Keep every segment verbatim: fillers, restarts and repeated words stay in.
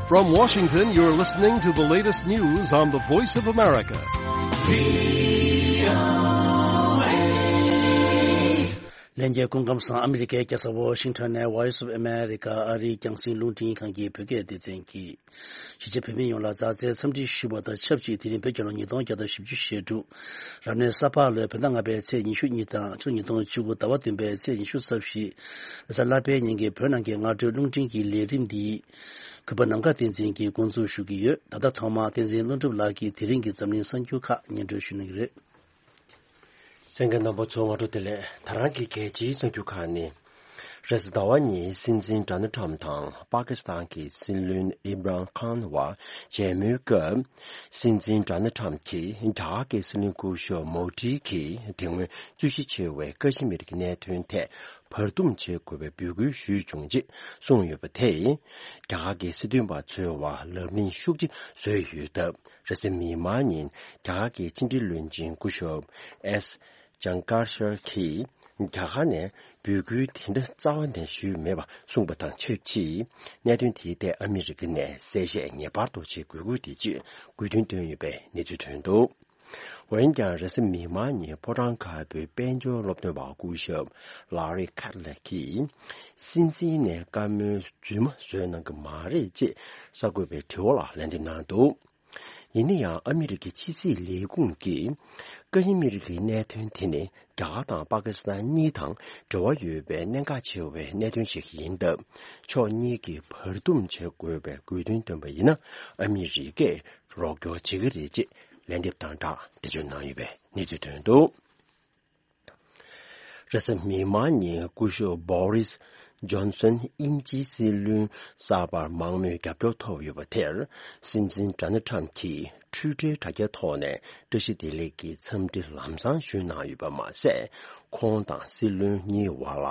From Washington, you're listening to the latest news on the Voice of America. ལྷན་རྒྱས་སྐུ་ཁམས་བཟང་། ཨ་མི་རི་ཀའི་རྒྱལ་ས་ཝ་ཤིང་ཊོན་ནས་Voice of America ཨ་རིའི་རྒྱང་སྲིང་རླུང་འཕྲིན་ཁང་གི་བོད་སྐད་སྡེ་ཚན་གྱིས་གཞིས་བྱེས་བོད་མི་ཡོངས་ལ་མཛའ་བརྩེའི་འཚམས་འདྲི་ཞུ་བ་དང་ཆབས་ཅིག་དེ་རིང་བོད་རྒྱལ་ལོ་ཉིས་སྟོང་བརྒྱ་དང་བཞི་བཅུ་ཞེ་དྲུག་རབ་གནས་ས་ཕག་ལོའི་བོད་ཟླ་ལྔ་པའི་ཚེས་ཉི་ཤུ་གཉིས་དང་ཕྱི་ལོ་ཉིས་སྟོང་བཅུ་དགུ་ཟླ་བ་བདུན་པའི་ཚེས་ཉི་ཤུ་རྩ་བཞི། རེས་གཟའ་ལྷག་པའི་ཉིན་གྱི་བོད་ནང་གི་སྔ་དྲོའི་རླུང་འཕྲིན་གྱི་ལས་རིམ་འདི་གུས་པ་ནམ་མཁའ་བསྟན་འཛིན་གྱིས་འགོ་འཛུགས་ཞུ་གི་ཡོད། ད་ལྟ་ཐོག་མར་བསྟན་འཛིན་ཀླུ་སྒྲུབ་ལགས་ཀྱིས་དེ་རིང་གི་འཛམ་གླིང་གསར་འགྱུར་ཁག་སྙན་སྒྲོན་ཞུ་གནང་གི་རེད། གསན་མཁན་རྣམ་པ་ཚོ་སྔ་དྲོ་བདེ་ལེགས། ད་རང་གི་རྒྱལ་སྤྱིའི་གསར་འགྱུར་ཁག་ནི། རེས་གཟའ་ཟླ་བ་ཉིན་སྲིད་འཛིན་ཌོ་ནལ་ཊམ་དང་པ་ཀི་སི་ཐན་གྱི་སྲིད་བློན་ཨིམ་རཱན་ཁཱན་བར་མཇལ་མོལ་སྐབས། སྲིད་འཛིན་ཌོ་ནལ་ཊམ་གྱིས་རྒྱ་གར་གྱི་སྲིད་བློན་སྐུ་ཞབས་མོ་དྷི་གིས་དེ་སྔོན་རྩོད་གཞི་ཆེ་བའི་ཀ་ཤི་མིར་གྱི་གནད་དོན་ཐད་བར་འདུམ་བྱེད་དགོས་པའི་འབོད་སྐུལ་ཞུས་བྱུང་ཅེས་གསུངས་ཡོད་པ་དེས། རྒྱ་གར་གྱི་སྲིད་དོན་པ་ཚོའི་བར་ལབ་གླེང་ཤུགས་ཆེ་བཟོས་ཡོད་སྟབས། རེས་གཟའ་མིག་དམར་ཉིན་རྒྱ་གར་གྱི་ཕྱི་འབྲེལ་བློན་ཆེན་སྐུ་ཞབས་ཨེས་ཇང་ཀར་ཤར་གྱིས་རྒྱ་གར་ནས་འབོད་སྐུལ་དེ་འདྲ་རྩ་བ་ནས་ཞུས་མེད་པ་གསུངས་པ་དང་ཆབས་ཅིག་གནད་དོན་དེའི་ཐད་ཨ་མི་རི་ཀ་ནས་གསལ་བཤད་ངེས་པར་དུ་བྱེད་དགོས་ཀྱི་ཡོད་ཅེས་དགོས་འདུན་བཏོན་ཡོད་པའི་གནས་ཚུལ་ཐོན་འདུག་འོན་ཀྱང་རེས་གཟའ་མིག་དམར་ཉིན་ཕོ་བྲང་དཀར་པོའི་དཔལ་འབྱོར་སློབ་སྟོན་པ་སྐུ་ཞབས་ལར་རི་ཁེ་ལེ་ཀིས་སྲིད་འཛིན་ནས་བཀའ་མོལ་རྫུན་མ་བཟོས་གནང་གི་མ་རེད་ཅེས་གསར་འགོད་པའི་དྲི་བ་ལ་ལན་འདེབས་གནང་འདུག་ཡིན་ན་ཡང་ཨ་མི་རི་ཀའི་ཕྱི་སྲིད་ལས་ཁུངས་ཀྱིས་ཀ་ཤི་མིར་གྱི་གནད་དོན་དེ་ནི་རྒྱ་གར་དང་པ་ཀི་སི་ཐན་གཉིས་དང་འབྲེལ་བ་ཡོད་པའི་གནད་འགག་ཆེ་བའི་གནད་དོན་ཞིག་ཡིན་སྟབས། ཕྱོགས་གཉིས་ཀྱིས་བར་འདུམ་བྱེད་དགོས་པའི་དགོས་འདུན་བཏོན་པ་ཡིན་ན་ཨ་མི་རི་ཀས་རོགས་སྐྱོར་བྱེད་ཀྱི་རེད་ཅེས་ལན་འདེབས་དང་སྦྲགས་འགྲེལ་བརྗོད་གནང་ཡོད་པའི་གནས་ཚུལ་ཐོན་འདུག་རེས་གཟའ་མིག་དམར་ཉིན་སྐུ་ཞབས་བོ་རིས་ཇོན་སོན་དབྱིན་ཇིའི་སྲིད་བློན་གསར་པར་མང་མོས་རྒྱབ་སྐྱོར་ཐོབ་ཡོད་པ་དེར། སྲིད་འཛིན་ཌོ་ནལ་ཊམ་གྱིས་ཊུའི་ཊར་དྲ་རྒྱའི་ཐོག་ནས་བཀྲ་ཤིས་བདེ་ལེགས་ཀྱི་འཚམས་འདྲི་ལམ་སང་ཞུས་གནང་ཡོད་པ་མ་ཟད། ཁོང་དང་སྲིད་བློན་གཉིས་བར་ལ་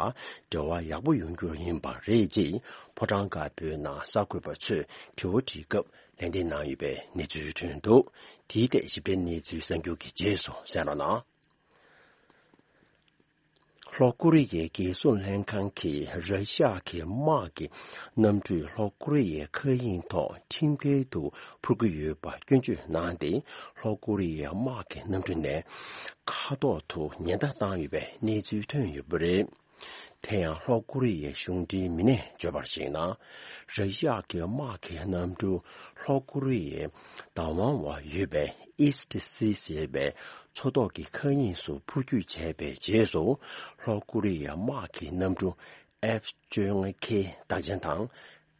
འབྲེལ་བ་ཡག་པོ་ཡོང་རྒྱུ་ཡིན་པ་རེད་ཅེས་ཕོ་བྲང་དཀར་པོའི་ནང་གསར་འགོད་པ་ཚོས་དྲི་བ་དྲིས་སྐབས་ལན་འདེབས་གནང་ཡོད་པའི་གནས་ཚུལ་ཐོན་འདུག་དེའི་ཐད་ཞིབ་ཕྲའི་གནས་ཚུལ་གསར་འགྱུར་གྱི་རྗེས་སུ་གསན་རོགས་གནང་། ལྷོ་ཀོ་རི་ཡའི་རྒྱལ་སྲུང་ལྷན་ཁང་གིས་ར་ཤི་ཡ་གི་དམག་གི་གནམ་གྲུས་ལྷོ་ཀོ་རི་ཡའི་མཁའ་དབྱིངས་ཐོག་ཁྲིམས་འགལ་དུ་འཕུར་གྱི་ཡོད་པ་སྐྱོན་བརྗོད་གནང་སྟེ། ལྷོ་ཀོ་རི་ཡའི་དམག་གི་གནམ་གྲུ་ནས་མཁའ་ཐོག་ཏུ་ཉེན་བརྡ་བཏང་ཡོད་པའི་གནས་ཚུལ་ཐོན་ཡོད་པ་རེད། དེ་ཡང་ལྷོ་ཀོ་རི་ཡའི་གཞུང་འབྲེལ་མི་སྣས་བརྗོད་པར་གཞིགས་ན། ར་ཤི་ཡ་གི་དམག་གི་གནམ་གྲུ་ལྷོ་ཀོ་རི་ཡའི་བདག་དབང་འོག་ཡོད་པའི་ཨིས་ཊི་སི་ཞེས་པའི་མཚོ་ཐོག་གི་མཁའ་དབྱིངས་སུ་འཕུར་སྐྱོད་བྱས་པའི་རྗེས་སུ། ལྷོ་ཀོ་རི་ཡའི་དམག་གི་གནམ་གྲུ་ཨེཕ་བཅོ་ལྔ་ཁེ་རྟགས་ཅན་དང་།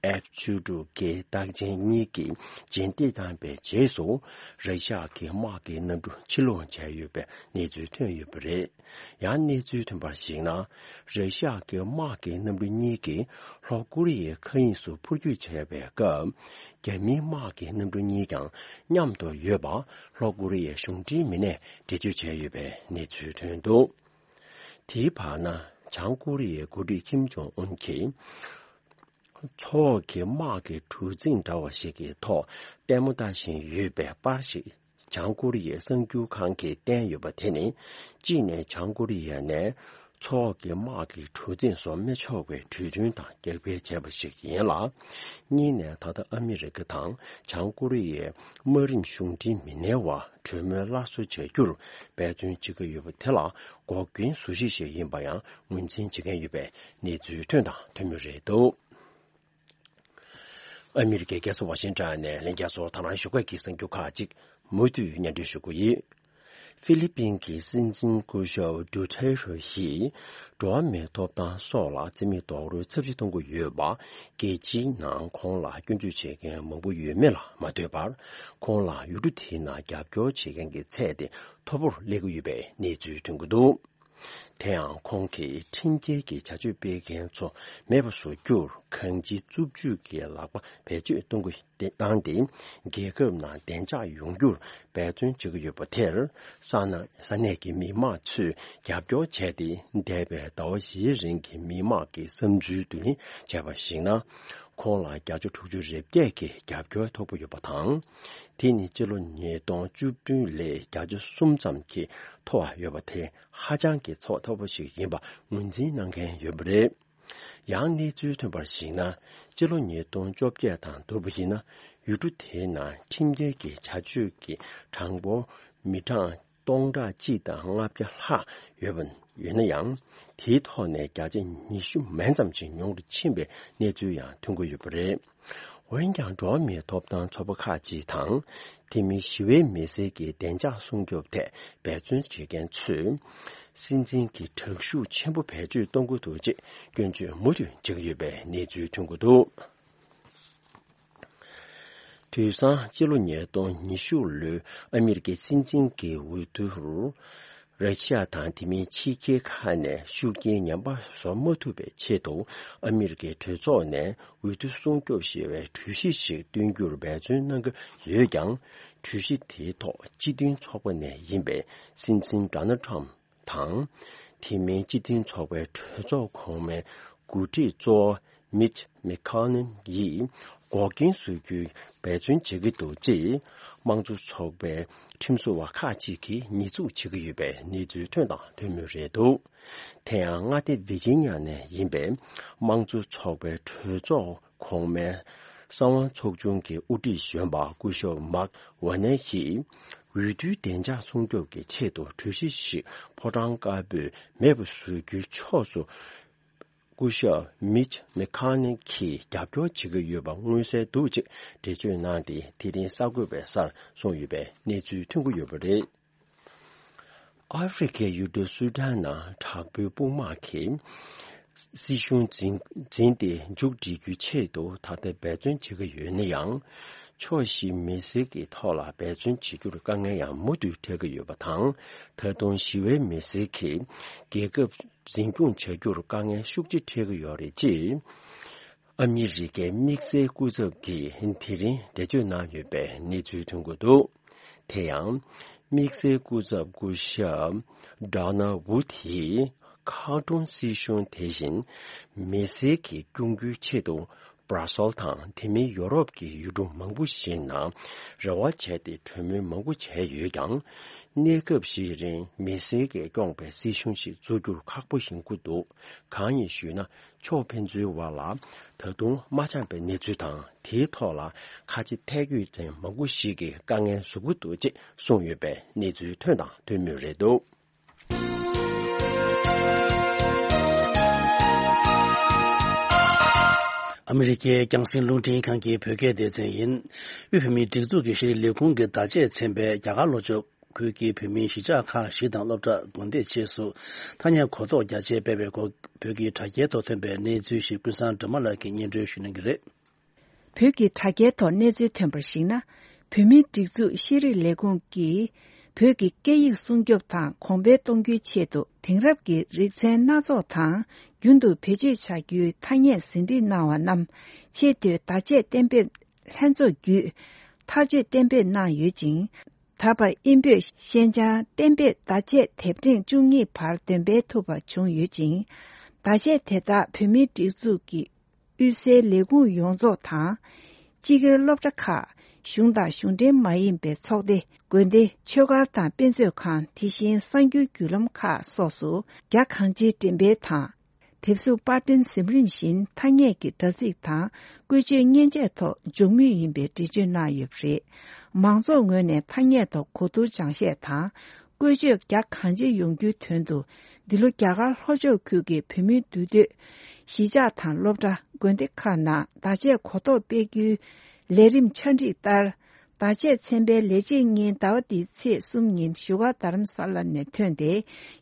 ཨེཕ་བཅུ་དྲུག་ཀེ་རྟགས་ཅན་གཉིས་ཀྱིས་རྗེས་འདེད་བཏང་པའི་རྗེས་སུ། ར་ཤི་ཡ་གི་དམག་གི་གནམ་གྲུ་ཕྱིར་ལོག་བྱས་ཡོད་པའི་གནས་ཚུལ་ཐོན་ཡོད་པ་རེད། ཡང་གནས་ཚུལ་ཐོན་པར་གཞིགས་ན། ར་ཤི་ཡ་གི་དམག་གི་གནམ་གྲུ་གཉིས་ཀྱིས་ལྷོ་ཀོ་རི་ཡའི་མཁའ་དབྱིངས་སུ་འཕུར་སྐྱོད་བྱས་པའི་སྐབས། རྒྱ་མིའི་དམག་གི་གནམ་གྲུ་གཉིས་ཀྱང་མཉམ་དུ་ཡོད་པ་ལྷོ་ཀོ་རི་ཡའི་གཞུང་འབྲེལ་མི་སྣས་འགྲེལ་བརྗོད་བྱས་ཡོད་པའི་གནས་ཚུལ་ཐོན་འདུག་དེའི་བར་ན། བྱང་ཀོ་རི་ཡའི་འགོ་ཁྲིད་ཁིམ་ཇོང་ཨུན་གྱིས། མཚོ་འོག་གི་དམག་གི་གྲུ་གཟིངས་འདྲ་བ་ཞིག་གི་ཐོག་ལྟད་མོ་ལྟ་བཞིན་ཡོད་པའི་པར་ཞིག་བྱང་ཀོ་རི་ཡའི་གསར་འགྱུར་ཁང་གིས་བསྟན་ཡོད་པ་དེ་ནི། གཅིག་ནས་བྱང་ཀོ་རི་ཡ་ནས་མཚོ་འོག་གི་དམག་གི་གྲུ་གཟིངས་བཟོ་མི་ཆོག་པའི་གྲོས་མཐུན་དང་རྒྱབ་འགལ་བྱས་པ་ཞིག་ཡིན་ལ། གཉིས་ནས་ད་ལྟ་ཨ་མི་རི་ཀ་དང་བྱང་ཀོ་རི་ཡའི་དམག་རིམ་གཞུང་འབྲེལ་མི་སྣའི་བར་གྲོས་མོལ་སླར་གསོ་བྱ་རྒྱུར་འབད་བརྩོན་བྱེད་ཀྱི་ཡོད་པ་དེ་ལ་འགོག་རྐྱེན་བཟོ་གཞི་ཞིག་ཡིན་པ་ཡང་ངོས་འཛིན་བྱེད་མཁན་ཡོད་པའི་གནས་ཚུལ་ཐོན་དང་ཐོན་མུས་རེད་འདུག་ཨ་མི་རི་ཀའི་རྒྱལ་ས་ཝ་ཤིང་ཊོན་ནས་ལྷན་རྒྱས་ཚོར་ད་རང་ཞོགས་ཀས་ཀྱི་གསར་འགྱུར་ཁག་ཅིག་མུ་མཐུད་སྙན་སྒྲོན་ཞུ་གི་ཡོད། ཧྥི་ལི་པིན་གྱི་སྲིད་འཛིན་སྐུ་ཞབས་ཌུ་ཐེ་རེ་ཡིས་འགྲོ་བ་མིའི་ཐོབ་ཐང་སོགས་ལ་བརྩི་མེད་རྡོག་རོལ་ཚབས་ཆེ་གཏོང་གི་ཡོད་པ། རྒྱལ་སྤྱིའི་ནང་ཁོང་ལ་སྐྱོན་བརྗོད་བྱེད་མཁན་མང་པོ་ཡོད་མེད་ལ་མ་ལྟོས་པར། ཁོང་ལ་ཡུལ་གྲུ་དེའི་ནང་རྒྱབ་སྐྱོར་བྱེད་མཁན་གྱི་ཚད་དེ་མཐོ་པོར་སླེབས་ཀྱི་ཡོད་པའི་གནས་ཚུལ་ཐོན་གྱི་འདུག་དེ་ཡང་ཁོང་གིས་ཁྲིམས་འགལ་གྱི་བྱ་སྤྱོད་སྤེལ་མཁན་ཚོ་མེད་པ་བཟོ་རྒྱུར་གང་ཅིའི་རྩུབ་སྤྱོད་ཀྱི་ལག་པ་བེད་སྤྱོད་གཏོང་གི་བཏང་སྟེ། རྒྱལ་ཁབ་ནང་བདེ་འཇགས་ཡོང་རྒྱུར་འབད་བརྩོན་བྱེད་ཀྱི་ཡོད་པ་དེར། ས་ན་ས་གནས་ཀྱི་མི་མང་ཚོས་རྒྱབ་སྐྱོར་བྱས་ཏེ། འདས་པའི་ཟླ་བ་བཞིའི་རིང་གི་མི་མང་གི་བསམ་ཚུལ་བསྡུ་ལེན་བྱས་པར་གཞིགས་ན། ཁོང་ལ་བརྒྱ་ཆ་དྲུག་ཅུ་རེ་བརྒྱད་ཀྱི་རྒྱབ་སྐྱོར་ཐོབ་ཀྱི་ཡོད་པ་དང་། དེ་ནི་སྤྱི་ལོ་ཉིས་སྟོང་བཅུ་བདུན་ལོའི་བརྒྱ་ཆ་གསུམ་ཙམ་གྱིས་མཐོ་བ་ཡོད་པ་དེ་ཧ་ཅང་གི་ཚད་མཐོ་པོ་ཞིག་ཡིན་པ་ངོས་འཛིན་གནང་མཁན་ཡོད་པ་རེད། ཡང་གནས་ཚུལ་ཐོན་པར་གཞིགས་ན། སྤྱི་ལོ་ཉིས་སྟོང་བཅོ་བརྒྱད་དང་བསྡུར་བ་ཡིན་ན། ཡུལ་གྲུ་དེའི་ནང་ཁྲིམས་འགལ་གྱི་བྱ་སྤྱོད་ཀྱི་གྲངས་འབོར་མི་གྲངས་སྟོང་ཕྲག་གཅིག་དང་ལྔ་བརྒྱ་ལྷག་ཡོད་པ་ཡོད་ན་ཡང་། དེའི་ཐོག་ནས་བརྒྱ་ཆ་ཉི་ཤུ་མན་ཙམ་ཞིག་ཉུང་དུ་ཕྱིན་པའི་གནས་ཚུལ་ཡང་ཐོན་གྱི་ཡོད་པ་རེད། འོན་ཀྱང་། འགྲོ་བ་མིའི་ཐོབ་ཐང་ཚོགས་པ་ཁག་ཅིག་དང་། དེ་མིན་ཞི་བའི་མི་སེར་གྱི་བདེ་འཇགས་སྲུང་སྐྱོབ་ཐད་འབད་བརྩོན་བྱེད་མཁན་ཚོས། སྲིད་འཛིན་གྱིས་དྲག་ཤུགས་ཆེན་པོ་བེད་སྤྱོད་གཏོང་གི་འདུག་ཅེས་སྐྱོན་བརྗོད་མུ་མཐུད་བྱེད་ཀྱི་ཡོད་པའི་གནས་ཚུལ་ཐོན་གྱི་འདུག། དུས་སང་སྤྱི་ལོ་ཉིས་སྟོང་ཉི་ཤུ་ལོའི་ཨ་མི་རི་ཀའི་སྲིད་འཛིན་གྱི་འོས་བསྡུར། ར་ཤི་ཡ་དང་དེ་མིན་ཕྱི་རྒྱལ་ཁག་ནས་ཤུགས་རྐྱེན་ངན་པ་བཟོ་མ་ཐུབ་པའི་ཆེད་དུ། ཨ་མི་རི་ཀའི་གྲོས་ཚོགས་ནས་འོས་བསྡུ་སྲུང་སྐྱོབ་ཞེས་པའི་གྲོས་གཞི་ཞིག་བཏོན་རྒྱུར་འབད་བརྩོན་གནང་གི་ཡོད་ཀྱང་། གྲོས་གཞི་དེའི་ཐོག་སྤྱི་མཐུན་ཚོགས་པ་ནས་ཡིན་པའི་སྲིད་འཛིན་ཌོ་ནལ་ཊམ་དང་། དེ་མིན་སྤྱི་མཐུན་ཚོགས་པའི་གྲོས་ཚོགས་གོང་མའི་འགོ་ཁྲིད་གཙོ་བོ་མིཆ་མེ་ཁོ་ནན་ཡིས་འགོག་རྐྱེན་བཟོ་རྒྱུའི་འབད་བརྩོན་བྱེད་ཀྱི་འདུག་ཅེས་དམངས་གཙོ་ཚོགས་པའི་ཁྲིམས་བཟོ་བ་ཁག་ཅིག་གིས་ཉེས་འཛུགས་བྱེད་ཀྱི་ཡོད་པའི་གནས་ཚུལ་ཐོན་དང་ཐོན་མུས་རེད་འདུག། དེ་ཡང་མངའ་སྡེ་ཝི་ཇི་ནི་ཡ་ནས་ཡིན་པའི་དམངས་གཙོ་ཚོགས་པའི་གྲོས་ཚོགས་གོང་མའི་གསང་བ་ཚོགས་ཆུང་གི་དབུ་ཁྲིད་གཞོན་པ་སྐུ་ཞབས་མཱག་ཝ་ནེ་ཡིས། འོས་བསྡུའི་བདེ་འཇགས་སྲུང་སྐྱོབ་ཀྱི་ཆེད་དུ་གྲོས་གཞི་ཞིག་ཕོ་བྲང་དཀར་པོས་མེད་པ་བཟོ་རྒྱུའི་ཕྱོགས་སུ། སྐུ་ཞབས་མིཆ་མེ་ཁོ་ནན་གྱིས་རྒྱབ་སྐྱོར་བྱེད་ཀྱི་ཡོད་པ་མངོན་གསལ་འདུག་ཅེས་འགྲེལ་བརྗོད་གནང་སྟེ། དེ་རིང་གསར་འགོད་པའི་སར་སོང་ཡོད་པའི་གནས་ཚུལ་ཐོན་གྱི་ཡོད་པ་རེད། ཨ་ཧྥེ་རི་ཁའི་ཡུལ་གྲུ་སུ་ཌན་ནང་དྲག་པོའི་དཔུང་དམག་གིས་སྲིད་གཞུང་འཛིན་འཛིན་ཏེ་མཇུག་སྒྲིལ་རྒྱུའི་ཆེད་དུ་ད་ལྟ་འབད་བརྩོན་བྱེད་ཀྱི་ཡོད་ན་ཡང་། ཕྱོགས་བཞིའི་མི་སེར་གྱི་ཐོག་ལ་འབད་བརྩོན་བྱེད་རྒྱུར་དཀའ་ངལ་ཡང་མུ་མཐུད་འཕྲད་ཀྱི་ཡོད་པ་དང་། ད་དུང་ཞི་བའི་མི་སེར་གྱིས་རྒྱལ་ཁབ་འཛིན་སྐྱོང་བྱ་རྒྱུར་དཀའ་ངལ་ཤུགས་ཆེ་འཕྲད་ཀྱི་ཡོད་རེད་ཅེས། ཨ་མི་རི་ཀའི་དམིགས་བསལ་སྐུ་ཚབ་ཀྱིས་དེ་རིང་འགྲེལ་བརྗོད་གནང་ཡོད་པའི་གནས་ཚུལ་ཐོན་གྱི་འདུག། དེ་ཡང་། དམིགས་བསལ་སྐུ་ཚབ་སྐུ་ཞབས་ཌོ་ནལ་ཝུཌ་ཡིས་ཁ་ཏོན་སྲིད་གཞུང་དེ་བཞིན་མི་སེར་གྱི་སྐྱོང་རྒྱུའི་ཆེད་དུ། སྦྲ་སེལ་དང་དེ་མིན་ཡོ་རོབ་ཀྱི་ཡུལ་གྲུ་མང་པོ་ཞིག་ནང་རེ་བ་བྱས་ཏེ་གྲོས་མོལ་མང་པོ་བྱས་ཡོད་ཀྱང་། གནས་སྐབས་ཤིག་རིང་མི་སེར་གྱིས་སྐྱོང་པའི་སྲིད་གཞུང་ཞིག་བཙུགས་རྒྱུར་ཁག་པོ་ཡིན་ཁུལ་འདུག། གང་ཡིན་ཞུས་ན། ཕྱོགས་ཕན་ཚུན་བར་ལ་ད་དུང་མ་འཆམ་པའི་གནས་ཚུལ་དང་། དེའི་ཐོག་ལ་ཁ་ཆེ་ཐལ་སྐྱོད་ཅན་མང་པོ་ཞིག་གིས་དཀའ་ངལ་བཟོ་གི་འདུག་ཅེས་གསུངས་ཡོད་པའི་གནས་ཚུལ་ཐོན་དང་ཐོན་མུས་རེད་འདུག། ཨ་མི་རི་ཀའི་རྒྱང་སྲིང་རླུང་འཕྲིན་ཁང་གི་བོད་སྐད་སྡེ་ཚན་ཡིན། དབུས་བོད་མིའི་སྒྲིག་འཛུགས་ཀྱི་ཤེས་རིག་ལས་ཁུངས་ཀྱི་བརྡ་ཆད་ཚན་པས་རྒྱ་གར་ལྷོ་ཕྱོགས་ཁུལ་གྱི་བོད་མིའི་གཞིས་ཆགས་ཁག་བཞི་དང་སློབ་གྲྭ་དགོན་སྡེ་བཅས་སུ་ཐ་སྙད་གོ་རྟོགས་རྒྱ་ཆེ་སྤེལ་བའི་སྐོར་བོད་ཀྱི་དྲ་རྒྱའི་ཐོག་ཐོན་པའི་གནས་ཚུལ་ཞིག་ཀུན་བཟང་སྒྲོལ་མ་ལགས་ཀྱིས་སྙན་སྒྲོན་ཞུ་གནང་གི་རེད། བོད་ཀྱི་དྲ་རྒྱའི་ཐོག་གནས་ཚུལ་ཐོན་པར་གཞིགས་ན། བོད་མིའི་སྒྲིག་འཛུགས་ཤེས་རིག་ལས་ཁུངས་ཀྱིས་བོད་ཀྱི་སྐད་ཡིག་སྲུང་སྐྱོབ་དང་གོང་འཕེལ་གཏོང་རྒྱུའི་ཆེད་དུ། དེང་རབས་ཀྱི་རིག་ཚན་སྣ་ཚོགས་དང་རྒྱུན་དུ་བེད་སྤྱོད་བྱ་རྒྱུའི་ཐ་སྙད་ཟིན་བྲིས་གནང་བ་རྣམས་ཆེས་མཐོའི་བརྡ་ཆད་གཏན་འབེབས་ལྷན་ཚོགས་བརྒྱུད། ཐག་གཅོད་གཏན་འབེབས་གནང་ཡོད་ཅིང་། ད་བར་དབྱིན་བོད་ཤན་སྦྱར་གཏན་འབེབས་བརྡ་ཆད་དེབ་ཕྲེང་བཅུ་གཉིས་བར་འདོན་སྤེལ་ཐུབ་པ་བྱུང་ཡོད་ཅིང་། བརྡ་ཆད་དེ་དག་བོད་མིའི་སྒྲིག་འཛུགས་ཀྱི་དབུས་སའི་ལས་ཁུངས་ཡོངས་རྫོགས་དང་། སྤྱི་སྒེར་སློབ་གྲྭ་ཁག་གཞུང་དང་གཞུང་འབྲེལ་མ་ཡིན་པའི་ཚོགས་སྡེ། དགོན་སྡེ། ཆོས་སྒར་དང་དཔེ་མཛོད་ཁང་། དེ་བཞིན་གསར་འགྱུར་བརྒྱུད་ལམ་ཁག་སོགས་སུ་རྒྱ་གང་ཆེའི་འགྲེམས་སྤེལ་དང་། དེབ་གཟུགས་པར་སྐྲུན་ཟིན་རིམ་བཞིན་ཐ་སྙད་ཀྱི་དྲ་ཚིགས་དང་བཀོལ་སྤྱོད་མཉེན་ཆས་ཐོག་འཇོག་མུས་ཡིན་པའི་འགྲེལ་བརྗོད་གནང་ཡོད་པ་རེད། མང་ཚོགས་ངོས་ནས་ཐ་སྙད་ཐོག་གོ་བསྡུར་སྦྱང་བཤད་དང་། བཀོལ་སྤྱོད་རྒྱ་གང་ཆེ་ཡོང་རྒྱུའི་དོན་དུ། འདི་ལོ་རྒྱ་གར་ལྷོ་ཕྱོགས་ཁུལ་གྱི་བོད་མིའི་འདུས་སྡོད་གཞིས་ཆགས་དང་སློབ་གྲྭ། དགོན་སྡེ་ཁག་ནང་བརྡ་ཆད་གོ་རྟོགས་སྤེལ་རྒྱུའི་ལས་རིམ་ཆ་འགྲིག་ལྟར། བརྡ་ཆད་ཚན་པའི་ལས་བྱེད་གཉིས་ཟླ་བ་འདིའི་ཚེས་གསུམ་ཉིན་བཞུགས་སྒར་རྡ་རམ་ས་ལ་ནས་ཐོན་ཏེ།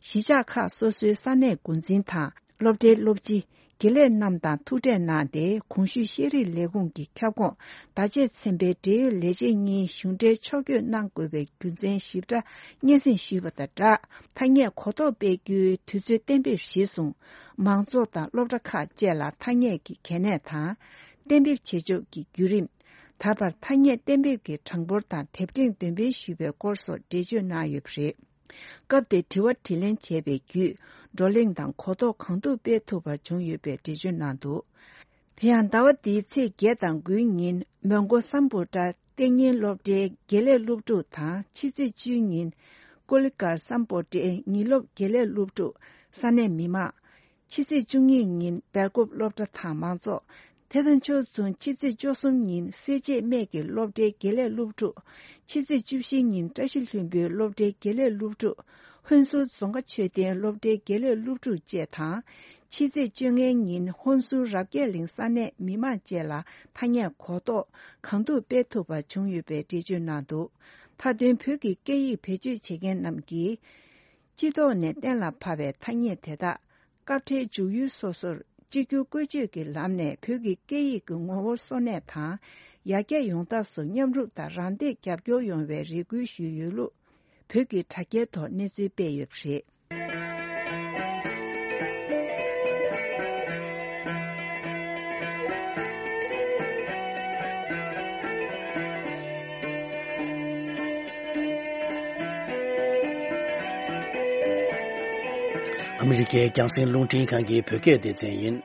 གཞིས་ཆགས་ཁག་སོ་སོའི་ས་གནས་འགོ་འཛིན་དང་། སློབ་གྲྭའི་སློབ་སྤྱི། དགེ་ལས་རྣམས་དང་ཐུག་འཕྲད་གནང་སྟེ། གོང་ཞུས་ཤེས་རིག་ལས་ཁུངས་ཀྱི་ཁྱབ་ཁོངས་བརྡ་ཆད་ཚན་པའི་འབྲེལ་ཡོད་ལས་བྱེད་གཉིས་གཞུང་འབྲེལ་ཕྱོགས་བསྐྱོད་གནང་དགོས་པའི་རྒྱུ་མཚན་ཞིབ་ཕྲ་སྙན་སེང་ཞུས་པ་དང་སྦྲགས། ཐ་སྙད་གོ་རྟོགས་སྤེལ་རྒྱུའི་དུས་ཚོད་གཏན་འབེབས་གཞིར་བཟུང་། མང་ཚོགས་དང་སློབ་གྲྭ་ཁག་བཅས་ལ་ཐ་སྙད་ཀྱི་གལ་གནད་དང་། གཏན་འབེབས་བྱེད་ཕྱོགས་ཀྱི་བརྒྱུད་རིམ། ད་བར་ཐ་སྙད་གཏན་འབེབས་ཀྱི་གྲངས་འབོར་དང་དེབ་ཕྲེང་འདོན་སྤེལ་ཞུས་པའི་སྐོར་སོགས་འགྲེལ་བརྗོད་གནང་ཡོད་པ་རེད། སྐབས་དེར་དྲི་བ་དྲིས་ལན་བྱས་པའི་བརྒྱུད། བགྲོ་གླེང་དང་གོ་རྟོགས་གང་ཐུབ་སྤེལ་ཐུབ་པ་བྱུང་ཡོད་པའི་འགྲེལ་བརྗོད་གནང་འདུག། དེ་ཡང་ཟླ་བ་འདིའི་ཚེས་བརྒྱད་དང་དགུའི་ཉིན་མོན་གྷོ་སམ་བྷོ་ཊ་གཏན་ཉིན་སློབ་གྲྭའི་དགེ་ལས་སློབ་ཕྲུག་དང་། ཕྱི་ཚེས་བཅུའི་ཉིན་ཀོ་ལི་གྷལ་སམ་བྷོ་ཊའི་ཉིན་སློབ་དགེ་ལས་སློབ་ཕྲུག་ས་གནས་མི་མང་། ཕྱི་ཚེས་བཅུ་གཉིས་ཉིན་སྦེལ་ཀོབ་སློབ་གྲྭ་དང་མང་ཚོགས། དེ་དང་ཕྱོགས་མཚུངས་ཕྱི་ཚེས་བཅུ་གསུམ་ཉིན་སེར་བྱེས་སྨད་ཀྱི་སློབ་གྲྭའི་དགེ་ལས་སློབ་ཕྲུག་ཕྱི་ཚེས་བཅུ་བཞི་ཉིན་བཀྲ་ཤིས་ལྷུན་པོའི་སློབ་གྲྭའི་དགེ་ལས་སློབ་ཕྲུག་ཧོན་སུར་རྫོང་ཁ་མཆོད་རྟེན་སློབ་གྲྭའི་དགེ་ལས་སློབ་ཕྲུག་བཅས་དང་། ཕྱི་ཚེས་བཅོ་ལྔའི་ཉིན་ཧོན་སུར་རབ་རྒྱས་གླིང་ས་གནས་མི་མང་བཅས་ལ་ཐ་སྙད་གོ་རྟོགས་གང་ཐུབ་སྤེལ་ཐུབ་པ་བྱུང་ཡོད་པའི་འགྲེལ་བརྗོད་གནང་འདུག་མཐའ་དོན་བོད་ཀྱི་སྐད་ཡིག་བེད་སྤྱོད་བྱེད་མཁན་རྣམས་ཀྱིས། སྤྱི་ཚོགས་ནས་གཏན་ལ་ཕབ་པའི་ཐ་སྙད་དེ་དག་སྐབས་འཕྲལ་འཇུག་ཡུལ་སོ་སོར་གཅིག་གྱུར་བཀོལ་སྤྱོད་ཀྱི་ལམ་ནས་བོད་ཀྱི་སྐད་ཡིག་གི་ངོ་བོ་གསོ་གནས་དང་ཡར་རྒྱས་ཡོང་ཐབས་སུ་མཉམ་རུབ་དང་རམ་འདེགས་རྒྱབ་སྐྱོར་ཡོང་བའི་རེ་སྐུལ་ཞུས་ཡོད་ལུགས་བོད་ཀྱི་དྲ་རྒྱའི་ཐོག་གནས་ཚུལ་སྤེལ་ཡོད་པ་རེད། ཨ་མི་རི་ཀའི་རྒྱང་སྲིང་རླུང་འཕྲིན་ཁང་གི་བོད་སྐད་སྡེ་ཚན་ཡིན།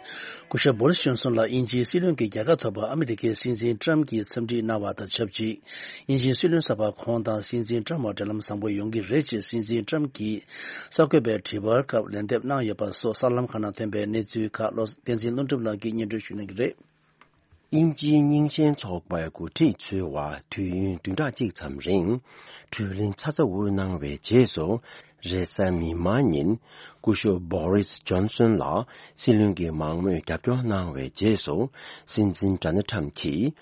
སྐུ་ཞབས་བོ་རིས་ཇོན་སོན་ལ་དབྱིན་ཇིའི་སྲིད་བློན་གྱི་རྒྱལ་ཁ་ཐོབ་པར་ཨ་མི་རི་ཀའི་སྲིད་འཛིན་ཏྲམ་གྱིས་འཚམས་འདྲི་གནང་བ་དང་ཆབས་ཅིག་དབྱིན་ཇིའི་སྲིད་བློན་གསར་པ་ཁོང་དང་སྲིད་འཛིན་ཏྲམ་བར་འབྲེལ་ལམ་བཟང་པོ་ཡོང་གི་རེད་ཅེས་སྲིད་འཛིན་ཏྲམ་གྱིས་གསར་འགོད་པའི་དྲི་བར་སྐབས་ལན་འདེབས་གནང་ཡོད་པ་སོགས་གསར་ལམ་ཁག་ནང་ཐོན་པའི་གནས་ཚུལ་ཁག་བློ་བསྟན་འཛིན་ཀླུ་འགྲུབ་ལགས་ཀྱིས་སྙན་སྒྲོན་ཞུ་གནང་གི་རེད། དབྱིན་ཇིའི་རྙིང་ཞེན་ཚོགས་པའི་འགོ་ཁྲིད་ཚོའི་དབར་དུས་ཡུན་བདུན་ཕྲག་གཅིག་ཙམ་རིང་གྲོས་གླེང་ཚ་ཚ་འུར་གནང་བའི་རྗེས་སུ། རེས་གཟའ་མིག་དམར་ཉིན་སྐུ་ཞབས་བོ་རིས་ཇོན་སོན་ལ་སྲིད་བློན་གྱི་མང་མོས་རྒྱབ་སྐྱོར་གནང་བའི་རྗེས་སུ། སྲིད་འཛིན་ཌོ་ནལ་ཁྲམ་གྱིས་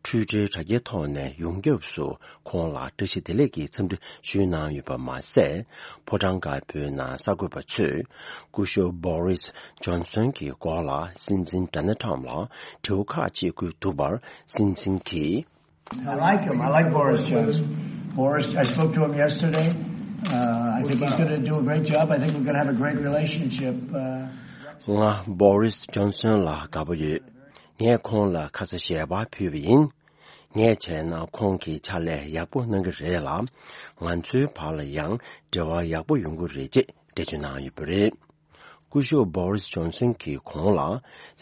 ཊུའི་ཊར་དྲ་རྒྱའི་ཐོག་ནས་ཡོངས་ཁྱབ་སུ་ཁོང་ལ་བཀྲ་ཤིས་བདེ་ལེགས་ཀྱི་འཚམས་འདྲི་ཞུས་གནང་ཡོད་པ་མ་ཟད། ཕོ་བྲང་དཀར་པོའི་ནང་གསར་འགོད་པ་ཚོས་སྐུ་ཞབས་བོ་རིས་ཇོན་སོན་གྱི་སྐོར་ལ་སྲིད་འཛིན་ཌོ་ནལ་ཁྲམ་ལ་དྲི་བ་ཁག་ཅིག་བཀོད་འདུག་པར། སྲིད་འཛིན་གྱིས། I like him. I like Boris Johnson. Boris, I spoke to him yesterday. Uh, I think he's going to do a great job. I think we're going to have a great relationship. Uh, ང་བོ་རིས་ཇོན་སོན་ལ་དགའ་པོ་ཡོད། ངས་ཁོང་ལ་ཁ་ས་ཞལ་པར་ཕུལ་བ་ཡིན། ངས་བྱས་ན་ཁོང་གིས་ཕྱག་ལས་ཡག་པོ་གནང་གི་རེད་ལ། ང་ཚོའི་བར་ལ་ཡང་འབྲེལ་བ་ཡག་པོ་ཡོང་གི་རེད་ཅེས་འགྲེལ་བརྗོད་གནང་ཡོད་པ་རེད། སྐུ་ཞབས་བོ་རིས་ཇོན་སོན་གྱིས་ཁོང་ལ་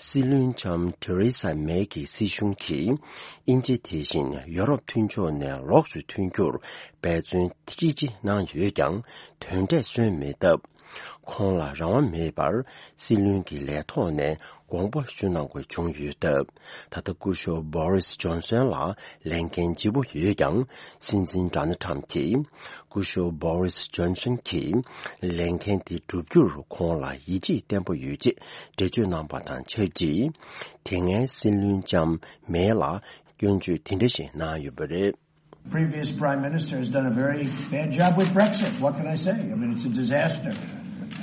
སྲིད་བློན་ལྕམ་ཐེ་རེ་ས་མེ་གི་སྲིད་གཞུང་གིས་དབྱིན་ཇི་དེ་བཞིན་ཡོ་རོབ་མཐུན་ཕྱོགས་ནས་ལོགས་སུ་ཐོན་རྒྱུར་འབད་བརྩོན་ཅི་ཅི་གནང་ཡོད་ཀྱང་དོན་འབྲས་སོན་མེད་སྟབས། ཁོང་ལ་རང་དབང་མེད་པར་སྲིད་བློན་གྱི་ལས་ཐོག་ནས་དགོངས་པ་ཞུ་གནང་དགོས་བྱུང་ཡོད་སྟབས། ད་ལྟ་སྐུ་ཞབས་བོ་རིས་ཇོན་སོན་ལ་ལས་འགན་ལྗིད་པོ་ཡོད་ཀྱང་། སྲིད་འཛིན་ཌོ་ནལ་ཁྲམ་གྱིས་སྐུ་ཞབས་བོ་རིས་ཇོན་སོན་གྱིས་ལས་འགན་དེ་བསྒྲུབ་རྒྱུར་ཁོང་ལ་ཡིད་ཆེས་བརྟན་པོ་ཡོད་ཅེས་འགྲེལ་བརྗོད་གནང་པ་དང་ཆབས་ཅིག་དེ་སྔའི་སྲིད་བློན་ལྕམ་མེ་ལ་སྐྱོན་བརྗོད་དེ་འདྲ་ཞིག་གནང་ཡོད་པ་རེད། Previous Prime Minister has done a very bad job with Brexit. What can I say? I mean, it's a disaster.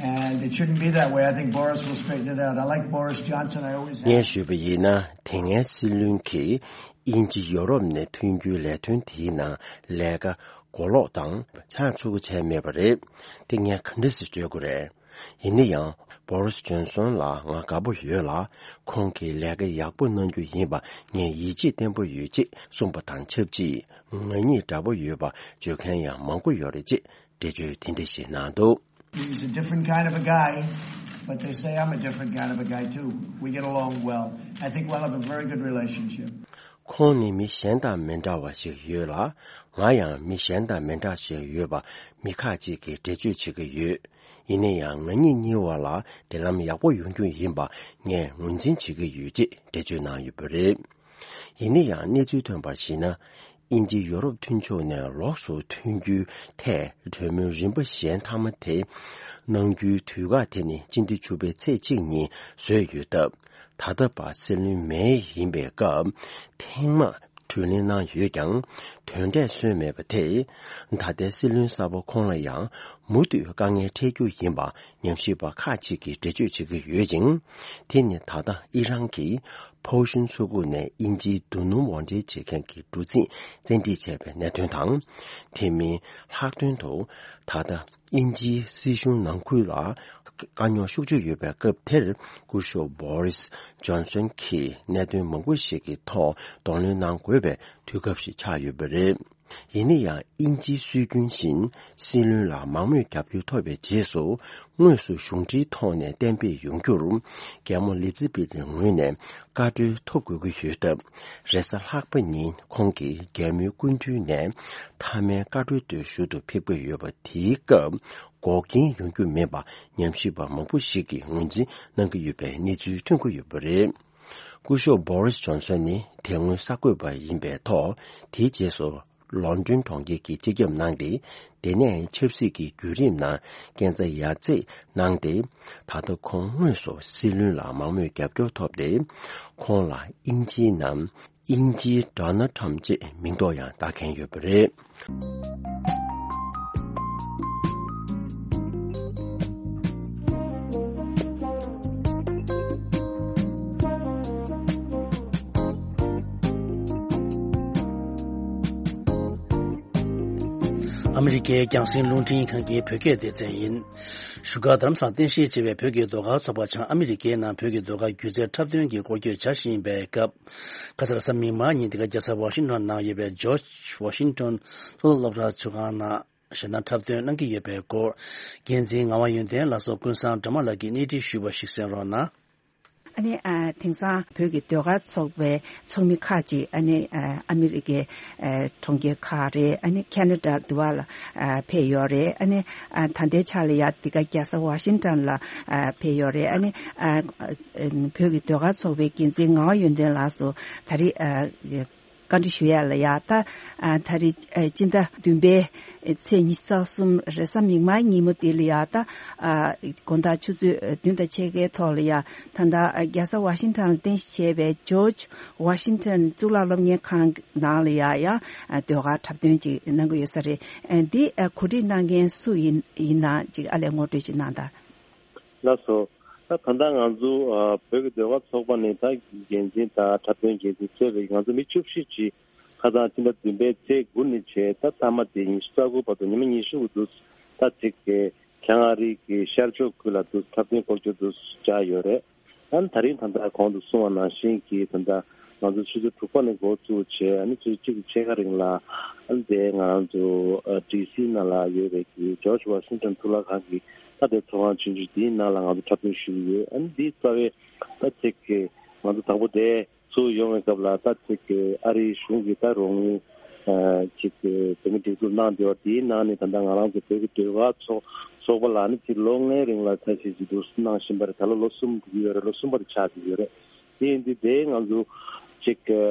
And it shouldn't be that way. I think Boris will straighten it out. I like Boris Johnson. I always have. ངས་ཞུས་པ་ཡིན་ན། དེ་སྔའི་སྲིད་བློན་གྱིས་དབྱིན་ཇི་ཡོ་རོབ་ནས་ཐོན་རྒྱུའི་ལས་དོན་དེའི་ནང་ལས་ཀ་གོ་ལོག་དང་ཆགས་ཚུགས་པ་བྱས་མེད་པ་རེད། དེ་ངས་ག་འདྲ་སེ་བརྗོད་དགོས་རེད། ཡིན་ན་ཡང་། བོ་རིས་ཇོན་སོན་ལ་ང་དགའ་པོ་ཡོད་ལ། ཁོང་གིས་ལས་ཀ་ཡག་པོ་གནང་རྒྱུ་ཡིན་པ་ངས་ཡིད་ཆེས་བརྟན་པོ་ཡོད་ཅེས་གསུངས་པ་དང་ཆབས་ཅིག་ང་གཉིས་འདྲ་པོ་ཡོད་པ་བརྗོད་མཁན་ཡང་མང་པོ་ཡོད་རེད་ཅེས་འགྲེལ་བརྗོད་དེ་འདྲ་ཞིག་གནང་འདུག He's a different kind of a guy, but they say I'm a different kind of a guy too. We get along well. I think we'll have a very good relationship. ཁོང་ནི་མི་གཞན་དང་མི་འདྲ་བ་ཞིག་ཡོད་ལ། ང་ཡང་མི་གཞན་དང་མི་འདྲ་ཞིག་ཡོད་པ་མི་ཁག་ཅིག་གིས་འགྲེལ་བརྗོད་བྱེད་ཀྱི་ཡོད། ཡིན་ན་ཡང་ང་གཉིས་གཉིས་བར་ལ་འབྲེལ་ལམ་ཡག་པོ་ཡོང་རྒྱུ་ཡིན་པ་ངས་ངོས་འཛིན་བྱེད་ཀྱི་ཡོད་ཅེས་འགྲེལ་བརྗོད་གནང་ཡོད་པ་རེད། ཡིན་ན་ཡང་གནས་ཚུལ་ཐོན་པར་གཞིགས་ན། དབྱིན་ཇི་ཡོ་རོབ་མཐུན་ཕྱོགས་ནས་ལོགས་སུ་ཐོན་རྒྱུའི་ཐད་གྲོས་མོལ་རིམ་པ་གཞན་མཐའ་མ་དེ་གནང་རྒྱུའི་དུས་བཀག་དེ་ནི་སྤྱི་ཟླ་བཅུ་པའི་ཚེས་གཅིག་ཉིན་བཟོས་ཡོད་སྟབས། ད་ལྟ་བར་སྲིད་བློན་མེ་ཡིན་པའི་སྐབས་ཐེངས་མང་གྲོས་གླེང་གནང་ཡོད་ཀྱང་དོན་འབྲས་སོན་མེད་པ་དེས། ད་ལྟའི་སྲིད་བློན་གསར་པ་ཁོང་ལ་ཡང་མུ་མཐུད་དཀའ་ངལ་འཕྲད་རྒྱུ་ཡིན་པ་ཉམས་ཞིབ་པ་ཁག་ཅིག་གིས་འགྲེལ་བརྗོད་བྱེད་ཀྱི་ཡོད་ཅིང་། དེ་ནི་ད་ལྟ་ཨི་རན་གྱིས་ཕོའུ་ཤུན་མཚོ་ཁུག་ནས་དབྱིན་ཇིའི་རྡོ་སྣུམ་དབོར་འདྲེན་བྱེད་མཁན་གྱི་གྲུ་གཟིངས་བཙན་ཁྲིད་བྱས་པའི་གནད་དོན་དང་། དེ་མིན་ལྷག་དོན་དུ་ད་ལྟ་དབྱིན་ཇིའི་སྲིད་གཞུང་ནང་ཁུལ་ལ་དཀའ་རྙོག་ཤུགས་ཆེ་ཡོད་པའི་སྐབས་དེར་སྐུ་ཞབས་བོ་རིས་ཇོན་སོན་གྱིས་གནད་དོན་མང་པོ་ཞིག་གི་ཐོག་གདོང་ལེན་གནང་དགོས་པའི་དུས་སྐབས་ཤིག་ཆགས་ཡོད་པ་རེད། ཡིན་ན་ཡང་དབྱིན་ཇིའི་སྲོལ་རྒྱུན་བཞིན་སྲིད་བློན་ལ་མང་མོས་རྒྱབ་སྐྱོར་ཐོབ་པའི་རྗེས་སུ་དངོས་སུ་གཞུང་འབྲེལ་ཐོག་ནས་གཏན་འབེབས་ཡོང་རྒྱུར་རྒྱལ་མོ་ལི་ཛི་བེ་ཐི་ངོས་ནས་བཀའ་འཁྲོལ་ཐོབ་དགོས་ཀྱི་ཡོད་སྟབས། རེས་གཟའ་ལྷག་པ་ཉིན་ཁོང་གིས་རྒྱལ་མོའི་སྐུ་མདུན་ནས་མཐའ་མའི་བཀའ་འཁྲོལ་དེ་ཞུ་དུ་ཕེབས་ཀྱི་ཡོད་པ་དེའི་སྐབས། འགོག་རྐྱེན་ཡོང་རྒྱུ་མེད་པ་ཉམས་ཞིབ་པ་མང་པོ་ཞིག་གིས་ངོས་འཛིན་གནང་གི་ཡོད་པའི་གནས་ཚུལ་ཐོན་གྱི་ཡོད་པ་རེད། སྐུ་ཞབས་བྷོ་རིས་ཇོན་སན་ནི་དེ་སྔོན་གསར་འགོད་པ་ཡིན་པའི་ཐོག་དེའི་རྗེས་སུ་ལོན་ཌོན་གྲོང་ཁྱེར་གྱི་སྤྱི་ཁྱབ་གནང་སྟེ། དེ་ནས་ཆབ་སྲིད་ཀྱི་བརྒྱུད་རིམ་ནང་སྐས་འཛེག་ཡར་འཛེག་གནང་སྟེ། ད་ལྟ་ཁོང་དངོས་སུ་སྲིད་བློན་ལ་མང་མོས་རྒྱབ་སྐྱོར་ཐོབ་སྟེ། ཁོང་ལ་དབྱིན་ཇིའི་ནང་དབྱིན་ཇིའི་ཌོ་ནལ་ཊམ་ཅེས་མིང་འདོགས་ཡང་བཏགས་མཁན་ཡོད་པ་རེད། ཨ་མི་རི་ཀའི་རྒྱང་སྲིང་རླུང་འཕྲིན་ཁང་གི་བོད་སྐད་སྡེ་ཚན་ཡིན། བཞུགས་སྒར་རྡ་རམ་ས་ལར་རྟེན་གཞི་བྱས་པའི་བོད་ཀྱི་ཟློས་གར་ཚོགས་པ་བྱང་ཨ་མི་རི་ཀའི་ནང་བོད་ཀྱི་ཟློས་གར་སྒྱུ་རྩལ་འཁྲབ་སྟོན་གྱི་སྐོར་སྐྱོད་བྱ་བཞིན་པའི་སྐབས། ཁ་སང་གཟའ་མིག་དམར་ཉིན་འདི་ག་རྒྱལ་ས་ཝ་ཤིང་ཊོན་ནང་ཡོད་པའི་ཇོརྗ་ཝ་ཤིང་ཊོན་གཙུག་ལག་སློབ་གྲྭ་ཚོགས་ཁང་ནང་ཞལ་ཏང་འཁྲབ་སྟོན་གནང་གི་ཡོད་པའི་སྐོར། འགན་འཛིན་ངག་དབང་ཡོན་ཏན་ལགས་སོགས་ཀུན་བཟང་སྒྲོལ་མ་ལགས་ཀྱིས་སྣེ་ཁྲིད་ཞུས་པ་ཞིག་གསན་རོགས་གནང་། ཨ་ནི་ཨ་དེང་སང་བོད་ཀྱི་ཟློས་གར་ཚོགས་པའི་ཚོགས་མི་ཁག་ཅིག་ཨ་ནི་ཨ་ཨ་མི་རི་ཀའི་ཨ་གྲོང་ཁྱེར་ཁག་རེད། ཨ་ནི་ཁེ་ན་ཌ་འདི་བ་ལ་ཨ་ཕེབས་ཡོད་རེད། ཨ་ནི་ཨ་ད་ལྟའི་ཆ་ལ་ཡ་འདི་ག་རྒྱལ་ས་ཝ་ཤིང་ཊོན་ལ་ཨ་ཕེབས་ཡོད་རེད། ཨ་ནི་ཨ་བོད་ཀྱི་ཟློས་གར་ཚོགས་པའི་འགན་འཛིན་ངག་དབང་ཡོན་ཏན་ལགས་སུ་ད་རེས་ཨ་བཀའ་འདྲི་ཞུ་ཡ་ལ་ཡ། ད་ཨ་ད་རེས་ཨ་སྤྱི་ཟླ་བདུན་པའི་ཚེས་ཉི་ཤུ་རྩ་གསུམ་རེས་གཟའ་མིག་དམར་ཉིན་མོ་འདི་ལ་ཡ། ད་ཨ་དགོང་དག་ཆུ་ཚོད་བདུན་དང་ཕྱེད་ཀའི་ཐོག་ལ་ཡ། ད་ལྟ་ཨ་རྒྱལ་ས་ཝ་ཤིང་ཊོན་ལ་རྟེན་གཞི་བྱས་པའི་ཇོརྗ་ཝ་ཤིང་ཊོན་གཙུག་ལག་སློབ་གཉེར་ཁང་ནང་ལ་ཡ་ཡ་ཨ་ཟློས་གར་འཁྲབ་སྟོན་ཅིག་གནང་གི་ཡོད་ས་རེད། ཨ་འདི་ཨ་གོ་སྒྲིག་གནང་མཁན་སུ་ཡིན་ཡིན་ན་ཅིག་ཨ་ལས་ངོ་སྤྲོད་ཅིག་གནང་དང་། ལགས་སོ། ད་ད་ལྟ་ང་ཚོ་ཨ་བོད་ཀྱི་ཟློས་གར་ཚོགས་པ་ནས་ད་འགན་འཛིན་དང་འཁྲབ་སྟོན་འགན་འཛིན་གཙོས་པའི་ང་ཚོ་མི་བཅུ་བཞི་ཅིག་ཁ་སང་སྤྱི་ཟླ་བདུན་པའི་ཚེས་དགུ་ནས་བྱས་ད་མཐའ་མ་དེ་ཉི་ཤུ་རྩ་དགུ་བར་དུ་ཉི་མ་ཉི་ཤུ་གི་དུས་ད་ཚིག་གི་བྱང་ཨ་རི་གི་ཤར་ཕྱོགས་ཁུལ་ལ་དུས་འཁྲབ་སྟོན་སྐོར་སྐྱོད་དུ་བཅར་ཡོད་རེད། ཨ་ནི་ད་རིང་ད་ལྟ་གོང་དུ་གསུངས་པ་ནང་བཞིན་གྱི་ད་ལྟ་ང་ཚོ་ཆུ་ཚོད་དྲུག་པ་ནས་འགོ་བཙུགས་བྱས། ཨ་ནི་ཆུ་ཚོད་གཅིག་གི་ཕྱེད་ཀ་རིང་ལ་ཨ་ནི་དེ་ང་རང་ཚོ་ཨ་ཌི་སི་ནང་ལ་ཡོད་པའི་གི་ཇོརྗ་ཝ་ཤིང་ཊོན་གཙུག་ལག་ཁང་གི་ད་དེ་ཚོགས་ཁང་ཆུང་ཆུང་དེའི་ནང་ལ་ང་ཚོ་འཁྲབ་སྟོན་ཞུ་གི་ཡོད། ཨ་ནི་འདིའི་རྩ་བའི་ད་ཚིག་གི་ང་ཚོ་དང་པོ་དེ་ཚུགས་ཡོང་བའི་སྐབས་ལ་ད་ཅིག་གི་ཨ་རིའི་གཞུང་གིས་ད་རོགས་དངུལ་ཅིག་གི་བོད་མི་སྒྲིག་འཛུགས་གནང་བསྡད་པ་དེའི་ནང་ནས་ད་ལྟ་ང་རང་ཚོ་བོད་ཀྱི་ཟློས་གར་ཚོགས་ཚོགས་པ་ལ་ནི་ཅིག་ལོ་ལྔའི་རིང་ལ་ཚད་གཞི་ཅིག་འདུག་གནང་བཞིན་པ་རེད། ད་ལོ་ལོ་གསུམ་འགྲོ་གི་ཡོད་རེད། ལོ་གསུམ་པ་དེ་ཆགས་བསྡད་ཡོད་རེད། དེ་ཡིན་དུས་དེ་ང་ཚོ་ཅིག་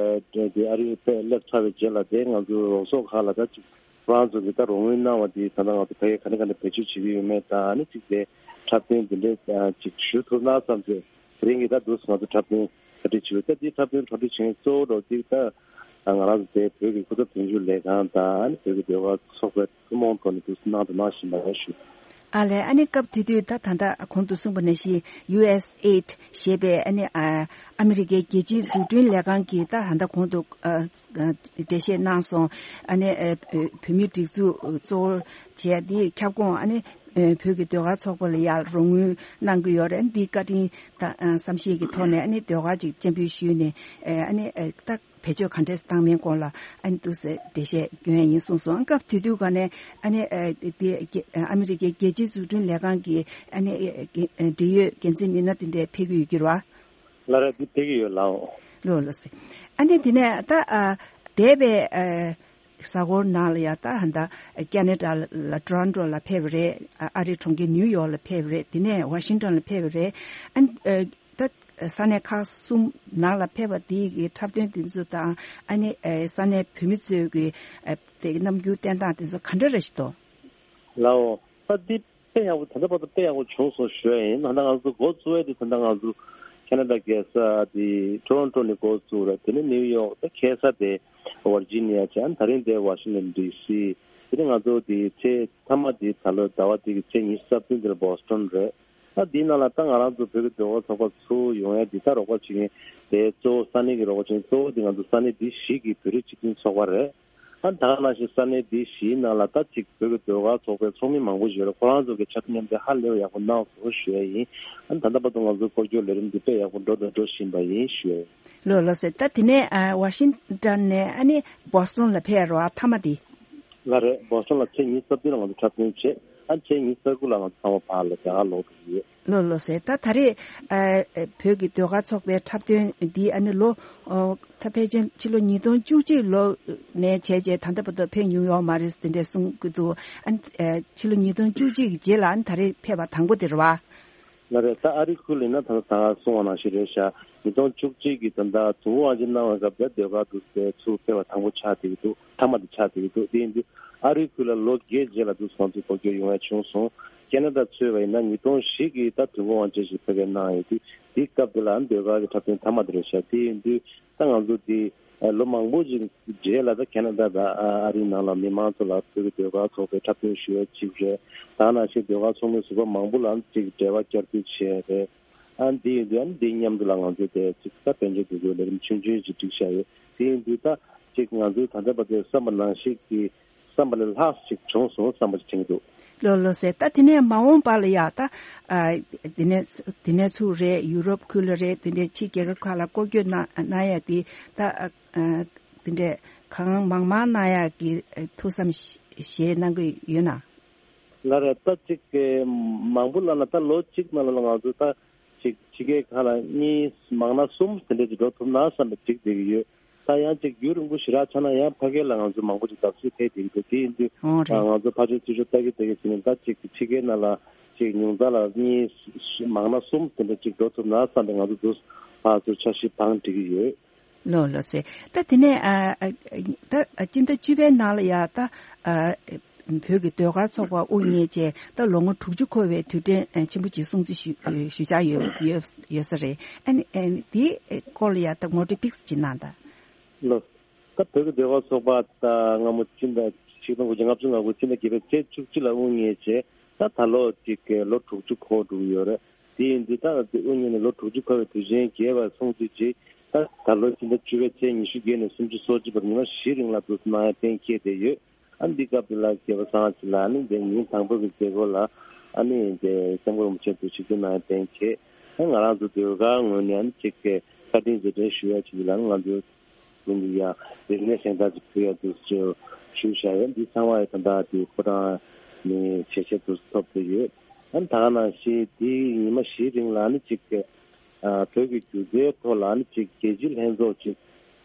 གི་དེ་ཨ་རིའི་ཕེབས་སླེབས་ཚར་བའི་རྗེས་ལ་དེ་ང་ཚོ་རོགས་ཚོགས་ཁག་ལ་ད་ཅིག་ཁོ་རང་ཚོ་གིས་ད་རོགས་དངུལ་གནང་བ་དེ་ད་ལྟ་ང་ཚོ་ཕ་གིར་ག་འདྲ་ག་འདྲ་བེད་སྤྱོད་བྱེད་ཀྱི་ཡོད་མེད་དང་ནི་ཅིག་དེ་འཁྲབ་སྟོན་དེ་འདྲས་ཅིག་ཞུ་ཐུབ་ན་བསམ་ཚེ། དེ་རིང་གི་ད་དུས་ང་ཚོ་འཁྲབ་སྟོན་གྲ་སྒྲིག་བྱེད་ཡོད། ད་འདི་འཁྲབ་སྟོན་གྲ་སྒྲིག་བྱེད་མཁན་གཙོ་བོ་འདྲ་བོ་དེ་ད་ང་རང་ཚོ་དེ་བོད་ཀྱི་སྐུ་ཚབ་དོན་གཅོད་ལས་ཁང་དང་ཨ་ནི་བོད་ཀྱི་ཟློས་གར་ཚོགས་པའི་ཐུན་མོང་ཐོག་ནས་དུས་གནང་དང་གནང་བཞིན་པ་ཡང་ཞུ། ཨ་ལས། ཨ་ནི་སྐབས་དེ་དུས་ད་ད་ལྟ་གོང་དུ་གསུངས་པ་ནང་བཞིན་ཡུ་ཨེས་ཨེ་ཌི་ཞེས་པའི་ཨ་ནི་ཨ་ཨ་མི་རི་ཀའི་རྒྱལ་སྤྱིའི་འཛུགས་སྐྲུན་ལས་ཁང་གིས་ད་ད་ལྟ་གོང་དུ་ཨ་འགྲེལ་བཤད་གནང་སོང་། ཨ་ནི་ཨ་བོད་མིའི་སྒྲིག་འཛུགས་གཙོ་བོར་བྱས་དེའི་ཁྱབ་ཁོངས་ཨ་ནི། ཨ་བོད་ཀྱི་ཟློས་གར་ཚོགས་པ་ལ་ཡང་རོགས་དངུལ་གནང་གི་ཡོད་རེད། འདིའི་བཀའ་དྲིན་དང་ཨ་བསམ་ཤེས་ཀྱི་ཐོག་ནས་ཨ་ནི་ཟློས་གར་ཅིག་སྤྱན་འབུལ་ཞུས་ནས་ཨ་ནི་ད་བེད་སྤྱོད་ག་འདྲས་བཏང་མིན་སྐོར་ལ་ཨ་ནི་ཏོག་ཙམ་འགྲེལ་བཤད་སྐྱོན་ཡ་ཡིན་གསུངས་སོང་། སྐབས་དེ་དུས་ག་ནས་ཨ་ནི་ཨ་འདི་ཨ་མི་རི་ཀའི་རྒྱལ་སྤྱིའི་འཛུགས་སྐྲུན་ལས་ཁང་གི་ཨ་ནི་འབྲེལ་ཡོད་འགན་འཛིན་མི་སྣ་དེ་འདྲས་ཕེབས་ཀྱི་ཡོད་ཀྱི་རེད་བ། ལགས་རེད། འདི་ཕེབས་ཀྱི་ཡོད་ལགས། ལགས་ལགས་སེ། ཨ་ནི་དེ་ནས་ད་ཨ་འདས་པའི་ཨ་གཟའ་འཁོར་ནང་ལ་ཡ་ད་ཧ་ད་ཁེ་ན་ཌ་ལ་ཊོ་རོན་ཊོ་ལ་ཕེབས་པ་རེད། ཨ་ཨ་རིའི་གྲོང་ཁྱེར་ནིའུ་ཡོག་ལ་ཕེབས་པ་རེད། དེ་ནས་ཝ་ཤིང་ཊོན་ལ་ཕེབས་པ་རེད། ཨ་ནི་ཨ་ད་ས་གནས་ཁག་གསུམ་ནང་ལ་ཕེབས་པ་དེ་གི་འཁྲབ་སྟོན་དེ་ཚོ་དང་ཨ་ནི་ཨ་ས་གནས་བོད་མི་ཚོའི་གི་ཨ་དེ་རྣམ་འགྱུར་བསྟན་སྟངས་དེ་ཚོ་ག་འདྲ་རེ་ཞིག་འདུག་ལགས་འོ། ད་འདི་དཔེ་ཡག་པོ། ད་ལྟ་བར་དུ་དཔེ་ཡག་པོ་བྱུང་སོང་ཞུ་ཡ་ཡིན། ད་ལྟ་ང་ཚོ་འགོ་བཙུགས་ཡ་དེ་ད་ལྟ་ང་ཚོ་ཁེ་ན་ཌ་རྒྱལ་ས་དེ་ཊོ་རོན་ཊོ་ནས་འགོ་བཙུགས་རེད། དེ་ནས་ནིའུ་ཡོག་ད་ཁ་སང་དེ་ཝར་ཇི་ནི་ཡ་བྱས། ཨ་ནི་ད་རིང་དེ་ཝ་ཤིང་ཊོན་ཌི་སི། དེ་ནས་ང་ཚོ་དེ་ཚེ་མཐའ་མ་དེ་ད་ལོ་ཟླ་བ་འདི་གི་ཚེས་ཉི་ཤུ་རྩ་བདུན་དེ་ལ་བྷོ་སི་ཊོན་རེད། ད་འདིའི་ནང་ལ་ད་ང་རང་ཚོ་བོད་ཀྱི་ཟློས་གར་ཚོགས་པ་ཚུར་ཡོང་ཡ་འདི་ད་རོགས་པ་བྱེད་མཁན་དེ་གཙོ་བོ་ས་གནས་ཀྱི་རོགས་པ་བྱེད་མཁན་གཙོ་བོ་དེ་ང་ཚོ་ས་གནས་འདི་བཞི་གི་བོད་རིགས་སྤྱི་མཐུན་ཚོགས་པ་རེད། ཨ་ད་ག་ནང་བཞིན་ས་གནས་འདི་བཞིའི་ནང་ལ་ད་ཅིག་བོད་ཀྱི་ཟློས་གར་ཚོགས་པའི་ཚོགས་མི་མང་པོ་ཞིག་ཡོད་རེད། ཁོ་རང་ཚོ་གི་འཆར་གཞི་མཉམ་འདེགས་ཧ་ལས་པ་ཡག་པོ་གནང་སོང་ཞུ་ཡ་ཡིན། ཨ་ད་ལྟ་བར་དུ་ང་ཚོ་སྐོར་སྐྱོད་ལས་རིམ་འདི་དཔེ་ཡག་པོ་འགྲོ་དང་འགྲོ་བཞིན་པ་ཡིན་ཞུ་ཡ་ཡིན། ལགས་ལགས་སེ། ད་དེ་ནས་ཨ་ཝ་ཤིང་ཊོན་ནས་ཨ་ནི་བྷོ་སི་ཊོན་ལ་ཕེབས་རོགས་ཨ་མཐའ་མ་དེ། ལགས་རེད། བྷོ་སི་ཊོན་ལ་ཚེས་ཉི་ཤུ་རྩ་བདུན་ལ་ང་ཚོ་འཁྲབ་སྟོན་བྱས། ཨ་ཕྱི་ཉིན་ས་དགུ་ལ་ང་ཚོ་ཚང་མ་ཕར་ལ་རྒྱ་གར་ལོག་འགྲོ་གི་ཡོད། ལགས་ལགས་སེ། ད་ད་རེས་ཨ་བོད་ཀྱི་ཟློས་གར་ཚོགས་པའི་འཁྲབ་སྟོན་འདི་ཨ་ནི་ལོ་ཨོ་ད་ཕལ་ཆེར་ཕྱི་ལོ་ཉིས་སྟོང་བཅུ་གཅིག་ལོ་ནས་བྱས་རྗེས་ད་ལྟ་བར་དུ་ཕེབས་མྱོང་ཡོད་མ་རེད་དེ་འདྲས་གསུང་གི་འདུག་ཨ་ནི་ཨ་ཕྱི་ལོ་ཉིས་སྟོང་བཅུ་གཅིག་གི་རྗེས་ལ་ཨ་ནི་ད་རེས་ཕེབས་པ་དང་པོ་དེ་རེད་བ། ལགས་རེད། ད་ཨ་རིའི་ཁུལ་ལ་ཡིན་ན་ད་ལྟ་ད་ག་གསུངས་པ་ནང་བཞིན་རེད་ཤག་ཉིས་སྟོང་བཅུ་གཅིག་གི་ད་ལྟ་དུ་བ་དབང་ཆེན་གནང་བའི་སྐབས་དེ་ཟློས་གར་དུ་དེ་ཚུར་ཕེབས་པ་དང་པོ་ཆགས་བསྡད་ཀྱི་འདུག་མཐའ་མ་དེ་ཆགས་བསྡད་ཀྱི་འདུག་དེ་ཡིན་དུས་ཨ་རིའི་ཁུལ་ལ་ལོ་བརྒྱད་རྗེས་ལ་དུ་ང་ཚོ་སྐོར་སྐྱོད་ཡོང་ཡ་བྱུང་སོང་། ཁེ་ན་ཌ་གཙོས་པ་ཡིན་ན་ཉིས་སྟོང་བཞི་གི་ད་དུས་འཁོར་དབང་ཆེན་ཞིག་ཕ་གིར་གནང་ཡོད་དུས་དེའི་སྐབས་དེ་ལ་ཟློས་གར་གྱི་འཁྲབ་སྟོན་མཐའ་མ་དེ་རེད་ཤག་དེ་ཡིན་དུས་ད་ང་ཚོ་དེ་ལོ་མང་པོ་ཞིག་རྗེས་ལ་ད་ཁེ་ན་ཌ་དང་ཨ་རིའི་ནང་ལ་མི་མང་ཚོ་ལ་བོད་ཀྱི་ཟློས་གར་ཚོགས་པའི་འཁྲབ་སྟོན་ཞུ་ཡ་གཅིག་རེད། ད་ནང་བཞིན་ཟློས་གར་ཚོགས་མི་ཟུར་པ་མང་པོ་ལ་གཅིག་འབྲེལ་བ་བསྐྱར་མཐུད་བྱས་རེད། ཨ་འདི་ཡིན་དུས་ཨ་ནི་འདི་མཉམ་དུ་ལ་ང་ཚོས་དེ་གཅིག་ད་དཔལ་འབྱོར་འདུ་འགོད་ལས་རིམ་ཆུང་ཆུང་ཅིག་བསྒྲིགས་བཞག་ཡོད། དེ་ཡིན་དུས་ད་གཅིག་ང་ཚོས་ད་ལྟ་བར་དུ་བསམ་པ་ནང་བཞིན་གྱི་བསམ་པ་ལས་ལྷག་ཅིག་བྱུང་སོང་བསམ་པ་ཅིག་དྲན་གྱི་འདུག་ལགས་ལགས་སེ། ད་དེ་ནས་མ་འོངས་པ་ལ་ཡ་ད་ཨ་དེ་ནས་དེ་ནས་ཚུར་རེད་ཡུ་རོབ་ཁུལ་ལ་རེད་དེ་འདྲའི་ཕྱི་རྒྱལ་ཁབ་ཁག་ལ་སྐོར་སྐྱོད་གནང་གནང་ཡ་དེ་ད་ཨ་དེ་འདྲའི་གང་མང་མང་གནང་ཡ་གི་ཐུགས་བསམ་བཞེས་གནང་གི་ཡོད་ན། ལགས་རེད། ད་ཅིག་གི་མང་པོ་ལབ་ན་ད་ལོ་གཅིག་ནང་ལ་ང་ཚོ་ད་ཅིག་ཕྱི་རྒྱལ་ཁག་ལ་གཉིས་མང་ན་གསུམ་དེ་འདྲ་ཅིག་འགྲོ་ཐུབ་ན་བསམ་པའི་ཅིག་བསྡད་ཀྱི་ཡོད། ད་ཡང་ཅིག་རྒྱུན་རིང་པོ་ཞེ་དྲག་ཆགས་ན་ཡང་ཕ་གི་ལ་ང་ཚོ་མང་པོ་ཅིག་བརྡབ་གསིག་ཐེབས་བསྡད་ཀྱི་འདུག་དེ་ཡིན་དུས་ཨོ་རེད། ང་ཚོ་ཕར་ཕྱོགས་ཚུར་ཕྱོགས་ལྟ་གི་ལྟ་གི་བྱས་ནས་ད་ཅིག་ཕྱི་རྒྱལ་ནང་ལ་ཅིག་ཉུང་མཐའ་ལ་གཉིས་མང་ན་གསུམ་དེ་འདྲ་ཅིག་འགྲོ་ཐུབ་ན་བསམ་པའི་ང་ཚོ་འདུག་ཕར་ཚུར་འཆར་གཞི་བང་སྒྲིག་གི་ཡོད། ལགས་ལགས་སེ། ད་དེ་ནས་ཨ་ཨ་ད་སྤྱི་ཟླ་བཅུ་པའི་ནང་ལ་ཡ་ད་ཨ་བོད་ཀྱི་ཟློས་གར་ཚོགས་པ་དབུ་བརྙེས་རྗེས་ད་ལོ་ངོ་དྲུག་ཅུ་འཁོར་བའི་དུས་དྲན་ཨ་ཆེན་པོ་ཅིག་སྲུང་བརྩི་ཞུ་ཞུ་འཆར་ཡོད་ཡོད་ཡོད་ས་རེད། ཨ་ནི་ཨ་ནི་དེའི་སྐོར་ལ་ཡ་ད་ངོ་སྤྲོད་ཏོག་ཙམ་ཅིག་གནང་དང་། ལགས། ད་བོད་ཀྱི་ཟློས་གར་ཚོགས་པ་ད་སྔ་མོ་སྤྱི་ཟླ་ཆིག་སྟོང་དགུ་བརྒྱ་ལྔ་བཅུ་ང་དགུ་སྤྱི་ཟླ་བརྒྱད་པའི་ཚེས་བཅུ་གཅིག་ལ་དབུ་བརྙེས་རྗེས་ད་ད་ལོ་གཅིག་གི་ལོ་དྲུག་ཅུ་འཁོར་འགྲོ་གི་ཡོད་རེད། དེ་ཡིན་དུས་ད་དབུ་བརྙེས་ནས་ལོ་དྲུག་ཅུ་འཁོར་བའི་དུས་ཆེན་རྒྱས་པར་སྲུང་བརྩི་ཆེད་ད་ད་ལོ་སྤྱི་ཟླ་བཅུ་པའི་ཚེས་ཉི་ཤུ་བརྒྱད་ནས་སུམ་ཅུ་སོ་གཅིག་བར་ཉི་མ་བཞིའི་རིང་ལ་འདུ་འཛོམས་གནང་ཡ་གཏན་འཁེལ་བསྡད་ཡོད། ཨ་འདི་སྐབས་དེ་ལ་རྒྱལ་བ་སངས་རྒྱས་ལགས་ནི་འདི་ཉིན་དང་པོ་གི་མཛད་སྒོ་ལ་ཨ་ནི་འདི་སྐྱབས་མགོན་རིན་པོ་ཆེ་འདུ་ཞིག་ཏུ་གནང་ཡ་གཏན་འཁེལ། ཨ་ང་རང་ཚོ་ཟློས་གར་ངོས་ནས་ཨ་ནི་གཅིག་གི་བཀའ་དྲིན་རྗེས་དྲན་ཞུ་ཡ་ཅིག་ལ་ང་ཚོ་ཀུན་གྱིས་ཡང་རིག་གནས་གཟེངས་རྟགས་ཅིག་ཕུལ་ཡ་འདུག་ཅེས་ཞུས་བཞག་ཡོད། འདི་ཚང་མ་ཡང་ད་ལྟ་དེ་ཕོ་བྲང་ནས་ཞལ་བཞེས་འདུག་ཐོབ་བསྡད་ཡོད། ཨ་ནི་ད་ག་ནང་བཞིན་དེའི་ཉི་མ་བཞིའི་རིང་ལ་ཨ་ནི་གཅིག་གི་ཨ་བོད་ཀྱི་སྒྱུ་རྩལ་ཐོག་ལ་ཨ་ནི་གཅིག་རྒྱལ་སྤྱིའི་ལྷན་ཚོགས་ཅིག་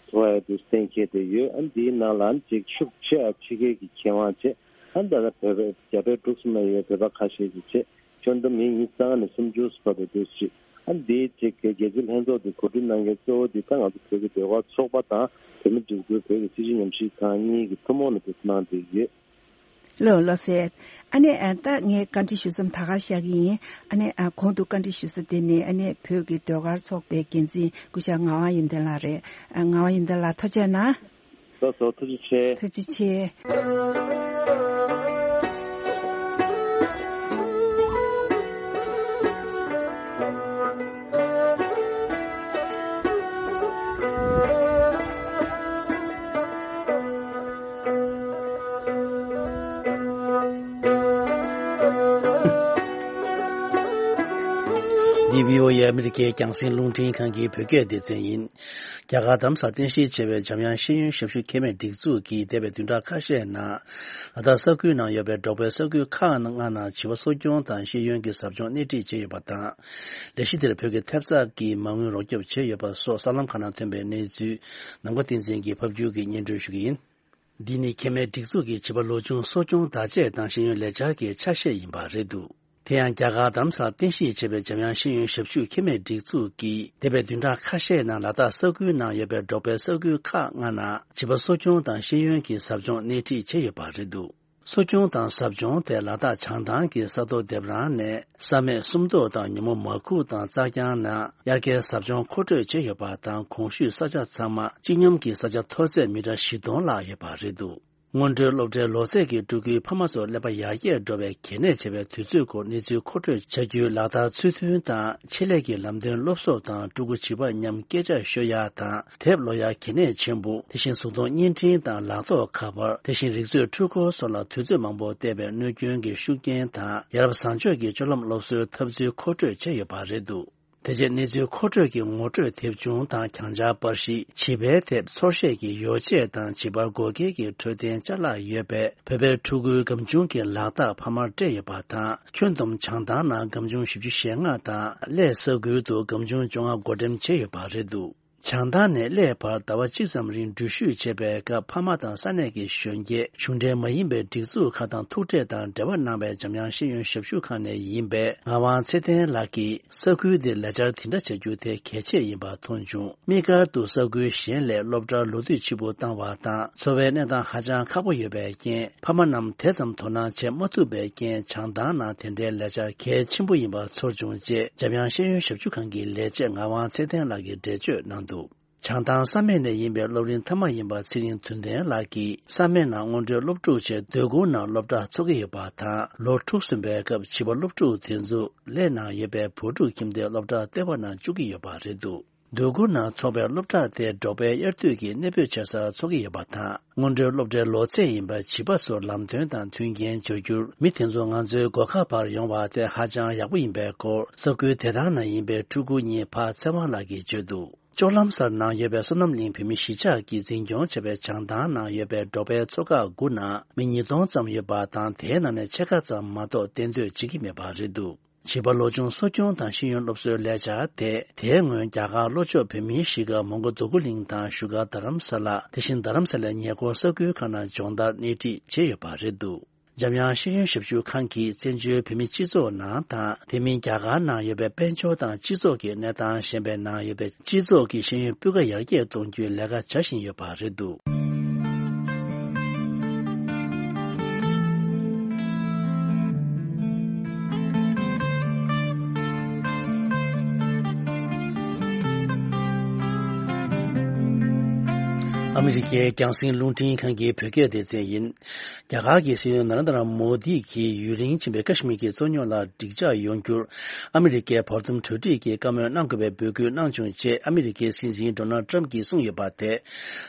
འཚོགས་ཡ་འདུག་གཏན་འཁེལ་བསྡད་ཡོད། ཨ་ནི་དེའི་ནང་ལ་ཨ་ནི་གཅིག་ཤུགས་ཆེ་ཨ་ཕྱི་རྒྱལ་གྱི་མཁས་དབང་བཅས་ཨ་ནི་ད་ལྟ་བོད་པའི་རྒྱ་བལ་འབྲུག་གསུམ་ན་ཡོད་བོད་པ་ཁ་ཤས་ཀྱིས་བཅས། ཁྱོན་བསྡོམས་མི་ཉི་ཤུ་རྩ་ལྔ་ནས་སུམ་ཅུ་བར་དུ་འདུག་ཅིག་ཨ་འདིའི་གཅིག་གི་རྒྱལ་སྤྱིའི་ལྷན་ཚོགས་འདི་གོ་སྒྲིག་གནང་མཁན་གཙོ་བོ་འདི་ད་ང་ཚོ་བོད་ཀྱི་ཟློས་གར་ཚོགས་པ་དང་བོད་མིའི་སྒྲིག་འཛུགས་བོད་ཀྱི་སྲིད་བྱུས་ཉམས་ཞིབ་ཁང་གཉིས་ཀྱིས་ཐུན་མོང་ནས་འདུ་འཛོམས་གནང་བསྡད་ཡོད། ལགས་ལགས་སེ། ཨ་ནི་ཨ་ད་ངས་བཀའ་འདྲི་ཞུ་མཚམས་ད་ག་བཞག་གི་ཡིན། ཨ་ནི་ཨ་གོང་དུ་བཀའ་འདྲི་ཞུ་ས་དེ་ནི་ཨ་ནི་བོད་ཀྱི་ཟློས་གར་ཚོགས་པའི་འགན་འཛིན་སྐུ་ཞབས་ངག་དབང་ཡོན་ཏན་ལགས་རེད། ཨ་ངག་དབང་ཡོན་ཏན་ལགས་ཐུགས་རྗེ་གནང་། ལགས་སོ། ཐུགས་རྗེ་ཆེ། ཐུགས་རྗེ་ཆེ། འདི་བྷི་ཨོ་ཨེ་ཨ་མི་རི་ཀའི་རྒྱང་སྲིང་རླུང་འཕྲིན་ཁང་གི་བོད་སྐད་སྡེ་ཚན་ཡིན། རྒྱ་གར་རྡ་རམ་ས་ལར་རྟེན་གཞི་བྱས་པའི་འཇམ་དབྱངས་ཤེས་ཡོན་ཞབས་ཞུ་ཁེ་མེད་སྒྲིག་འཛུགས་ཀྱིས་འདས་པའི་བདུན་ཕྲག་ཁ་ཤས་ནང་ལ་དྭགས་ས་ཁུལ་ནང་ཡོད་པའི་འབྲོག་པའི་ས་ཁུལ་ཁག་ལྔ་ནང་བྱིས་པ་གསོ་སྐྱོང་དང་ཤེས་ཡོན་གྱི་ཟབ་སྦྱོང་སྣེ་ཁྲིད་བྱས་ཡོད་པ་དང་། ལས་གཞི་དེར་བོད་ཀྱི་ཐེབས་རྩ་གིས་མ་དངུལ་རོགས་སྐྱོབ་བྱས་ཡོད་པ་སོགས་གསར་ལམ་ཁག་ནང་ཐོན་པའི་གནས་ཚུལ་ནམ་མཁའ་བསྟན་འཛིན་གྱིས་ཕབ་སྒྱུར་གྱིས་སྙན་སྒྲོན་ཞུ་གི་ཡིན། འདི་ནི་ཁེ་མེད་སྒྲིག་འཛུགས་ཀྱི་བྱིས་པ་ལོ་ཆུང་གསོ་སྐྱོང་བརྡ་ཆད་དང་ཤེས་ཡོན་ལས་འཆར་གྱི་ཆ་ཤས་ཡིན་པ་རེད་འདུག་དེ་ཡང་རྒྱ་གར་རྡ་རམ་ས་ལར་རྟེན་གཞི་བྱས་པའི་འཇམ་དབྱངས་ཤེས་ཡོན་ཞབས་ཞུ་ཁེ་མེད་སྒྲིག་འཛུགས་ཀྱིས་འདས་པའི་བདུན་ཕྲག་ཁ་ཤས་ནང་ལ་དྭགས་ས་ཁུལ་ནང་ཡོད་པའི་འབྲོག་པའི་ས་ཁུལ་ཁག་ལྔ་ནང་བྱིས་པ་གསོ་སྐྱོང་དང་ཤེས་ཡོན་གྱི་ཟབ་སྦྱོང་སྣེ་ཁྲིད་བྱས་ཡོད་པ་རེད་འདུག་གསོ་སྐྱོང་དང་ཟབ་སྦྱོང་དེ་ལ་དྭགས་བྱང་ཐང་གི་ས་མཐོ་འདེབས་རང་ནས་ས་སྨད་སུམ་མདོ་དང་ཉོན་མོངས་མ་ཁུག་དང་རྩྭ་རྐྱང་ནང་དབྱར་ཁའི་ཟབ་སྦྱོང་མཁོ་སྤྲོད་བྱས་ཡོད་པ་དང་། གོང་ཞུས་ས་ཆ་ཚང་མ་སྤྱི་སྙོམས་ཀྱི་ས་ཆ་མཐོ་ཚད་མི་ཊར་བཞི་སྟོང་ལྷག་ཡོད་པ་རེད་འདུག་སྔོན་འགྲོའི་སློབ་གྲྭའི་ལོ་ཚད་ཀྱི་ཕྲུ་གུའི་ཕ་མ་ཚོར་ཀླད་པ་ཡར་རྒྱས་འགྲོ་བའི་གལ་གནད་ཆེ་བའི་དུས་ཚོད་སྐོར་གནས་ཚུལ་མཁོ་སྤྲོད་བྱ་རྒྱུའི་ལག་བསྟར་ཚུལ་མཐུན་དང་། ཆེད་ལས་ཀྱི་ལམ་སྟོན་སློབ་གསོ་དང་། ཕྲུ་གུ་བྱིས་པ་མཉམ་སྐད་ཆ་ཤོད་ཡ་དང་། དེབ་ཀློག་ཡ་གལ་གནད་ཆེན་པོ། དེ་བཞིན་གཟུགས་མཐོང་བརྙན་འཕྲིན་དང་ལག་ཐོགས་ཁ་པར། དེ་བཞིན་རིག་མཛོད་འཕྲུལ་འཁོར་སོགས་ལ་དུས་ཚོད་མང་པོ་བལྟས་པའི་གནོད་སྐྱོན་གྱི་ཤུགས་རྐྱེན་དང་། ཡ་རབས་བཟང་སྤྱོད་ཀྱི་སྤྱོད་ལམ་སློབ་གསོའི་ཐབས་ཚུལ་མཁོ་སྤྲོད་བྱས་ཡོད་པ་རེད་འདུག་དེ་རྗེས་གནས་ཚུལ་མཁོ་སྤྲོད་ཀྱི་ངོ་སྤྲོད་དེབ་ཆུང་དང་གྱང་ཆག་པར་གཞི། བྱིས་པའི་ཐད་ཚོར་ཤེས་ཀྱི་ཡོ་བྱད་དང་བྱིས་པར་དགོས་གལ་གྱི་འཕྲོད་བསྟེན་ཅ་ལག་ཡོད་པའི་བོད་པའི་ཕྲུ་གུའི་སྒམ་ཆུང་གི་ལག་རྟགས་ཕ་མར་སྤྲད་ཡོད་པ་དང་། ཁྱོན་བསྡོམས་བྱང་ཐང་ནང་སྒམ་ཆུང་བཞི་བཅུ་ཞེ་ལྔ་དང་། གླེ་ས་ཁུལ་དུ་སྒམ་ཆུང་བཅོ་ལྔ་བགོ་འགྲེམས་བྱས་ཡོད་པ་རེད་འདུག་བྱང་ཐང་ནས་གླེ་བར་ཟླ་བ་གཅིག་ཙམ་རིང་འགྲུལ་བཞུད་བྱས་པའི་སྐབས། ཕ་མ་དང་ས་གནས་ཀྱི་གཞོན་སྐྱེས། གཞུང་འབྲེལ་མ་ཡིན་པའི་སྒྲིག་འཛུགས་ཁག་དང་ཐུག་འཕྲད་དང་འབྲེལ་བ་གནང་བའི་འཇམ་དབྱངས་ཤེས་ཡོན་ཞབས་ཞུ་ཁང་ནས་ཡིན་པའི་ངག་དབང་ཚེ་བརྟན་ལགས་ཀྱིས། ས་ཁུལ་འདིར་ལས་འཆར་དེ་འདྲ་བྱ་རྒྱུ་དེ་གལ་ཆེ་ཡིན་པ་མཐོང་བྱུང་། དམིགས་བཀར་དུ་ས་ཁུལ་གཞན་ལས་སློབ་གྲྭར་ལོ་དུས་ཕྱིས་པོ་བཏང་བ་དང་། འཚོ་བའི་གནས་སྟངས་ཧ་ཅང་ཁག་པོ་ཡོད་པའི་རྐྱེན། ཕ་མ་རྣམས་དེ་ཙམ་དོ་སྣང་བྱེད་མ་ཐུབ་པའི་རྐྱེན། བྱང་ཐང་ནང་དེ་འདྲའི་ལས་འཆར་གལ་ཆེན་པོ་ཡིན་པ་ཚོར་བྱུང་ཅེས། འཇམ་དབྱངས་ཤེས་ཡོན་ཞབས་ཞུ་ཁང་གི་ལས་བྱེད་ངག་དབང་ཚེ་བརྟན་ལགས་ཀྱིས་འགྲེལ་བརྗོད་གནང་འདུག་བྱང་ཐང་ས་གནས་ནས་ཡིན་པའི་སློབ་རིམ་མཐའ་མ་ཡིན་པ་ཚེ་རིང་དོན་ལྡན་ལགས་ཀྱིས། ས་གནས་ནང་སྔོན་འགྲོའི་སློབ་ཕྲུག་ཆེད་སྡོད་ཁུལ་ནང་སློབ་གྲྭ་འཚོགས་ཀྱི་ཡོད་པ་དང་། ལོ་དྲུག་སོན་པའི་སྐབས་བྱིས་པ་སློབ་ཕྲུག་དེ་ཚོ་གླེ་ནང་ཡོད་པའི་བོད་ཕྲུག་ཁྱིམ་སྡེའི་སློབ་གྲྭ་ལྟེ་བ་ནང་བཅུག་གི་ཡོད་པ་རེད་འདུག་སྡོད་ཁུལ་ནང་འཚོགས་པའི་སློབ་གྲྭ་དེ་འབྲོག་པའི་དབྱར་དུས་ཀྱི་གནས་སྤོས་བྱེད་སར་འཚོགས་ཀྱི་ཡོད་པ་དང་། སྔོན་འགྲོའི་སློབ་གྲྭའི་ལོ་ཚད་ཡིན་པ་བྱིས་པ་ཚོར་ལམ་སྟོན་དང་མཐུན་རྐྱེན་སྦྱོར་རྒྱུར། མི་དེ་ཚོ་ང་ཚོའི་སྒོ་ཁ་བར་ཡོང་བ་དེ་ཧ་ཅང་ཡག་པོ་ཡིན་པའི་སྐོར། ས་ཁུལ་དེ་དག་ནང་ཡིན་པའི་ཕྲུ་གུ་གཉིས་ཕ་ཚེ་དབང་ལགས་ཀྱིས་བརྗོད་འདུག་ལྕོག་ལམ་སར་ནང་ཡོད་པའི་སོ་ནམ་གླིང་བོད་མི་གཞིས་ཆགས་ཀྱིས་འཛིན་སྐྱོང་བྱས་པའི་བྱང་ཐང་ནང་ཡོད་པའི་འབྲོག་པའི་ཚོ་ཁག་དགུ་ནང་མི་ཉིས་སྟོང་ཙམ་ཡོད་པ་དང་། དེའི་ནང་ནས་ཕྱེད་ཀ་ཙམ་མ་གཏོགས་གཏན་སྡོད་བྱེད་ཀྱི་མེད་པ་རེད་འདུག་བྱིས་པ་ལོ་ཆུང་གསོ་སྐྱོང་དང་ཤེས་ཡོན་སློབ་གསོའི་ལས་འཆར་དེ། དེའི་སྔོན་རྒྱ་གར་ལྷོ་ཕྱོགས་བོད་མིའི་གཞིས་ཀ་མོན་གྷོ་འདོད་རྒུ་གླིང་དང་བཞུགས་སྒར་རྡ་རམ་ས་ལ། དེ་བཞིན་རྡ་རམ་ས་ལའི་ཉེ་འཁོར་ས་ཁུལ་ཁག་ནང་སྦྱོང་བརྡར་སྣེ་ཁྲིད་བྱས་ཡོད་པ་རེད་འདུག་འཇམ་དབྱངས་ཤེས་ཡོན་ཞབས་ཞུ་ཁང་གིས་བཙན་བྱོལ་བོད་མིའི་སྤྱི་ཚོགས་ནང་དང་། དེ་མིན་རྒྱ་གར་ནང་ཡོད་པའི་དཔལ་འབྱོར་དང་སྤྱི་ཚོགས་ཀྱི་གནས་སྟངས་གཞན་པའི་ནང་ཡོད་པའི་སྤྱི་ཚོགས་ཀྱི་ཤེས་ཡོན་སྤུས་ཀ་ཡར་རྒྱས་གཏོང་རྒྱུའི་ལས་ཀ་བྱ་བཞིན་ཡོད་པ་རེད་འདུག་ཨ་མི་རི་ཀའི་རྒྱང་སྲིང་རླུང་འཕྲིན་ཁང་གི་བོད་སྐད་སྡེ་ཚན་ཡིན། རྒྱ་གར་གྱི་སྲིད་བློན་ན་རེན་དྲ་མོ་དི་གིས་ཡུན་རིང་ཕྱིན་པའི་ཀ་ཤི་མིར་གྱི་རྩོད་རྙོག་ལ་འགྲིག་འཇགས་ཡོང་རྒྱུར་ཨ་མི་རི་ཀའི་བར་འདུམ་གྲོས་འགྲིག་གི་བཀའ་མོལ་གནང་དགོས་པའི་འབོད་སྐུལ་གནང་བྱུང་ཅེས་ཨ་མི་རི་ཀའི་སྲིད་འཛིན་ཌོ་ནལ་ཏྲམ་གྱིས་གསུངས་ཡོད་པ་དེ།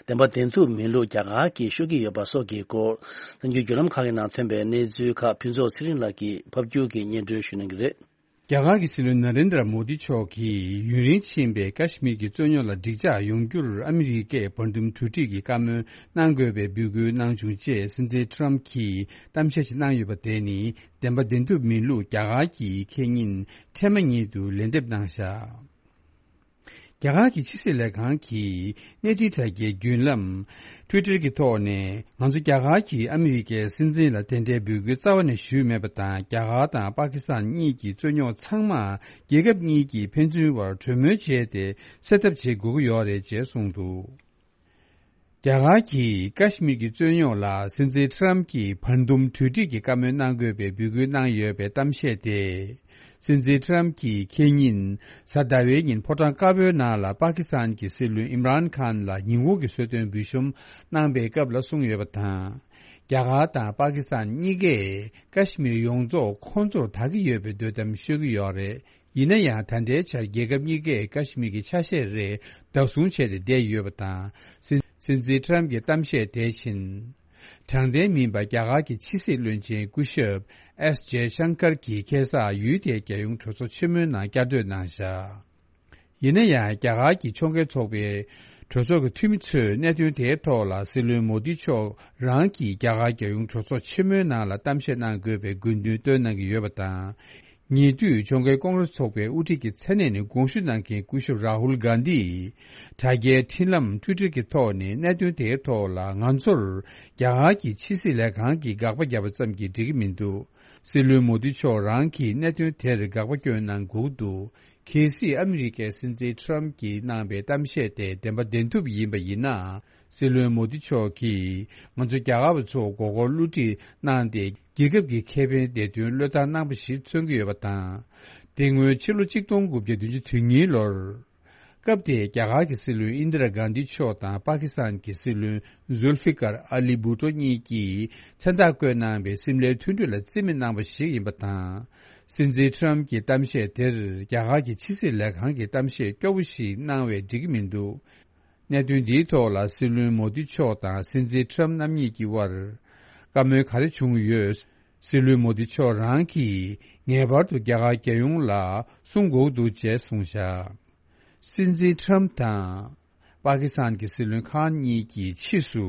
བདེན་པ་བདེན་ཐུབ་མིན་ལུགས་རྒྱ་གར་གྱིས་ཤོད་ཀྱི་ཡོད་པ་སོགས་ཀྱི་སྐོར། གསར་འགྱུར་བརྒྱུད་ལམ་ཁག་གི་ནང་ཐོན་པའི་གནས་ཚུལ་ཁག་ཕུན་ཚོགས་ཚེ་རིང་ལགས་ཀྱིས་ཕབ་སྒྱུར་གྱིས་སྙན་སྒྲོན་ཞུ་གནང་གི་རེད། རྒྱ་གར་གྱི་སྲིད་བློན་ན་རེན་དྲ་མོ་དི་མཆོག་གིས་ཡུན་རིང་ཕྱིན་པའི་ཀ་ཤི་མིར་གྱི་རྩོད་རྙོག་ལ་འགྲིག་འཇགས་ཡོང་རྒྱུར་ཨ་མི་རི་ཀས་བར་འདུམ་གྲོས་འགྲིག་གི་བཀའ་མོལ་གནང་དགོས་པའི་འབོད་སྐུལ་གནང་བྱུང་ཅེས་སྲིད་འཛིན་ཏྲམ་གྱིས་གཏམ་བཤད་ཅིག་གནང་ཡོད་པ་དེ་ནི་བདེན་པ་བདེན་ཐུབ་མིན་ལུགས་རྒྱ་གར་གྱིས་ཁེ་ཉིན་འཕྲལ་མ་ཉིད་དུ་ལན་འདེབས་གནང་བཞག་རྒྱ་གར་གྱི་ཕྱི་སྲིད་ལས་ཁང་གིས་གནས་འཕྲིན་དྲ་རྒྱའི་བརྒྱུད་ལམ་Twitter་གྱི་ཐོག་ནས། ང་ཚོ་རྒྱ་གར་གྱིས་ཨ་མི་རི་ཀའི་སྲིད་འཛིན་ལ་དེ་འདྲའི་འབོད་སྐུལ་རྩ་བ་ནས་ཞུས་མེད་པ་དང་། རྒྱ་གར་དང་པ་ཀི་སི་ཐན་གཉིས་ཀྱི་རྩོད་རྙོག་ཚང་མ་རྒྱལ་ཁབ་གཉིས་ཀྱི་ཕན་ཚུན་བར་གྲོས་མོལ་བྱས་ཏེ་སེལ་ཐབས་བྱེད་དགོས་ཀྱི་ཡོད་རེད་ཅེས་གསུངས་འདུག་རྒྱ་གར་གྱིས་ཀ་ཤི་མིར་གྱི་རྩོད་རྙོག་ལ་སྲིད་འཛིན་ཏྲམ་གྱིས་བར་འདུམ་གྲོས་འགྲིག་གི་བཀའ་མོལ་གནང་དགོས་པའི་འབོད་སྐུལ་གནང་ཡོད་པའི་གཏམ་བཤད་དེ། སྲིད་འཛིན་ཏྲམ་གྱིས་ཁེ་ཉིན་གཟའ་ཟླ་བའི་ཉིན་ཕོ་བྲང་དཀར་པོའི་ནང་ལ་པ་ཀི་སི་ཐན་གྱི་སྲིད་བློན་ཨིམ་རཱན་ཁཱན་ལ་ཉིན་འགོར་གྱི་གསོལ་སྟོན་འབུལ་ཤོམ་གནང་པའི་སྐབས་ལ་གསུངས་ཡོད་པ་དང་། རྒྱ་གར་དང་པ་ཀི་སི་ཐན་གཉིས་ཀས་ཀ་ཤི་མིར་ཡོངས་རྫོགས་ཁོང་ཚོར་བདག་གི་ཡོད་པའི་འདོད་གཏམ་ཤོད་ཀྱི་ཡོད་རེད། ཡིན་ན་ཡང་ད་ལྟའི་ཆར་རྒྱལ་ཁབ་གཉིས་ཀས་ཀ་ཤི་མིར་གྱི་ཆ་ཤས་རེ་བདག་བཟུང་བྱས་ཏེ་བསྡད་ཡོད་པ་དང་། སྲིད་སྲིད་འཛིན་ཏྲམ་གྱི་གཏམ་བཤད་དེ་བཞིན། དྲང་བདེན་མིན་པ་རྒྱ་གར་གྱི་ཕྱི་སྲིད་བློན་ཆེན་སྐུ་ཞབས་ཨེས་ཇེ་ཤང་ཀར་གྱིས་ཁ་སང་ཡུལ་དེའི་རྒྱལ་ཡོངས་གྲོས་ཚོགས་ཆེན་མོའི་ནང་བསྐྱར་ཟློས་གནང་བཞག་ཡིན་ན་ཡང་རྒྱ་གར་གྱི་ཕྱོགས་འགལ་ཚོགས་པའི་གྲོས་ཚོགས་ཀྱི་འཐུས་མི་ཚོས་གནད་དོན་དེའི་ཐོག་ལ་སྲིད་བློན་མོ་དི་མཆོག་རང་གིས་རྒྱ་གར་རྒྱལ་ཡོངས་གྲོས་ཚོགས་ཆེན་མོའི་ནང་ལ་གཏམ་བཤད་གནང་དགོས་པའི་དགོས་འདུན་བཏོན་གནང་གི་ཡོད་པ་དང་། ཉེ་དུས་ཕྱོགས་འགལ་ཀོང་རེས་ཚོགས་པའི་དབུ་ཁྲིད་ཀྱི་མཚན་གནས་ནས་དགོངས་ཞུ་གནང་མཁན་སྐུ་ཞབས་རཱ་ཧུལ་གྷན་དྷིས་དྲ་རྒྱའི་འཕྲིན་ལམ་Twitter་གྱི་ཐོག་ནས་གནད་དོན་དེའི་ཐོག་ལ་ང་ཚོར་རྒྱ་གར་གྱི་ཕྱི་སྲིད་ལས་ཁང་གིས་དགག་པ་བརྒྱབ་པ་ཙམ་གྱིས་འགྲིག་གི་མི་འདུག་སྲིད་བློན་མོ་དི་མཆོག་རང་གིས་གནད་དོན་དེར་དགག་པ་བསྐྱོན་གནང་དགོས་འདུག་གལ་སྲིད་ཨ་མི་རི་ཀའི་སྲིད་འཛིན་ཏྲམ་གྱིས་གནང་པའི་གཏམ་བཤད་དེ་བདེན་པ་བདེན་ཐུབ་ཡིན་པ་ཡིན་ན། སྲིད་བློན་མོ་དི་མཆོག་གིས་ང་ཚོ་རྒྱ་གར་བ་ཚོ་མགོ་སྐོར་བསླུ་བྲིད་གནང་སྟེ། རྒྱལ་ཁབ་ཀྱི་ཁེ་ཕན་བདེ་དོན་བློས་བཏང་གནང་པ་ཞིག་མཚོན་གྱི་ཡོད་པ་དང་། དེ་སྔོན་ཕྱི་ལོ་གཅིག་སྟོང་དགུ་བརྒྱ་བདུན་ཅུ་དོན་གཉིས་ལོར། སྐབས་དེའི་རྒྱ་གར་གྱི་སྲིད་བློན་ཨིན་དི་ར་གྷན་དྷི་མཆོག་དང་པ་ཀི་སི་ཐན་གྱི་སྲིད་བློན་ཟུལ་ཧྥི་ཀར་ཨ་ལི་བྷུ་ཏོ་གཉིས་ཀྱིས་མཚན་རྟགས་བཀོད་གནང་བའི་སིམ་ལའི་མཐུན་གྲོས་ལ་རྩིས་མེད་གནང་བ་ཞིག་ཡིན་པ་དང་། སྲིད་འཛིན་ཏྲམ་གྱི་གཏམ་བཤད་དེར་རྒྱ་གར་གྱི་ཕྱི་སྲིད་ལས་ཁང་གི་གཏམ་བཤད་སྐྱོ་བོ་ཞིག་གནང་བས་འགྲིག་གི་མི་འདུག་གནད་དོན་འདིའི་ཐོག་ལ་སྲིད་བློན་མོ་དི་མཆོག་དང་སྲིད་འཛིན་ཁྲམ་རྣམ་གཉིས་ཀྱི་དབར་བཀའ་མོལ་ག་རེ་བྱུང་ཡོད། སྲིད་བློན་མོ་དི་མཆོག་རང་གིས་ངེས་པར་དུ་རྒྱ་གར་རྒྱལ་ཡོངས་ལ་གསུང་དགོས་འདུག་ཅེས་གསུངས་བཞག་སྲིད་འཛིན་ཁྲམ་དང་པ་ཀི་སི་ཐན་གྱི་སྲིད་བློན་ཁཱན་གཉིས་ཀྱིས་ཕྱིས་སུ།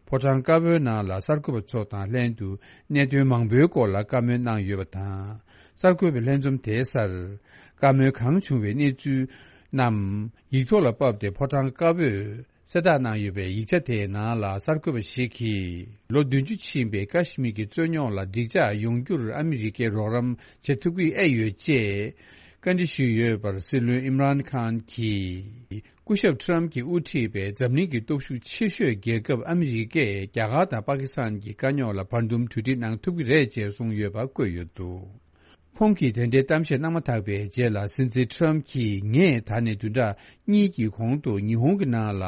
ཕོ་བྲང་དཀར་པོའི་ནང་ལ་གསར་འགོད་པ་ཚོ་དང་ལྷན་དུ་གནད་དོན་མང་པོའི་སྐོར་ལ་བཀའ་མོལ་གནང་ཡོད་པ་དང་། གསར་འགོད་པའི་ལྷན་འཛོམས་དེའི་སར་བཀའ་མོལ་གང་བྱུང་བའི་གནས་ཚུལ་རྣམས་ཡིག་ཐོག་ལ་ཕབ་སྟེ་ཕོ་བྲང་དཀར་པོས་གསལ་བསྒྲགས་གནང་ཡོད་པའི་ཡིག་ཆ་དེའི་ནང་ལ་གསར་འགོད་པ་ཞིག་གིས་ལོ་བདུན་ཅུ་ཕྱིན་པའི་ཀ་ཤི་མིར་གྱི་རྩོད་རྙོག་ལ་འགྲིག་འཇགས་ཡོང་རྒྱུར་ཨ་མི་རི་ཀས་རོགས་རམ་བྱེད་ཐུབ་ཀྱི་ཨེ་ཡོད་ཅེས་བཀའ་འདྲི་ཞུས་ཡོད་པར། སྲིད་བློན་ཨིམ་རཱན་ཁཱན་གྱིས། སྐུ་ཞབས་ཁྲམ་གྱིས་དབུ་ཁྲིད་པའི་འཛམ་གླིང་གི་སྟོབས་ཤུགས་ཆེ་ཤོས་རྒྱལ་ཁབ་ཨ་མི་རི་ཀས་རྒྱ་གར་དང་པ་ཀི་སི་ཐན་གྱི་དཀའ་རྙོག་ལ་བར་འདུམ་གྲོས་འགྲིག་གནང་ཐུབ་ཀྱི་རེད་ཅེས་གསུངས་ཡོད་པ་བཀོད་ཡོད་འདུག་ཁོང་གིས་དེ་འདྲའི་གཏམ་བཤད་གནང་མ་ཐག་པའི་རྗེས་ལ་སྲིད་འཛིན་ཁྲམ་གྱིས་ངས་ད་ནས་བདུན་ཕྲག་གཉིས་ཀྱི་གོང་དུ་ཉི་ཧོང་གི་ནང་ལ་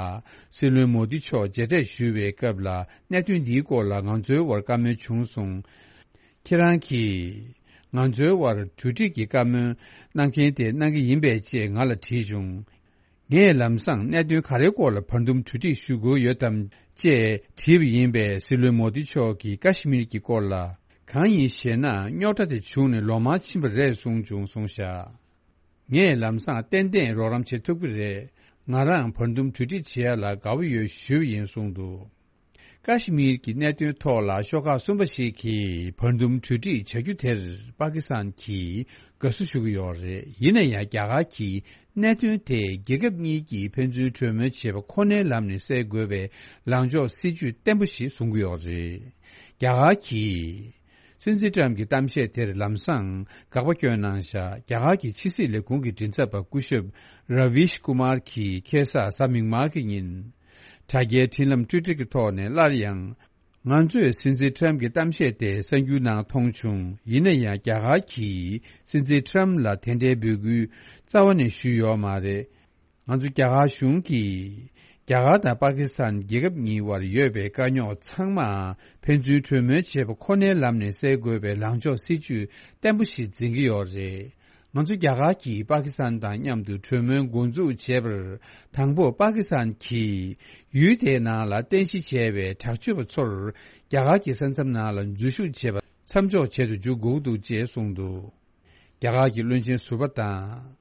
སྲིད་བློན་མོ་དི་མཆོག་མཇལ་འཕྲད་ཞུ་བའི་སྐབས་ལ་གནད་དོན་འདིའི་སྐོར་ལ་ང་ཚོའི་བར་བཀའ་མོལ་བྱུང་སོང་། ཁྱེད་རང་གིས་ང་ཚོའི་བར་གྲོས་འགྲིག་གི་བཀའ་མོལ་གནང་མཁན་དེ་གནང་གི་ཡིན་པས་ཅེས་ང་ལ་དྲིས་བྱུང་། ངས་ལམ་སང་གནད་དོན་ག་རེའི་སྐོར་ལ་བར་འདུམ་གྲོས་འགྲིག་ཞུ་དགོས་ཡོད་དམ་ཅེས་དྲིས་པ་ཡིན་པས། སྲིད་བློན་མོ་དི་མཆོག་གིས་ཀ་ཤི་མིར་གྱི་སྐོར་ལ་གང་ཡིན་ཞེ་ན། རྙོག་དྲ་དེ་བྱུང་ནས་ལོ་མང་ཕྱིན་པ་རེད་གསུངས་བྱུང་གསུངས་བཞག་ངས་ལམ་སང་ཏན་ཏན་རོགས་རམ་བྱེད་ཐུབ་ཀྱི་རེད། ང་རང་བར་འདུམ་གྲོས་འགྲིག་བྱེད་ཡ་ལ་དགའ་བོ་ཡོད་ཞུས་པ་ཡིན་གསུངས་འདུག་ཀ་ཤི་མིར་གྱི་གནད་དོན་ཐོག་ལ་ཤོག་ཁག་གསུམ་པ་ཞིག་གིས་བར་འདུམ་གྲོས་འགྲིག་བྱ་རྒྱུ་དེར་པ་ཀི་སི་ཐན་གྱིས་དགའ་བསུ་ཞུ་གི་ཡོད་རེད། ཡིན་ན་ཡང་རྒྱ་གར་གྱིས་གནད་དོན་དེ་རྒྱལ་ཁབ་གཉིས་ཀྱིས་ཕན་ཚུན་གྲོས་མོལ་བྱེད་པ་ཁོ་ནའི་ལམ་ནས་སེལ་དགོས་པའི་ལངས་ཕྱོགས་སྲིད་ཇུས་བརྟན་པོ་ཞིག་བཟུང་གི་ཡོད་རེད། རྒྱ་གར་གྱིས་སྲིད་འཛིན་ཁྲམ་གྱི་གཏམ་བཤད་དེར་ལམ་སང་དགག་པ་བསྐྱོན་གནང་བཞག་རྒྱ་གར་གྱི་ཕྱི་སྲིད་ལས་ཁུངས་ཀྱི་མགྲིན་ཚབ་པ་སྐུ་ཞབས་ར་བིཤ་ཀུ་མར་གྱིས་ཁ་སང་གཟའ་མིག་དམར་གྱི་ཉིན། དྲ་རྒྱའི་འཕྲིན་ལམ་ཊུའི་ཊར་གྱི་ཐོག་ནས་སླར་ཡང་། ང་ཚོས་སྲིད་འཛིན་ཁྲམ་གྱི་གཏམ་བཤད་དེ་གསར་འགྱུར་ནང་མཐོང་བྱུང་། ཡིན་ན་ཡང་རྒྱ་གར་གྱིས་སྲིད་འཛིན་ཁྲམ་ལ་དེ་འདྲའི་འབོད་སྐུལ་རྩ་བ་ནས་ཞུས་ཡོད་མ་རེད། ང་ཚོ་རྒྱ་གར་གཞུང་གིས་རྒྱ་གར་དང་པ་ཀི་སི་ཐན་རྒྱལ་ཁབ་གཉིས་བར་ཡོད་པའི་དཀའ་རྙོག་ཚང་མ་ཕན་ཚུན་གྲོས་མོལ་བྱེད་པ་ཁོ་ནའི་ལམ་ནས་སེལ་དགོས་པའི་ལངས་ཕྱོགས་སྲིད་ཇུས་བརྟན་པོ་ཞིག་འཛིན་གྱི་ཡོད་རེད། ང་ཚོ་རྒྱ་གར་གྱིས་པ་ཀི་སི་ཐན་དང་མཉམ་དུ་གྲོས་མོལ་འགོ་འཛུགས་བྱས་པར། དང་པོ་པ་ཀི་སི་ཐན་གྱིས་ཡུལ་དེའི་ནང་ལ་རྟེན་གཞི་བྱས་པའི་དྲག་སྤྱོད་པ་ཚོར་རྒྱ་གར་གྱི་ས་མཚམས་ནང་ལ་འཛུལ་ཞུགས་བྱེད་པ་མཚམས་འཇོག་བྱེད་དུ་འཇུག་དགོས་འདུག་ཅེས་གསུངས་འདུག་རྒྱ་གར་གྱི་བློན་ཆེན་ཟུར་པ་དང་།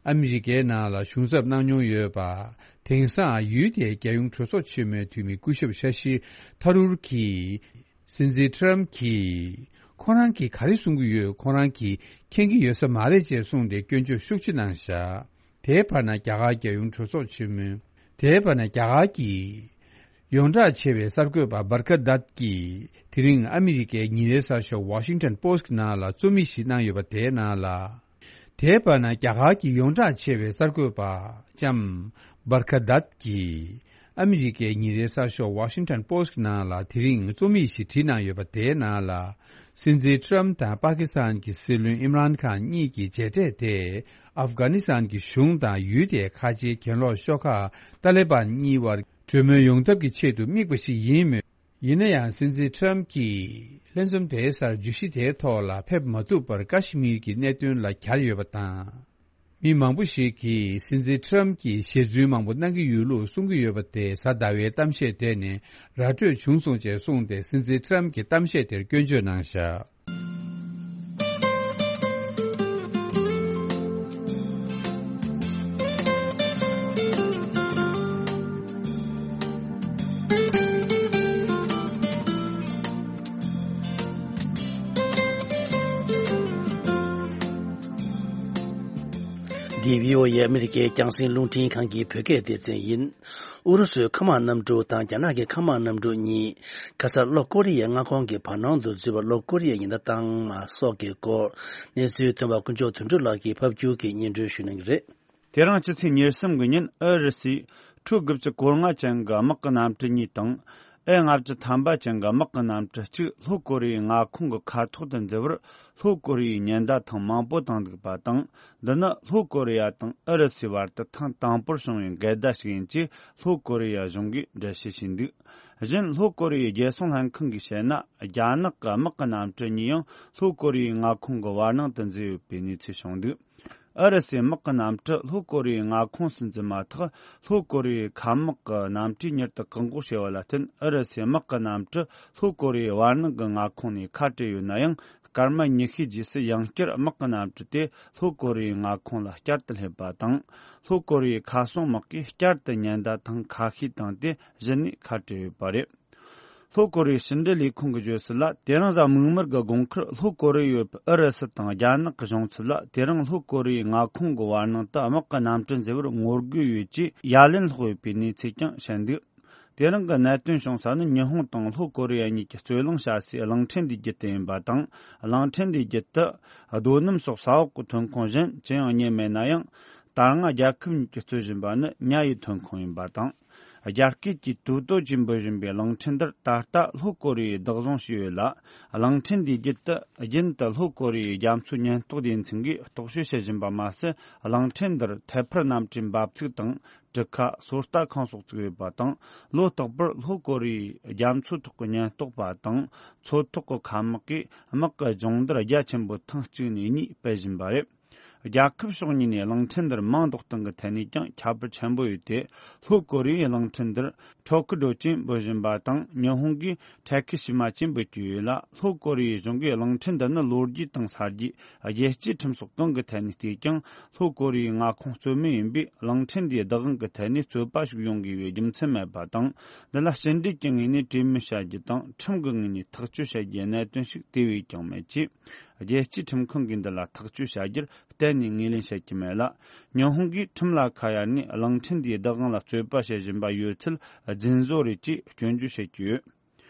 ཨ་མི་རི་ཀའི་ནང་ལ་གཞུང་ཚབ་གནང་མྱོང་ཡོད་པ། དེང་སང་ཡུལ་དེའི་རྒྱལ་ཡོངས་གྲོས་ཚོགས་ཆེན་མོའི་འཐུས་མི་སྐུ་ཞབས་ཤ་ཤི་ཐ་རུར་གྱིས། སྲིད་འཛིན་ཁྲམ་གྱིས་ཁོ་རང་གིས་ག་རེ་གསུང་གི་ཡོད་ཁོ་རང་གིས་མཁྱེན་གྱི་ཡོད་ས་མ་རེད་ཅེས་གསུངས་ཏེ་སྐྱོན་བརྗོད་ཤུགས་ཆེ་གནང་བཞག་དེའི་བར་ན་རྒྱ་གར་རྒྱལ་ཡོངས་གྲོས་ཚོགས་ཆེན་མོའི། དེའི་བར་ན་རྒྱ་གར་གྱི་ཡོངས་གྲགས་ཆེ་བའི་གསར་འགོད་པ་བར་ཀ་དཱད་ཀྱིས་དེ་རིང་ཨ་མི་རི་ཀའི་ཉིན་རེའི་གསར་ཤོག་Washington Post་ནང་ལ་རྩོམ་ཡིག་ཞིག་གནང་ཡོད་པ་དེའི་ནང་ལ། དེའི་བར་ན་རྒྱ་གར་གྱི་ཡོངས་གྲགས་ཆེ་བའི་གསར་འགོད་པ་ལྕམ་བར་ཀ་དཱད་ཀྱིས་ཨ་མི་རི་ཀའི་ཉིན་རེའི་གསར་ཤོག་Washington Post་ནང་ལ་དེ་རིང་རྩོམ་ཡིག་ཞིག་བྲིས་གནང་ཡོད་པ་དེའི་ནང་ལ། སྲིད་འཛིན་ཁྲམ་དང་པ་ཀི་སི་ཐན་གྱི་སྲིད་བློན་ཨིམ་རཱན་ཁཱན་གཉིས་ཀྱི་མཇལ་འཕྲད་དེ་ཨབ་གྷ་ནི་སི་ཐན་གྱི་གཞུང་དང་ཡུལ་དེའི་ཁ་ཆེའི་གྱེན་ལོག་ཤོག་ཁག་ཏཱ་ལི་བན་གཉིས་བར་གྲོས་མོལ་ཡོང་ཐབས་ཀྱི་ཆེད་དུ་དམིགས་པ་ཞིག་ཡིན་མོད། ཡིན་ན་ཡང་སྲིད་འཛིན་ཁྲམ་གྱིས་ལྷན་འཛོམས་དེའི་སར་བརྗོད་གཞི་དེའི་ཐོག་ལ་ཕེབས་མ་ཐུབ་པར་ཀ་ཤི་མིར་གྱི་གནད་དོན་ལ་གྱར་ཡོད་པ་དང་། མི་མང་པོ་ཞིག་གིས་སྲིད་འཛིན་ཁྲམ་གྱིས་ཞེ་ཚུལ་མང་པོ་གནང་གི་ཡོད་ལུགས་གསུང་གི་ཡོད་པ་དེ་གཟའ་ཟླ་བའི་གཏམ་བཤད་དེ་ནས་ར་སྤྲོད་བྱུང་སོང་ཅེས་གསུངས་ཏེ་སྲིད་འཛིན་ཁྲམ་གྱི་གཏམ་བཤད་དེར་སྐྱོན་བརྗོད་གནང་བཞག་འདི་བྷི་ཨོ་ཨེ་ཨ་མི་རི་ཀའི་རྒྱང་སྲིང་རླུང་འཕྲིན་ཁང་གི་བོད་སྐད་སྡེ་ཚན་ཡིན། ཨུ་རུ་སུའི་མཁའ་དམག་གནམ་གྲུ་དང་རྒྱ་ནག་གི་མཁའ་དམག་གནམ་གྲུ་གཉིས་ཁ་སང་ལྷོ་ཀོ་རི་ཡའི་མངའ་ཁོངས་ཀྱི་བར་སྣང་དུ་འཛུལ་བ་ལྷོ་ཀོ་རི་ཡའི་ཉེན་བརྡ་བཏང་མ་སོགས་ཀྱི་སྐོར་གནས་ཚུལ་ཐོན་པ་དཀོན་མཆོག་དོན་གྲུབ་ལགས་ཀྱིས་ཕབ་སྒྱུར་གྱིས་སྙན་སྒྲོན་ཞུ་གནང་གི་རེད། དེ་རིང་སྤྱི་ཚེས་ཉེར་གསུམ་གྱི་ཉིན་ཨུ་རུ་སུས་ཁྲུ་དགུ་བཅུ་གོ་ལྔ་ཅན་གྱི་དམག་གི་གནམ་གྲུ་གཉིས་དང་། ཨེ་ལྔ་བཅུ་ཐམ་པ་ཅན་གྱི་དམག་གི་གནམ་གྲུ་གཅིག་ལྷོ་ཀོ་རི་ཡའི་མངའ་ཁོངས་ཀྱི་མཁའ་ཐོག་ཏུ་འཛུལ་བར་ལྷོ་ཀོ་རི་ཡའི་ཉེན་བརྡ་ཐེངས་མང་པོ་བཏང་འདུག་པ་དང་། འདི་ནི་ལྷོ་ཀོ་རི་ཡ་དང་ཨུ་རུ་སུའི་བར་དུ་ཐེངས་དང་པོར་བྱུང་བའི་འགལ་ཟླ་ཞིག་ཡིན་ཅེས་ལྷོ་ཀོ་རི་ཡ་གཞུང་གིས་འགྲེལ་བཤད་བྱས་འདུག་གཞན་ལྷོ་ཀོ་རི་ཡའི་རྒྱལ་སྲུང་ལྷན་ཁང་གིས་བཤད་ན། རྒྱ་ནག་གི་དམག་གི་གནམ་གྲུ་གཉིས་ཡང་ལྷོ་ཀོ་རི་ཡའི་མངའ་ཁོངས་ཀྱི་བར་སྣང་དུ་འཛུལ་ཡོད་པའི་གནས་ཚུལ་བྱུང་འདུག་ཨུ་རུ་སུའི་དམག་གི་གནམ་གྲུ་ལྷོ་ཀོ་རི་ཡའི་མངའ་ཁོངས་སུ་འཛུལ་མ་ཐག་ལྷོ་ཀོ་རི་ཡའི་མཁའ་དམག་གི་གནམ་གྲུས་མྱུར་དུ་བཀག་འགོག་བྱས་པ་ལ་བརྟེན། ཨུ་རུ་སུའི་དམག་གི་གནམ་གྲུ་ལྷོ་ཀོ་རི་ཡའི་བར་སྣང་གི་མངའ་ཁོངས་ནས་ཁ་བྲལ་ཡོད་ན་ཡང་། སྐར་མ་ཉི་ཤུའི་རྗེས་སུ་ཡང་བསྐྱར་དམག་གི་གནམ་གྲུ་དེ་ལྷོ་ཀོ་རི་ཡའི་མངའ་ཁོངས་ལ་བསྐྱར་དུ་སླེབས་པ་དང་། ལྷོ་ཀོ་རི་ཡའི་མཁའ་སྲུང་དམག་གིས་བསྐྱར་དུ་ཉེན་བརྡ་ཐེངས་ཁ་ཤས་བཏང་སྟེ་གཞི་ནས་ཁ་བྲལ་ཡོད་པ་རེད། ལྷོ་ཀོ་རི་ཡའི་ཕྱི་འབྲེལ་ལས་ཁུངས་ཀྱིས་བརྗོད་གསལ་ལ། དེ་རིང་གཟའ་མིག་དམར་གྱི་དགོང་ཁར་ལྷོ་ཀོ་རི་ཡའི་ཡོད་པའི་ཨུ་རུ་སུ་དང་རྒྱ་ནག་གི་གཞུང་ཚབ་ལ། དེ་རིང་ལྷོ་ཀོ་རི་ཡའི་མངའ་ཁོངས་ཀྱི་བར་སྣང་དུ་དམག་གི་གནམ་གྲུ་འཛུལ་བར་ངོ་རྒོལ་ཡོད་ཅེས་ཡ་ལན་སློག་ཡོད་པའི་གནས་ཚུལ་ཀྱང་བཤད་འདུག་དེ་རིང་གི་གནད་དོན་བྱུང་ས་ནི། ཉི་ཧོང་དང་ལྷོ་ཀོ་རི་ཡ་གཉིས་ཀྱི་རྩོད་གླེང་བྱ་སའི་གླིང་ཕྲན་འདིའི་རྒྱུད་དུ་ཡིན་པ་དང་། གླིང་ཕྲན་འདིའི་རྒྱུད་དུ་རྡོ་སྣུམ་སོགས་ས་འོག་གི་ཐོན་ཁུངས་གཞན་ཅི་ཡང་རྙེད་མེད་ན་ཡང་། ད་སྔ་རྒྱལ་ཁབ་གཉིས་ཀྱིས་རྩོད་བཞིན་པ་ནི་ཉ་ཡི་ཐོན་ཁུངས་ཡིན་པ་དང་། རྒྱ་སྐད་ཀྱིས་ཏུའུ་ཏོ་ཅེས་འབོད་བཞིན་པའི་གླིང་ཕྲན་འདིར་ད་ལྟ་ལྷོ་ཀོ་རི་ཡས་བདག་བཟུང་བྱས་ཡོད་ལ། གླིང་ཕྲན་འདིའི་རྒྱུད་དུ་རྒྱུན་དུ་ལྷོ་ཀོ་རི་ཡའི་རྒྱ་མཚོའི་ཉེན་རྟོག་སྡེ་ཚན་གྱིས་རྟོག་དཔྱོད་བྱེད་བཞིན་པ་མ་ཟད། གླིང་ཕྲན་འདིར་ཐད་འཕུར་གནམ་གྲུའི་འབབ་ཚིགས་དང་། གྲུ་ཁ། སོ་ལྟ་ཁང་སོགས་བཙུགས་ཡོད་པ་དང་། ལོ་རྟག་པར་ལྷོ་ཀོ་རི་ཡའི་རྒྱ་མཚོ་ཐོག་གི་ཉེན་རྟོག་པ་དང་། མཚོ་ཐོག་གི་མཁའ་དམག་གིས་དམག་གི་སྦྱོང་བརྡར་རྒྱ་ཆེན་པོ་ཐེངས་གཅིག་ནས་གཉིས་སྤེལ་བཞིན་པ་རེད། རྒྱལ་ཁབ་ཕྱོགས་གཉིས་ནས་གླིང་ཕྲན་འདིར་མིང་འདོགས་སྟངས་ཀྱི་ཐད་ནས་ཀྱང་ཁྱད་པར་ཆེན་པོ་ཡོད་དེ། ལྷོ་ཀོ་རི་ཡས་གླིང་ཕྲན་འདིར་ཁྲོ་ཁུ་ཌོ་ཅེས་འབོད་བཞིན་པ་དང་། ཉི་ཧོང་གིས་ཕྲ་ཁི་ཤི་མ་ཅེས་འབོད་ཀྱི་ཡོད་ལ། ལྷོ་ཀོ་རི་ཡའི་གཞུང་གིས་གླིང་ཕྲན་འདི་ནི་ལོ་རྒྱུས་དང་ས་རྒྱུས། རྒྱལ་སྤྱིའི་ཁྲིམས་སོགས་གང་གི་ཐད་ནས་བལྟས་ཀྱང་། ལྷོ་ཀོ་རི་ཡའི་མངའ་ཁོངས་རྩོད་མེད་ཡིན་པས། གླིང་ཕྲན་འདིའི་བདག་དབང་གི་ཐད་ནས་རྩོད་པ་ཞིག་ཡོང་དགོས་པའི་རྒྱུ་མཚན་མེད་པ་དང་། འདི་ལ་ཕྱི་འབྲེལ་གྱི་ངོས་ནས་གྲོས་མོལ་བྱ་རྒྱུ་དང་། ཁྲིམས་ཀྱི་ངོས་ནས་ཐག་གཅོད་བྱ་རྒྱུའི་གནད་དོན་ཞིག་དེ་བས་ཀྱང་མེད་ཅེས། རྒྱལ་སྤྱིའི་ཁྲིམས་ཁང་གིས་འདི་ལ་ཐག་གཅོད་བྱ་རྒྱུར་གཏན་ནས་ངོས་ལེན་བྱེད་ཀྱི་མེད་ལ། ཉི་ཧོང་གིས་ཁྲིམས་ལ་ཁ་གཡར་ནས་གླིང་ཕྲན་འདིའི་བདག་དབང་ལ་རྩོད་པ་བྱེད་བཞིན་པ་ཡོད་ཚུལ་རྫུན་བཟོ་རེད་ཅེས་སྐྱོན་བརྗོད་བྱེད་ཀྱི་ཡོད།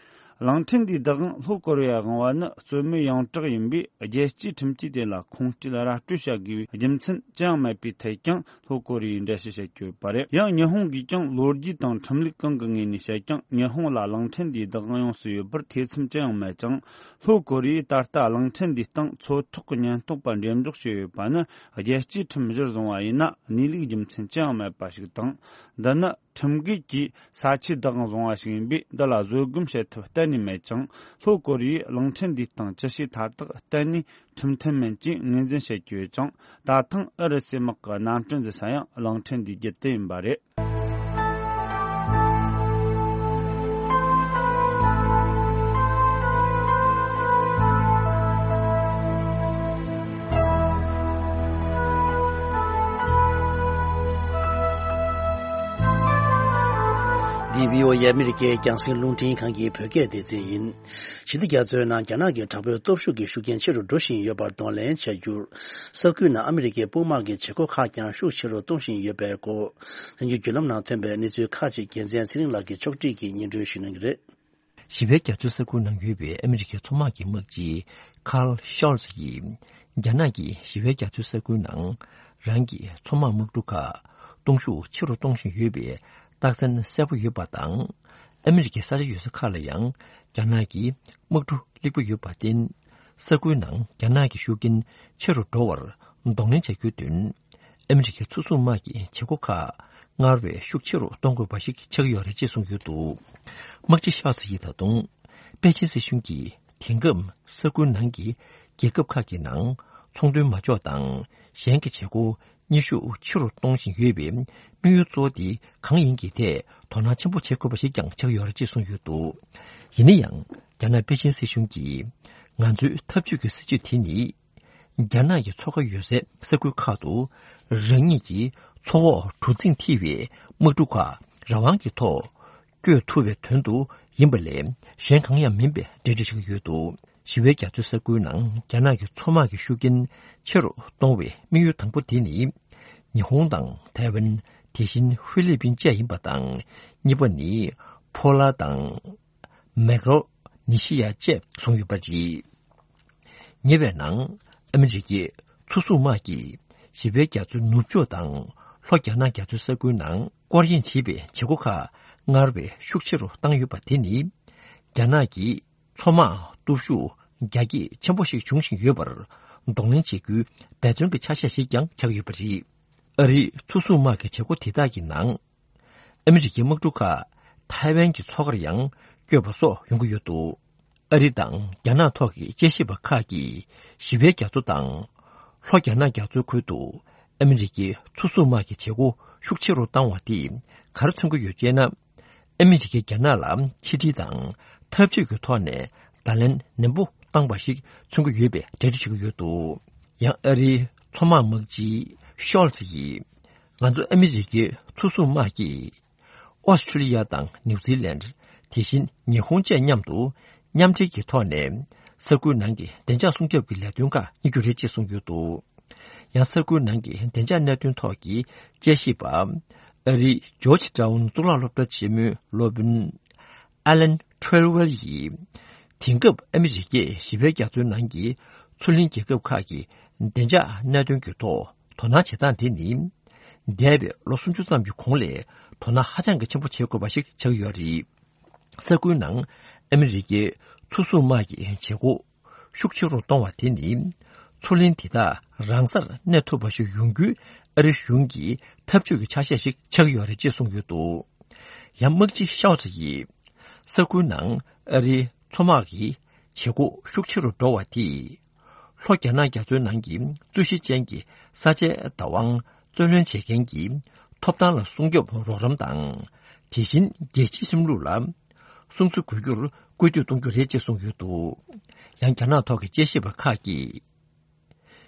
གླིང་ཕྲན་འདིའི་བདག་དབང་ལྷོ་ཀོ་རི་ཡར་དབང་བ་ནི་རྩོད་མེད་ཡོངས་གྲགས་ཡིན་པས། རྒྱལ་སྤྱིའི་ཁྲིམས་ཀྱིས་དེ་ལ་ཁུངས་སྐྱེལ་ར་སྤྲོད་བྱ་དགོས་པའི་རྒྱུ་མཚན་ཅི་ཡང་མེད་པའི་ཐད་ཀྱང་ལྷོ་ཀོ་རི་ཡས་འགྲེལ་བཤད་བྱེད་ཀྱི་ཡོད་པ་རེད། ཡང་ཉི་ཧོང་གིས་ཀྱང་ལོ་རྒྱུས་དང་ཁྲིམས་ལུགས་གང་གི་ངོས་ནས་བཤད་ཀྱང་། ཉི་ཧོང་ལ་གླིང་ཕྲན་འདིའི་བདག་དབང་ཡོངས་སུ་ཡོད་པར་ཐེ་ཚོམ་ཅི་ཡང་མེད་ཅིང་། ལྷོ་ཀོ་རི་ཡས་ད་ལྟ་གླིང་ཕྲན་འདིའི་སྟེང་མཚོ་ཐོག་གི་ཉེན་རྟོག་པ་འགྲེམས་འཇོག་བྱས་ཡོད་པ་ནི། རྒྱལ་སྤྱིའི་ཁྲིམས་གཞིར་བཟུང་བ་ཡིན་ན་གནས་ལུགས་རྒྱུ་མཚན་ཅི་ཡང་མེད་པ་ཞིག་དང་། འདི་ནི་ཁྲིམས་འགལ་གྱིས་ས་ཆའི་བདག་དབང་བཟུང་བ་ཞིག་ཡིན་པས། འདི་ལ་བཟོད་སྒོམ་བྱེད་ཐབས་གཏན་ནས་མེད་ཅིང་། ལྷོ་ཀོ་རི་ཡས་གླིང་ཕྲན་འདིའི་སྟེང་ཅི་བྱས་མཐའ་དག་གཏན་ནས་ཁྲིམས་མཐུན་མིན་ཅེས་ངོས་འཛིན་བྱེད་ཀྱི་ཡོད་ཅིང་། ད་ཐེངས་ཨུ་རུ་སུའི་དམག་གི་གནམ་གྲུ་འཛུལ་ས་ཡང་གླིང་ཕྲན་འདིའི་རྒྱུད་དུ་ཡིན་པ་རེད། འདི་བྷི་ཨོ་ཨེ་ཨ་མི་རི་ཀའི་རྒྱང་སྲིང་རླུང་འཕྲིན་ཁང་གི་བོད་སྐད་སྡེ་ཚན་ཡིན། ཞི་བདེ་རྒྱ་མཚོའི་ནང་རྒྱ་ནག་གི་དྲག་པོའི་སྟོབས་ཤུགས་ཀྱི་ཤུགས་རྐྱེན་ཆེ་རུ་འགྲོ་བཞིན་ཡོད་པར་གདོང་ལེན་བྱ་རྒྱུར། ས་ཁུལ་ནང་ཨ་མི་རི་ཀའི་དཔུང་དམག་གི་བྱེད་སྒོ་ཁག་ཀྱང་ཤུགས་ཆེ་རུ་གཏོང་བཞིན་ཡོད་པའི་སྐོར། དེང་གི་བརྒྱུད་ལམ་ནང་ཐོན་པའི་གནས་ཚུལ་ཁག་ཅིག་རྒྱལ་མཚན་ཚེ་རིང་ལགས་ཀྱིས་ཕྱོགས་སྒྲིག་གིས་སྙན་སྒྲོན་ཞུ་གནང་གི་རེད། ཞི་བའི་རྒྱ་མཚོའི་ས་ཁུལ་ནང་ཡོད་པའི་ཨ་མི་རི་ཀའི་མཚོ་དམག་གི་དམག་སྤྱི་ཁཱརལ་ཤོལ་ཚི་ཡིས། རྒྱ་ནག་གིས་ཞི་བའི་རྒྱ་མཚོའི་ས་ཁུལ་ནང་རང་གི་མཚོ་དམག་དམག་གྲུ་ཁག་གཏོང་ཤུགས་ཆེ་རུ་གཏོང་བཞིན་ཡོད་པའི་རྟགས་མཚན་གསལ་པོ་ཡོད་པ་དང་། ཨ་མི་རི་ཀའི་ས་ཆ་ཡོད་ས་ཁག་ལ་ཡང་རྒྱ་ནག་གི་དམག་གྲུ་སླེབས་ཀྱི་ཡོད་པར་བརྟེན། ས་ཁུལ་ནང་རྒྱ་ནག་གི་ཤུགས་རྐྱེན་ཆེ་རུ་འགྲོ་བར་གདོང་ལེན་བྱ་རྒྱུའི་དོན། ཨ་མི་རི་ཀའི་མཚོ་སྲུང་དམག་གི་བྱེད་སྒོ་ཁག་སྔར་བས་ཤུགས་ཆེ་རུ་གཏོང་དགོས་པ་ཞིག་ཆགས་ཀྱི་ཡོད་རེད་ཅེས་གསུངས་ཡོད་འདུག། དམག་སྤྱི་ཤཱལ་ཚི་ཡིས་ད་དུང་པེ་ཅིན་སྲིད་གཞུང་གིས་དེང་སྐབས་ས་ཁུལ་ནང་གི་རྒྱལ་ཁབ་ཁག་གི་ནང་ཚོང་དོན་མ་འཇོག་དང་གཞན་གྱི་བྱེད་སྒོ་གཉེར་ཤུགས་ཆེ་རུ་གཏོང་བཞིན་ཡོད་པའི་དམིགས་ཡུལ་གཙོ་བོ་དེ་གང་ཡིན་གྱི་ཐད་དོ་སྣང་ཆེན་པོ་བྱེད་དགོས་པ་ཞིག་ཀྱང་ཆགས་ཡོད་རེད་ཅེས་གསུངས་ཡོད་འདུག། ཡིན་ན་ཡང་རྒྱ་ནག་པེ་ཅིན་སྲིད་གཞུང་གིས་ང་ཚོའི་འཐབ་ཇུས་ཀྱི་སྲིད་ཇུས་དེ་ནི། རྒྱ་ནག་གི་མཚོ་ཁ་ཡོད་སའི་ས་ཁུལ་ཁག་ཏུ་རང་ཉིད་ཀྱི་མཚོ་འོག་གྲུ་གཟིངས་མཐིལ་བའི་དམག་གྲུ་ཁག་རང་དབང་གི་ཐོག་བསྐྱོད་ཐུབ་པའི་དོན་དུ་ཡིན་པ་ལས་གཞན་གང་ཡང་མིན་པའི་འགྲེལ་བརྗོད་བྱེད་ཀྱི་ཡོད་འདུག། ཞི་བའི་རྒྱ་མཚོའི་ས་ཁུལ་ནང་རྒྱ་ནག་གི་མཚོ་དམག་གི་ཤུགས་རྐྱེན་ཆེ་རུ་གཏོང་བའི་དམིགས་ཡུལ་དང་པོ་དེ་ནི། ཉི་ཧོང་དང་ཐའེ་ཝན། དེ་བཞིན་ཧྥི་ལི་པིན་བཅས་ཡིན་པ་དང་། གཉིས་པ་ནི་ཕོ་ལ་དང་། མེག་རོ་ནི་ཤི་ཡ་བཅས་བཟུང་ཡོད་པ་རེད། ཉེ་བའི་ནང་ཨ་མི་རི་ཀའི་མཚོ་སྲུང་དམག་གིས་ཞི་བའི་རྒྱ་མཚོའི་ནུབ་ཕྱོགས་དང་ལྷོ་རྒྱ་ནག་རྒྱ་མཚོའི་ས་ཁུལ་ནང་སྐོར་གཡེང་བྱེད་པའི་བྱེད་སྒོ་ཁག་སྔར་བས་ཤུགས་ཆེ་རུ་བཏང་ཡོད་པ་དེ་ནི། རྒྱ་ནག་གི་མཚོ་དམག་སྟོབས་ཤུགས་རྒྱ་སྐྱེད་ཆེན་པོ་ཞིག་འབྱུང་བཞིན་ཡོད་པར་གདོང་ལེན་བྱེད་རྒྱུའི་འབད་བརྩོན་གྱི་ཆ་ཤས་ཤིག་ཀྱང་ཆགས་ཡོད་པ་རེད། ཨ་རིའི་མཚོ་སྲུང་དམག་གི་བྱེད་སྒོ་དེ་དག་གི་ནང་། ཨ་མི་རི་ཀའི་དམག་གྲུ་ཁག་ཐའེ་ཝན་གྱི་མཚོ་ཁར་ཡང་བསྐྱོད་པ་སོགས་ཡོང་གི་ཡོད་འདུག། ཨ་རི་དང་རྒྱ་ནག་ཐོག་གི་དཔྱད་ཞིབ་པ་ཁག་གིས་ཞི་བའི་རྒྱ་མཚོ་དང་། ལྷོ་རྒྱ་ནག་རྒྱ་མཚོའི་ཁུལ་དུ་ ཨ་མི་རི་ཀའི་མཚོ་སྲུང་དམག་གི་བྱེད་སྒོ་ཤུགས་ཆེ་རུ་བཏང་བ་དེས་ག་རེ་མཚོན་གྱི་ཡོད་ཅེ་ན། ཨ་མི་རི་ཀས་རྒྱ་ནག་ལ་ཕྱི་འབྲེལ་དང་འཐབ་ཇུས་ཀྱི་ཐོག་ནས་བརྡ་ལན་ནན་པོ་བཏང་བ་ཞིག་མཚོན་གྱི་ཡོད་པའི་འགྲེལ་བརྗོད་བྱེད་ཀྱི་ཡོད་འདུག་ཡང་ཨ་རིའི་མཚོ་དམག་དམག་སྤྱི་ཤོལ་ཚི་ཡིས། ང་ཚོ་ཨ་མི་རི་ཀའི་མཚོ་སྲུང་དམག་གིས་ཨོ་སི་ཁྲུ་ལི་ཡ་དང་ནིའུ་ཛི་ལན། དེ་བཞིན་ཉི་ཧོང་བཅས་མཉམ་དུ་མཉམ་འབྲེལ་གྱི་ཐོག་ནས་ས་ཁུལ་ནང་གི་བདེ་འཇགས་སྲུང་སྐྱོབ་ཀྱི་ལས་དོན་ཁག་གཉེར་རྒྱུ་རེད་ཅེས་གསུངས་ཡོད་འདུག་ཡང་ས་ཁུལ་ནང་གི་བདེ་འཇགས་གནད་དོན་ཐོག་གི་དཔྱད་ཞིབ་པ། ཨ་རིའི་ཇོརྗ་ཊའུན་གཙུག་ལག་སློབ་གྲྭ་ཆེན་མོའི་སློབ་དཔོན་ཨ་ལན་ཁྲེལ་ཝེལ་ཡིས། དེང་སྐབས་ཨ་མི་རི་ཀས་བཞི་པའི་རྒྱ་མཚོའི་ནང་གི་མཚོ་གླིང་རྒྱལ་ཁབ་ཁག་གི་བདེ་འཇགས་གནད་དོན་གྱི་ཐོག་དོ་སྣང་བྱེད་སྟངས་དེ་ནི། འདས་པའི་ལོ་སུམ་ཅུ་ཙམ་གྱི་གོང་ལས་དོ་སྣང་ཧ་ཅང་གི་ཆེན་པོ་བྱེད་དགོས་པ་ཞིག་ཆགས་ཡོད་རེད། ས་ཁུལ་ནང་ཨ་མི་རི་ཀའི་མཚོ་སྲུང་དམག་གི་བྱེད་སྒོ་ཤུགས་ཆེ་རུ་གཏོང་བ་དེ་ནི། མཚོ་གླིང་དེ་དག་རང་སར་གནས་ཐུབ་པ་ཞིག་ཡོང་རྒྱུའི་ཨ་རི་གཞུང་གི་འཐབ་ཇུས་ཀྱི་ཆ་ཤས་ཤིག་ཆགས་ཡོད་རེད་ཅེས་གསུངས་ཡོད་འདུག་ཡང་དམག་སྤྱི་ཤའོ་ཙི་ཡིས། ས་ཁུལ་ནང་ཨ་རིའི་མཚོ་དམག་གི་བྱེད་སྒོ་ཤུགས་ཆེ་རུ་འགྲོ་བ་དེས། ལྷོ་རྒྱ་ནག་རྒྱ་མཚོའི་ནང་གི་རྩོད་གཞི་ཅན་གྱི་ས་ཆའི་བདག་དབང་རྩོད་ལེན་བྱེད་མཁན་གྱི་ཐོབ་ཐང་ལ་སྲུང་སྐྱོབ་རོགས་རམ་དང་། དེ་བཞིན་རྒྱལ་སྤྱིའི་ཁྲིམས་ལུགས་ལ་སྲུང་བརྩི་དགོས་རྒྱུར་སྐུལ་འདེད་གཏོང་རྒྱུ་རེད་ཅེས་གསུངས་ཡོད་འདུག་ཡང་རྒྱ་ནག་ཐོག་གི་དཔྱད་ཞིབ་པ་ཁག་གིས།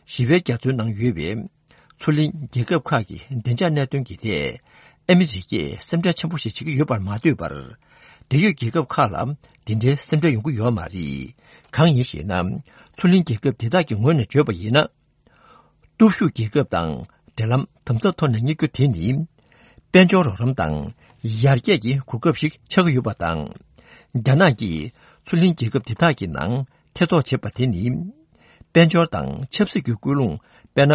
བཞི་པའི་རྒྱ་མཚོའི་ནང་ཡོད་པའི་མཚོ་གླིང་རྒྱལ་ཁབ་ཁག་གི་བདེ་འཇགས་གནད་དོན་གྱི་ཐད་ཨ་མི་རི་ཀས་སེམས་ཁྲལ་ཆེན་པོ་ཞིག་བྱེད་ཀྱི་ཡོད་པར་མ་ལྟོས་པར། འབྲེལ་ཡོད་རྒྱལ་ཁབ་ཁག་ལ་འདི་འདྲའི་སེམས་ཁྲལ་ཡོང་གི་ཡོད་མ་རེད། གང་ཡིན་ཞེ་ན། མཚོ་གླིང་རྒྱལ་ཁབ་དེ་དག་གི་ངོས་ནས་བརྗོད་པ་ཡིན་ན། སྟོབས་ཤུགས་རྒྱལ་ཁབ་དང་འབྲེལ་ལམ་དམ་ཟབ་ཐོག་ནས་གཉེར་རྒྱུ་དེ་ནི། དཔལ་འབྱོར་རོགས་རམ་དང་ཡར་རྒྱས་ཀྱི་གོ་སྐབས་ཤིག་ཆགས་ཀྱི་ཡོད་པ་དང་། རྒྱ་ནག་གིས་མཚོ་གླིང་རྒྱལ་ཁབ་དེ་དག་གི་ནང་ཐེ་གཏོགས་བྱེད་པ་དེ་ནི། དཔལ་འབྱོར་དང་ཆབ་སྲིད་ཀྱི་སྐུལ་སློང་དཔེར་ན།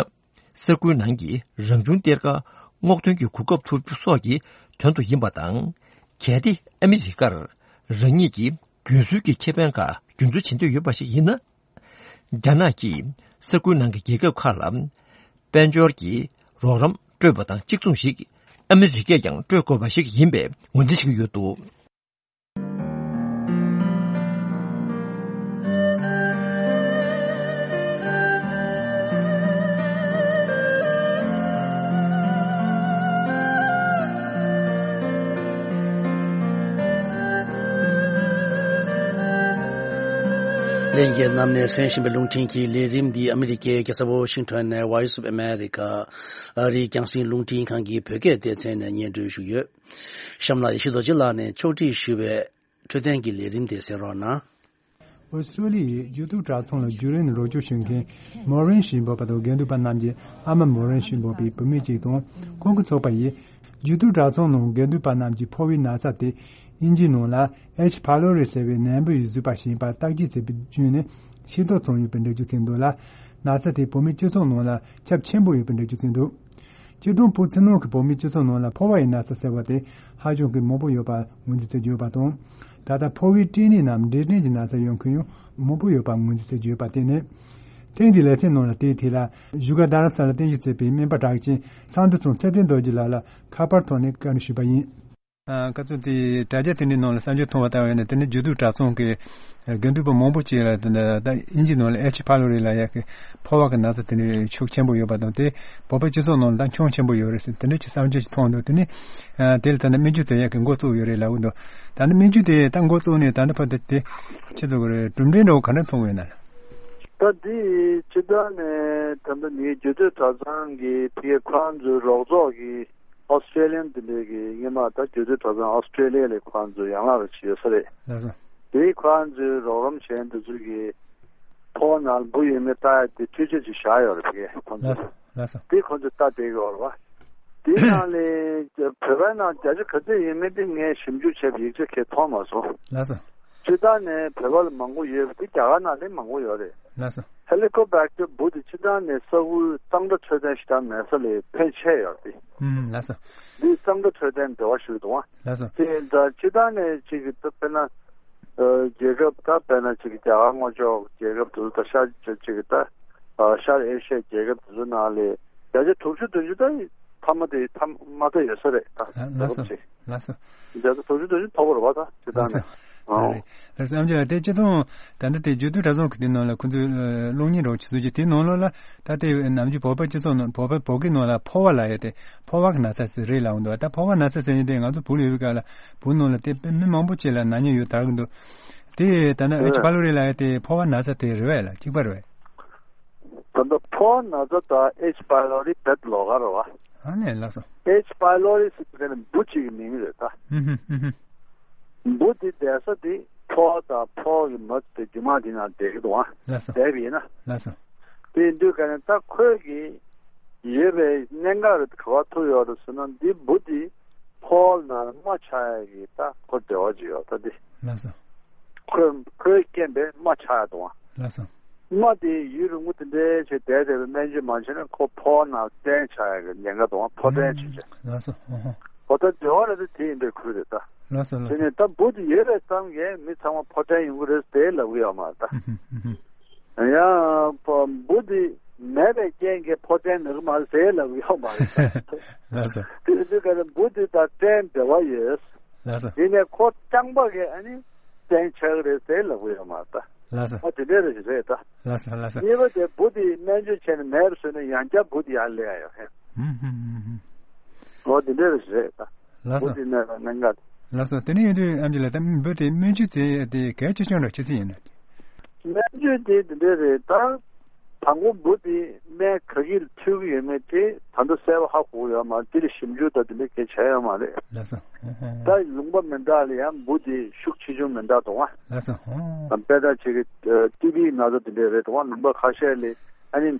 ས་ཁུལ་ནང་གི་རང་བྱུང་གཏེར་ཁ་སྔོག་འདོན་གྱི་གོ་སྐབས་ཐོབ་རྒྱུ་སོགས་ཀྱི་དོན་དུ་ཡིན་པ་དང་། གལ་ཏེ་ཨ་མི་རི་ཀར་རང་ཉིད་ཀྱི་རྒྱུན་སྲོལ་གྱི་ཁེ་ཕན་ཁག་རྒྱུན་འཛིན་བྱེད་འདོད་ཡོད་པ་ཞིག་ཡིན་ན། རྒྱ་ནག་གིས་ས་ཁུལ་ནང་གི་རྒྱལ་ཁབ་ཁག་ལ་དཔལ་འབྱོར་གྱི་རོགས་རམ་སྤྲོད་པ་དང་གཅིག་མཚུངས་ཤིག་ཨ་མི་རི་ཀས་ཀྱང་སྤྲོད་དགོས་པ་ཞིག་ཡིན་པའི་ངོས་འཛིན་བྱེད་ཀྱི་ཡོད་འདུག་ལྷན་རྒྱས་རྣམས་ནས་གསན་བཞིན་པའི་རླུང་འཕྲིན་གྱི་ལས་རིམ་འདི་ཨ་མི་རི་ཀའི་རྒྱལ་ས་ཝོ་ཤིང་ཊོན་ནས་Voice of America ཨ་རིའི་རྒྱང་སྲིང་རླུང་འཕྲིན་ཁང་གི་བོད་སྐད་སྡེ་ཚན་ནས་སྙན་སྒྲོན་ཞུས་ཡོད། གཤམ་ལ་ཡེ་ཤེས་རྡོ་རྗེ་ལགས་ནས་ཕྱོགས་སྒྲིག་ཞུས་པའི་འཕྲོད་བསྟེན་གྱི་ལས་རིམ་དེ་གསན་རོགས་གནང་། ཨོ་སི་ཀྲོ་ལི་ཡའི་འགྱུར་རྡོའི་དྲག་ཚོང་ལ་བརྒྱུད་རིམ་རོགས་སྐྱོར་ཞུ་མཁན་མོ་རེན་ཞིག་འབོད་པ་དང་དགེ་འདུན་པ་རྣམས་ཀྱིས་ཨ་མ་མོ་རེན་ཞིག་འབོད་པའི་བུད་མེད་ཅིག་དང་ཁོང་གི་ཚོགས་པ་ཡིས། འགྱུར་རྡོའི་དྲག་ཚོང་ནང་དགེ་འདུན་པ་རྣམས་ཀྱི་ཕོ་བའི་ན་ཚ་དེ་དབྱིན་ཇིའི་ནང་ལ་H pylori ཟེར་བའི་ནད་འབུ་ཡིས་བཟོས་པ་ཞིག་ཡིན་པར་བརྟག་དཔྱད་བྱས་པའི་བརྒྱུད་ནས་ཤེས་རྟོགས་བྱུང་ཡོད་པའི་འགྲེལ་བརྗོད་བྱས་འདུག་ལ། ན་ཚ་དེ་བོད་མིའི་སྤྱི་ཚོགས་ནང་ལ་ཁྱབ་ཆེན་པོ་ཡོད་པའི་འགྲེལ་བརྗོད་བྱས་འདུག་སྤྱིར་བཏང་བོད་ཕྱི་ནང་གི་བོད་མིའི་སྤྱི་ཚོགས་ནང་ལ་ཕོ་བ་ཡི་ན་ཚ་ཟེར་བ་དེ་ཧ་ཅང་གི་མང་པོ་ཡོད་པ་ངོས་འཛིན་བྱེད་ཀྱི་ཡོད་པ་དང་། ད་ལྟ་ཕོ་བའི་སྐྲན་ནད་ནམ་འབྲས་སྐྲན་གྱི་ན་ཚ་ཡོད་མཁན་ཡང་མང་པོ་ཡོད་པ་ངོས་འཛིན་བྱེད་ཀྱི་ཡོད་པ་བརྟེན་ནས། ཐེངས་འདིའི་ལེ་ཚན་ནང་ལ་དེའི་ཐད་ལ་བཞུགས་སྒར་རྡ་རམ་ས་ལ་རྟེན་གཞི་བྱས་པའི་སྨན་པ་གྲགས་ཅན་སངས་རྡོ་རྫོང་ཚེ་བརྟན་རྡོ་རྗེ་ལགས་ལ་ཁ་པར་ཐོག་ནས་བཀའ་འདྲི་ཞུས་པ་ཡིན། ཨ། སྐབས་སུ་དེའི་དྲ་རྒྱ་དེ་འདྲའི་ནང་ལ་གསར་འགྱུར་མཐོང་བ་ལྟ་བ་ཡིན་ན། དེ་ནི་འགྱུར་རྡོའི་དྲག་ཚོང་གི་དགེ་འདུན་པ་མང་པོ་ཅིག་ལ་དེ་འདྲ་ད་དབྱིན་ཇིའི་ནང་ལ་H pylori ལབ་ཡག་གི་ཕོ་བ་གི་ན་ཚ་དེ་འདྲའི་ཤུགས་ཆེན་པོ་ཡོད་པ་དང་། དེ་བོད་པའི་སྤྱི་ཚོགས་ནང་ལ་ད་ཁྱོན་ཆེན་པོ་ཡོད་རེད་ཟེར་དེ་འདྲ་ཅིག་གསར་འགྱུར་ཅིག་མཐོང་འདུག་དེ་ནི་ཨ་དེ་ལ་ད་ནི་སྨན་བཅོས་བྱེད་ཡག་གི་འགོ་བཙུགས་ཡོད་རེད་ལབ་ཀྱི་འདུག་ད་ནི་སྨན་བཅོས་དེ་ད་འགོ་བཙུགས་ནས་ད་ནི་བར་དུ་དེ་ཆེད་དུ་གི་རེད། གྲུབ་འབྲས་འདྲ་བོ་ག་འདྲ་མཐོང་གི་ཡོད་ན། ད་འདི་སྤྱིར་བཏང་ནས་ད་ལྟ་ནི་འགྱུར་རྡོའི་དྲག་ཚོང་གི་ཕ་གི་ཁོ་རང་ཚོའི་རོགས་ཚོགས་ཀྱི་ཨོ་སི་ཀྲེ་ལི་ཡན་དེ་འདྲའི་གི་སྔོན་མ་ད་འགྱུར་རྡོའི་དྲག་ཚོང་ཨོ་སི་ཀྲེ་ལི་ཡ་ལ་ཁོ་རང་ཚོའི་ཡན་ལག་རེ་བྱས་ཡོད་ས་རེད། ལགས་སོ། དེ་ཁོ་རང་ཚོའི་རོགས་རམ་བྱས་འདི་ཚོ་གི་ཕོ་བ་ནང་ལ་འབུ་ཡོད་མེད་ལྟ་ཡ་དེ་འཕྲུལ་ཆས་ཅིག་བཞག་ཡོད་རེད་ཕ་གི་ཁོ་ཚོ། ལགས་སོ། ལགས་སོ། དེ་ཁོ་ཚོས་ལྟ་བསྡད་ཀྱི་ཡོད་རེད་བ། དེའི་ནང་ལས་བོད་པའི་ནང་བརྒྱ་ཆ་ག་ཚོད་ཡོད་མེད་དེ་ངས་ཞིབ་འཇུག་བྱས་པའི་ཡིག་ཆ་གས་མཐོང་མ་སོང་། ལགས་སོ། སྤྱིར་བཏང་ནས་བོད་པ་ལ་མང་པོ་ཡོད་པ་དེ་རྒྱ་གར་ནང་ལས་མང་པོ་ཡོད་རེད། ལགས་སོ། ཧེ་ལི་ཀོ་བེག་ཊར་འབུ་དེ་སྤྱིར་བཏང་ནས་ས་ཁུལ་གཙང་སྦྲ་འཕྲོད་བསྟེན་ཞེ་དྲག་མེད་ས་ལ་ཕན་ཆེ་ཡོད་རེད། ཨུམ། ལགས་སོ། འདི་གཙང་སྦྲ་འཕྲོད་བསྟེན་འབྲེལ་བ་ཞུ་འདུག་བ། ལགས་སོ། དེ་ད་སྤྱིར་བཏང་ནས་ཅིག་གི་ད་དཔེར་ན། ཨ། རྒྱལ་ཁབ་ད་དཔེར་ན་ཅིག་རྒྱ་གར་དངོས་ཕྱོགས་རྒྱལ་ཁབ་དེ་ཚོ་ད་ཤར་ཅིག་ཅིག་ད། ཨ། ཤར་ཨེ་ཤི་ཡའི་རྒྱལ་ཁབ་དེ་ཚོ་ནང་ལས་བརྒྱ་ཆ་དྲུག་ཅུ་བདུན་ཅུ་ད་ཐ་མ་དེ་ཐ་མ་ད་ཡོད་ས་རེད་ད། ཨ། ལགས་སོ། ལགས་སོ། བརྒྱ་ཆ་དྲུག་ཅུ་བདུན་ཅུ་མཐོ་པོ་རེད་བ་ད་སྤྱིར་བཏང་ནས། ལགས་སོ། ཨོ། ལགས་སོ། ཨམ་ཆི་ལགས། དེ་སྤྱི་བཏང་ད་ལྟ་དེ་རྒྱུད་སྟོད་གྲྭ་ཚང་གི་དེ་ནང་ལ་ཁོ་ཚོས་ཨ་གློག་བརྙན་རོགས་ཆུ་ཚོད་ཀྱི་དེ་ནང་ལོགས་ལ་ད་ལྟའི་ནམ་རྒྱུན་བོད་པ་སྤྱི་ཚོགས་ནང་བོད་པ་བོད་སྐད་ནང་ལ་ཕོ་བ་ལབ་ཡ་དེ་ཕོ་བ་གི་ན་ཚ་ཟེར་རེད་ལབ་འདུག་ད་ཕོ་བ་ན་ཚ་ཟེར་མཁན་དེ་ང་ཚོ་བོད་ལ་ཡོད་པའི་སྐབས་ལ་བོད་ནང་ལ་དེ་མི་མང་པོ་ཅིག་ལ་ན་མཁན་ཡོད་དར་གི་འདུག་དེ་ད་ནི་ཨེཆ་པའི་ལོ་རི་ལབ་ཡ་དེ་ཕོ་བ་ན་ཚ་དེ་རེད་པས་ལགས། གཅིག་པ་རེད་པས། ད་ལྟ་ཕོ་བ་ན་ཚ་དང་ཨེཆ་པའི་ལོ་རི་དེ་ལོགས་ཀ་རེད་པ། ཨ་ནི་ལགས་སོ། ཨེཆ་པའི་ལོ་རི་ཟེར་དེ་ནི་འབུ་གཅིག་གི་མིང་རེད་ད། ཧུམ་ཧུམ་ཧུམ་ཧུམ། འབུ་དེ་བསྡད་ས་དེ་ཕོ་བ་དང་ཕོ་བ་གི་མ་དེ་རྒྱུ་མ་དེ་ནང་བསྡད་ཀྱི་འདུག་ཨ། ལགས་སོ། བསྡད་པ་ཡིན་ན། ལགས་སོ། དེ་ཡིན་དུས་ག་ནས་ད་ཁོས་ཀྱི་ཡོད་པའི་གནད་འགག་རེ་ག་པར་ཐུག་ཡོད་རེད་ཟེར་ན། འདི་འབུ་དེ་ཕོ་བ་ནང་རྨ་ཆགས་ཡ་གི་ད་ཁོ་འབྲེལ་བ་ཅིག་ཡོད་ད་དེ། ལགས་སོ། ཁོས་ཁོའི་རྐྱེན་པས་རྨ་ཆགས་ཡ་འདུག་ཨ། ལགས་སོ། རྨ་དེ་ཡུན་རིང་པོ་དེ་འདྲའི་བྱས་བསྡད་བསྡད་པའི་སྨན་བཅོས་མ་བྱས་ན་ཁོ་ཕོ་བ་ནང་སྐྲན་ཆགས་ཡ་གི་ཉེན་ཁ་འདུག་ཨ། ཕོ་སྐྲན་བྱས་བྱས། ལགས་སོ། ཧོ་ཧོ། འོ་ད་འབྲེལ་བ་རེད་དེ་དེ་ཡིན་པའི་ཁུལ་རེད་ད། ལགས་སོ། ལགས་དེ་སོ། ནས་ད་འབུ་དེ་ཡོད་པའི་བསམ་གས་མི་ཚང་མ་ཕོ་སྐྲན་ཡོང་གི་རེད་ཟེར་ལབ་གི་ཡོད་མ་རེད་ད། ཧུམ་ཧུམ་ཧུམ་ཧུམ། ཡང་འབུ་འདི་མེད་པའི་རྐྱེན་གྱིས་ཕོ་སྐྲན་ན་གི་མ་རེད་ཟེར་ལབ་གི་ཡོད་མ་རེད། ལགས་སོ། དེ་དུས་ག་ནས་འབུ་འདི་དང་སྐྲན་འབྲེལ་བ་ཡོད། ལགས་སོ། ཡིན་ནའི་ཁོ་རྐྱང་པ་གིས་ཨ་ནི་སྐྲན་ཆགས་ཀྱི་རེད་ཟེར་ལབ་གི་ཡོད་མ་རེད་ད། ལགས་སོ། ཨ་དེ་འདྲ་རེད་རེད་ད། ལགས་སོ། ལགས་སོ། གཉིས་པ་དེ་འབུ་དེ་སྨན་བཅོས་བྱས་ནས་མེད་པ་བཟོས་ན་ཡང་བསྐྱར་འབུ་དེ་ཡར་སླེབས་ཡ་ཡོད་ཧེ། ཧུམ་ཧུམ་ཧུམ་ཧུམ། འོ་དེ་འདྲ་རེད་ད། ལགས་སོ། འབུ་དེ་ནས་གནད་འགག་ལགས་སོ། དེ་ནས་ཡིན་དུས་ཨམ་ཆི་ལགས། ད་འབུ་དེ་སྨན་བཅོས་བྱས་དེ་གལ་ཆེ་ཆུང་འདྲ་ཅི་ཙམ་ཡིན་ན། སྨན་བཅོས་དེ་འདི་འདྲ་རེད་ད། དང་པོ་འབུ་དེ་སྨན་ག་གི་ལ་འཐུང་གི་ཡོད་མེད་དེ་ད་ལྟ་གསལ་པོ་ཧ་གོ་གི་ཡོད་མ་རེད། དེ་ལ་ཞིབ་འཇུག་དང་དེ་འདྲ་གལ་ཆེ་ཡོད་མ་རེད། ལགས་སོ། ཧོ་ཧོ། ད་ལུང་པ་མི་འདྲ་ལ་ཡང་འབུ་དེ་ཤུགས་ཆེ་ཆུང་མི་འདྲ་འདུག་ཨ། ལགས་སོ། ཧོ། དཔེར་ན་ཅིག་གི་ཊི་བི་ན་ཚ་དེ་འདྲ་རེད་འདུག་ཨ། ལུང་པ་ཁ་ཤས་ལ་ཨ་ནི་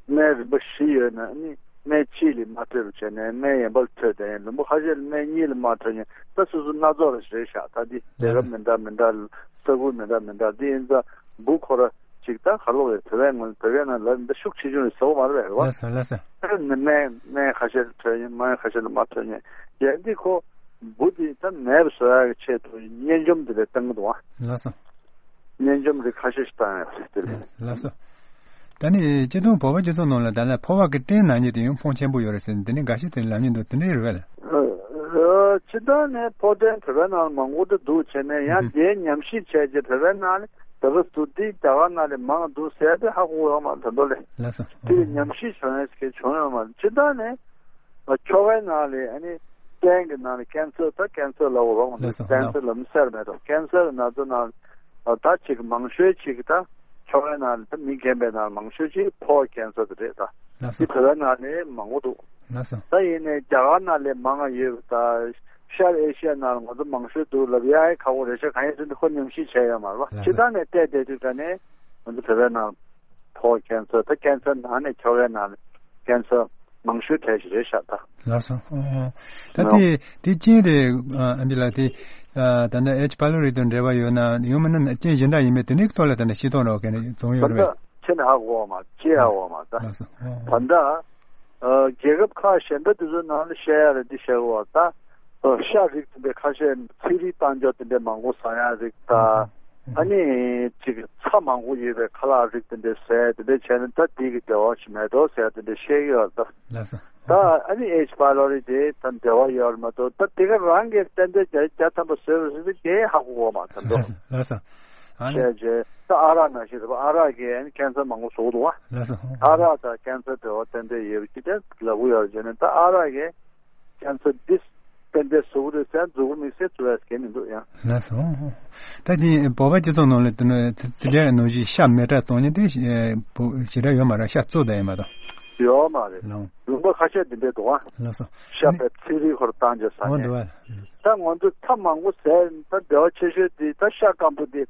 སྨན་རིམ་པ་བཞི་ཡོད་ན་ཨ་ནི་སྨན་གཅིག་ལ་མ་འཕྲོད་པ་བྱས་ནས་སྨན་གཞན་པ་ལ་འཕྲོད་དེ། ལུང་པ་ཁ་ཤས་ལ་སྨན་གཉིས་ལ་མ་འཕྲོད་མཁན་ད་སོ་སོ་སྣ་ཚོགས་རེ་རེད་ཤག་ད་འདི་སྡེ་ཁག་མི་འདྲ་མི་འདྲ་ས་ཁུལ་མི་འདྲ་མི་འདྲ་འདི་ཡིན་ཙང་འབུ་ཁོ་ར་ཅིག་ད་ག་ལོག་རེད། བོད་པའི་ངོས་བོད་པའི་ནང་ལ་འདི་ཤུགས་ཆེ་ཆུང་རེད་ཟེར་བ་མ་རེད་པས། ལགས་སོ། ལགས་སོ། ཨ་ནི་སྨན་སྨན་ཁ་ཤས་ལ་འཕྲོད་མཁན་སྨན་ཁ་ཤས་ལ་མ་འཕྲོད་མཁན་ཡང་འདི་ཁོ་འབུ་འདི་ད་མེད་པ་བཟོ་ཡག་གི་ཆེད་དུ་གཉན་འཇོམས་འདི་ལས་བཏང་གི་འདུག་ཨ། ལགས་སོ། གཉན་འཇོམས་རིགས་ཁ་ཤས་ཤིག་བཏང་ཡོད་རེད་དེ་ལས། ལགས་སོ། ད་ནི་སྤྱིར་བཏང་བོད་པ་སྤྱི་ཚོགས་ནང་ལ་ད་ལྟ་ཕོ་བ་གི་སྐྲན་ན་མཁན་དེ་ཡང་ཕོན་ཆེན་པོ་ཡོད་རེད་ཟེར་ནས་དེ་ནི་འགའ་ཤས་དེ་ལབ་མཁན་འདུག་དེ་འདྲ་རེད་པས་ལགས། ཨ་ཨ་སྤྱིར་བཏང་ནས་ཕོ་སྐྲན་བོད་པའི་ནང་ལ་མང་པོ་འདྲ་འདུག་བྱས་ནས་ཡང་ཨ་དེའི་ཉམས་ཞིབ་བྱས་རྗེས་བོད་པའི་ནང་ལ་ད་བར་དུ་དེ་རྒྱ་གར་ནང་ལས་མང་འདུག་ཟེར་དེ་ཧ་གོ་ཡོད་མ་རེད་ད་དུང་ལས། ལགས་སོ། དེ་ལ་ཉམས་ཞིབ་བྱུང་ཡས་ཀྱི་བྱུང་ཡོད་མ་རེད། སྤྱིར་བཏང་ནས་ཁྱོ་གའི་ནང་ལས་ཨ་ནི་སྐྲན་གྱི་ནང་ལས་ཀེན་སར་ད་ཀེན་སར་ལབ་དགོས་རེད་པ། ལགས་སོ། ཀེན་སར་ལབ་མི་སེར་མེད་དོ། ཀེན་སར་གྱི་ན་ཚ་ནང་ད་ཅིག་མང་ཤོས་ཅིག་ད་ཁྱོ་གའི་ནང་ལས་ད་མི་རྒན་པའི་ནང་ལ་མང་ཤོས་ཅིག་ཕོ་བ་ཀེན་སར་དེ་རེད་ད། ལགས་སོ། དེ་བོད་པའི་ནང་ལས་མང་པོ་འདུག་ལགས་སོ། ད་ཡིན་ནའི་རྒྱ་གར་ནང་ལས་མང་ང་ཡོད་པ་ད། ཤར་ཨེ་ཤི་ཡ་ནང་ལ་ང་ཚོ་མང་ཤོས་འདུག་ལབ་ཡ་ཡི་ཁག་པོ་རེད་ཤག་གང་ཡིན་ཟེར་ན་ཁོ་ཉམས་ཞིབ་བྱས་ཡོད་མ་རེད་པ། ལགས་སོ། སྤྱིར་བཏང་ནས་བལྟས་བསྡད་དུས་ད་ནས་ང་ཚོ་བོད་པའི་ནང་ཕོ་བ་ཀེན་སར་ད་ཀེན་སར་ནང་ནས་ཁྱོ་གའི་ནང་ལ་ཀེན་སར་མང་ཤོས་གྲས་ཤིག་རེད་ཤག་ད། ལགས་སོ། ཨོ། ད་དེ་དེ་རྐྱེན་དེ་ཨ་ཨམ་ཆི་ལགས་དེ་ཨ་ད་ནི་ཨེཆ་པའི་ལོ་རི་དང་འབྲེལ་བ་ཡོད་ན་ཡང་མིན་ན་རྐྱེན་གཞན་དག་ཡིན་མིན་དེ་འདྲའི་ཐོག་ལ་ད་ནི་ཤེས་རྟོགས་འདྲ་བོ་ག་ནས་བྱུང་ཡོད་རེད་པས། ད་ཁྱེད་ནས་ཧ་གོ་བ་མ་ཅི་ཧ་གོ་བ་མ་ད། ལགས་སོ། ཨོ། ད་ལྟ་ཨ་རྒྱལ་ཁབ་ཁག་གཞན་པ་དེ་ཚོའི་ནང་ལ་བཤད་ཡ་རེད་འདི་བཤད་གོ་བ་ད། ཨ་ཤ་རིགས་དེ་འདྲའི་ཁ་ཤས་ཚིལ་རིགས་བཏང་ཆོག་དེ་འདྲའི་མང་པོ་ཟ་ཡ་རིགས་ད། ཨ་ནི་ཅིག་ཚྭ་མང་པོ་ཡོད་པའི་ཁ་ལག་རིགས་དེ་འདྲའི་ཟས་དེ་འདྲའི་བྱས་ན་ད་དེ་གི་འབྲེལ་བ་ཞིག་མེད་དོ་ཟེར་ཡ་དེ་འདྲའི་བཤད་ཀྱི་ཡོད་ད། ལགས་སོ། ད་ཨ་ནི་ཨེཆ་པའི་ལོ་རི་དེ་ད་འབྲེལ་བ་ཡོད་རེད་མ་གཏོགས་ད་དེ་ག་རང་གི་ཏན་ཏན་བརྒྱ་ཆ་བརྒྱ་ཐམ་པ་བཟོས་པ་ཟེར་ཏེ་དེ་ཧ་གོ་གོ་མ་ད་འདུག་ལགས་སོ། ལགས་སོ། ཨ་ནི་བྱས་རྗེས་ད་ཨ་རག་ནང་བཞིན་རེད་པ། ཨ་རག་གིས་ཨ་ནི་ཀེན་སར་མང་པོ་བཟོ་གི་འདུག་བ། ལགས་སོ། ཨ་རག་དང་ཀེན་སར་འབྲེལ་བ་ཏན་ཏན་ཡོད་པ་ཅི་ལྟར་ལབ་གི་ཡོད་རེད་བྱས་ནས་ད་ཨ་རག་གིས་ཀེན་སར་འདི་ཏན་ཏན་བཟོ་གི་རེད་ཟེར་འཛུགས་མི་སེ་བཟོ་ཡ་གལ་མི་འདུག་ཡང་། ལགས་སོ། ད་དེ་བོད་པ་སྤྱི་ཚོགས་ནང་ལ་དེ་ནི་ཚི་ཚི་ལེ་ནང་བཞིན་ཤ་མེ་སྲེག་གཏོང་མཁན་དེ་ཞེ་དྲག་ཡོད་མ་རེད། ཤ་བཙོ་བསྡད་ཡོད་མ་རེད། ཡོད་མ་རེད། ལགས། ལུང་པ་ཁ་ཤས་དེ་འདྲས་འདུག་ཨ། ལགས་སོ། ཤ་བའི་ཚིལ་རིགས་ཁོ་ར་བཏང་བྱས་ཟ་མཁན། འོ་འདུག་ཨ། ད་ང་ཚོ་ཚྭ་མང་པོ་ཟས་ད་འབྲེལ་བ་ཆེ་ཤོས་དེ་ད་ཤ་སྐམ་པོ་དེ་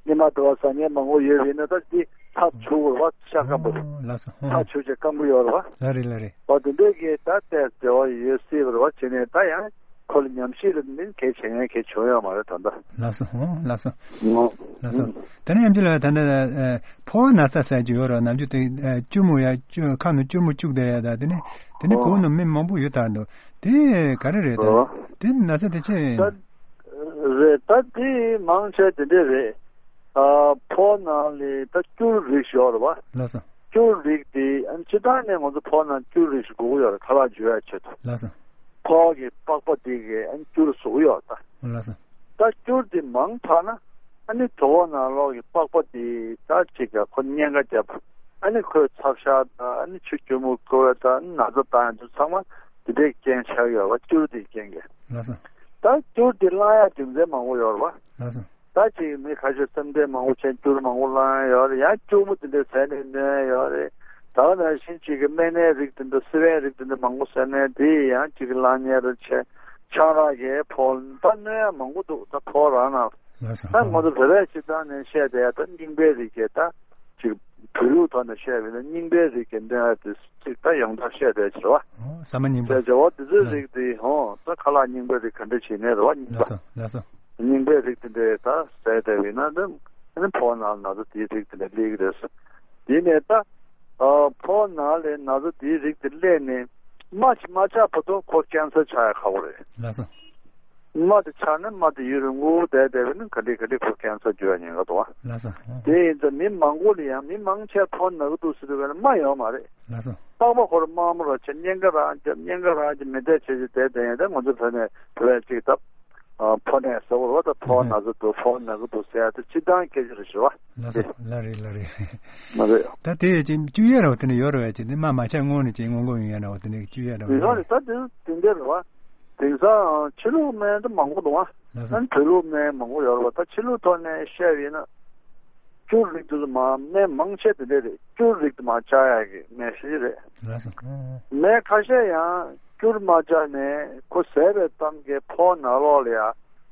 ཉི་མ་དུ་བ་ཟ་མཁན་མང་པོ་ཡོད་པ་ཡིན་ན་ད་དེ་ཚྭ་བྱུག་དགོས་རེད་པ། ཤ་སྐམ་པོ་དེ། ལགས་སོ། ཨོ། ཚྭ་བྱུགས་བྱས་སྐམ་པོ་ཡོད་རེད་པ། ལགས་རེད་ལགས་རེད། འོ་དེ་འདྲས་ཀྱི་ད་ལྟའི་འབྲེལ་བ་ཡོད་སྲིད་པ་རེད་པ། བྱས་ནས་ད་ཡང་ཁོ་ལ་ཉམས་ཞིབ་ལ་མིན་གལ་ཆེ་ཡང་གལ་བྱུང་ཡོད་མ་རེད་ད་ལྟ། ལགས་སོ། ཨོ། ལགས་སོ། ཨོ། ལགས་སོ། ད་ནི་ཡང་ཅི་ལ་ད་ནི་ཨ་ཕོ་བ་ན་ཚ་ཟེར་གྱི་ཡོད་རེད། ནམ་རྒྱུན་དེ་ཨ་སྐྱུར་མོ་ཡ་སྐྱུ་ཁ་ནང་སྐྱུར་མོ་བཅུག་བསྡད་ཡ་ད་དེ་ནི་དེ་ནི་ཨོ། བོད་ནང་མི་མང་པོ་ཡོད་ད་འདུག་དེ་ག་རེ་རེད་ད། ཨོ། དེ་ན་ཚ་དེ་ཆེ། ད་རེད་ད་དེ་མང་ཆེ་དེ་འདྲས་རེད། ཨ་ཕོ་ནང་ལ་ད་སྐྱུར་རིགས་ཤིག་ཡོད་རེད་པ། ལགས་སོ། སྐྱུར་རིགས་དེ་ཨ་ནི་སྤྱིར་བཏང་ནས་ང་ཚོ་ཕོ་ནང་སྐྱུར་རིགས་ཤིག་དགོས་ཀྱི་ཡོད་རེད། ཁ་ལག་འཇུ་ཡ་ཆེད་དུ། ལགས་སོ། ཕོ་གི་པགས་པ་དེ་གི་ཨ་ནི་སྐྱུར་བཟོ་གི་ཡོད་ད། ལགས་སོ། ད་ ད་སྐྱུར་དེ་མང་དྲགས་ན་ཨ་ནི་གྲོད་ཁོག་ནང་ལོགས་ཀྱི་པགས་པ་དེ་ད་ཅིག་ག་ཁོ་གཉན་ཁ་བརྒྱབ། ཨ་ནི་ཁོས་ཚབ་ཤ་དང་ཨ་ནི་ཆུ་སྐྱུར་མོ་བསྐོལ་བ་དང་ཨ་ནི་ན་ཚ་བཏང་ཡ་དེ་ཚང་མ་དེ་འདྲའི་རྐྱེན་ཆགས་ཡོད་པ། སྐྱུར་དེའི་རྐྱེན་གྱིས། ལགས་སོ། ད་སྐྱུར་དེ་བླང་ཡ་རྒྱུ་མཚན་མང་པོ་ཡོད་རེད་པ། ལགས་སོ། ད་ཅིག་མི་ཁ་ཤས་སེམས་ཁྲལ་མང་པོ་བྱས་སྐྱུར་མང་པོ་བླངས་ཡོད་རེད། ཡང་སྐྱུར་མོ་དེ་འདྲ་ཟས་ནས་གནོད་ཡོད་རེད། ད་ག་ནང་བཞིན་ཅིག་གི་སྨན་སྣའི་རིགས་དེ་འདྲ་སིལ་བའི་རིགས་དེ་འདྲ་མང་པོ་ཟས་ནས་དེ་ཡང་ཅིག་གི་བླངས་ཉེས་རེད་བྱས། ཆང་རག་གི་ཕོ་ད་གནོད་ཡ་མང་པོ་འདུག་ད་ཕོ་རང་ནང་། ལགས་སོ། ད་ང་ཚོ་བོད་པའི་སྤྱིར་བཏང་ནས་བཤད་བསྡད་ཡ་ད་རྙིང་པའི་རིགས་ཀྱི་ད་ཅིག་བོད་ལུགས་ཐོག་ནས་བཤད་པ་ཡིན་ན་རྙིང་པའི་རིགས་ཀྱི་གནོད་ཡ་དེ་ཅིག་ད་ཡང་དག་བཤད་བསྡད་ཀྱི་རེད་པ། ཨོ་ཟ་མ་རྙིང་པ། བྱས་བྱས་འོ་དེ་ཚོའི་རིགས་དེ་ཧོ་ད་ཁ་ལག་རྙིང་པའི་རིགས་ག་འདྲ་བྱེད་ནས་རེད་པ། རྙིང་པ། ལགས་སོ། ལགས་སོ། རྙིང་པའི་རིགས་དེ་འདྲའི་ད་ཟས་བསྡད་པ་ཡིན་ན་ད་ཨ་ནི་ཕོ་ནང་ན་ཚ་དེའི་རིགས་དེ་འདྲ་སླེབས་ཀྱི་རེད་ཟེར། དེ་ནས་ད་ཨ་ཕོ་ནང་ལ་ན་ཚ་དེའི་རིགས་དེ་སླེབས་ནས་རྨ་ཅིག་མ་ཆག་བར་དུ་ཁོ་ཀེན་སར་ཆགས་ཡ་ཁག་པོ་རེད། ལགས་སོ། རྨ་དེ་ཆག་ན་རྨ་དེ་ཡུན་རིང་པོ་བསྡད་བསྡད་པ་ཡིན་ན་ག་འདྲ་ག་འདྲ་ཁོ་ཀེན་སར་འགྱུར་ཡ་ཉེན་ཁ་འདུག་པ། ལགས་སོ། དེ་ཡིན་ཙང་མི་མང་པོ་ལ་ཡང་མི་མང་ཆེ་ཕོ་ན་གི་འདུག་ཟེར་དུས་ག་ལ་རྨ་ཡོད་མ་རེད། ལགས་སོ། པགས་པ་ཁོ་རང་དམར་མོ་རང་ཆགས། གཉན་ཁ་རང་རྒྱབ། གཉན་ཁ་རང་རྒྱབ་མི་བསྡད་བྱས་བྱས་བསྡད་བསྡད་ཡང་ད་ང་ཚོ་བོད་ནས་བོད་པའི་ཅིག་ད་ཕོ་ནད་ཟེར་བ་རེད་པ། ད་ཕོ་ན་ཚ་འདུག་ཕོ་ན་གི་འདུག་ཟེར་ཡ་ད་སྤྱིར་བཏང་སྐད་ཆ་རེད་ཤག་པ། ལགས་སོ། ལགས་རེད། ལགས་རེད། མ་རེད། ད་དེ་ཅིག་བཅོས་ཡ་ར་བ་དེ་ནས་ཡོད་ར་བ་ཅིག་དེ་རྨ་མ་ཆག་སྔོན་ནས་ཅིག་སྔོན་འགོག་ཡོང་ཡ་ར་བ་དེ་ནས་བཅོས་ཡ་ར་བ་ཡོད་རེད། ད་དེ་དེ་འདྲ་རེད་པ། དེང་སང་ཕྱི་ལུགས་སྨན་ད་མང་པོ་འདུག་པ། ལགས་སོ། ཨ་ནི་བོད་ལུགས་སྨན་མང་པོ་ཡོད་རེད་པ། ད་ཕྱི་ལུགས་ཐོག་ནས་བཤད་པ་ཡིན་ན། སྐྱུར་རིགས་དེ་ཚོ་མ་སྨན་མང་ཆེ་དེ་འདྲ་རེད། སྐྱུར་རིགས་དེ་མ་བཅག་ཡག་གི་སྨན་ཞིག་རེད། ལགས་སོ། སྨན་ཁ་ཤས་ཡང་སྐྱུར་མ་བཅག་ནས་ཁོ་ཟས་པའི་མཚམས་ཀྱི་ཕོ་ནང་ལོགས་ལ་ཡ་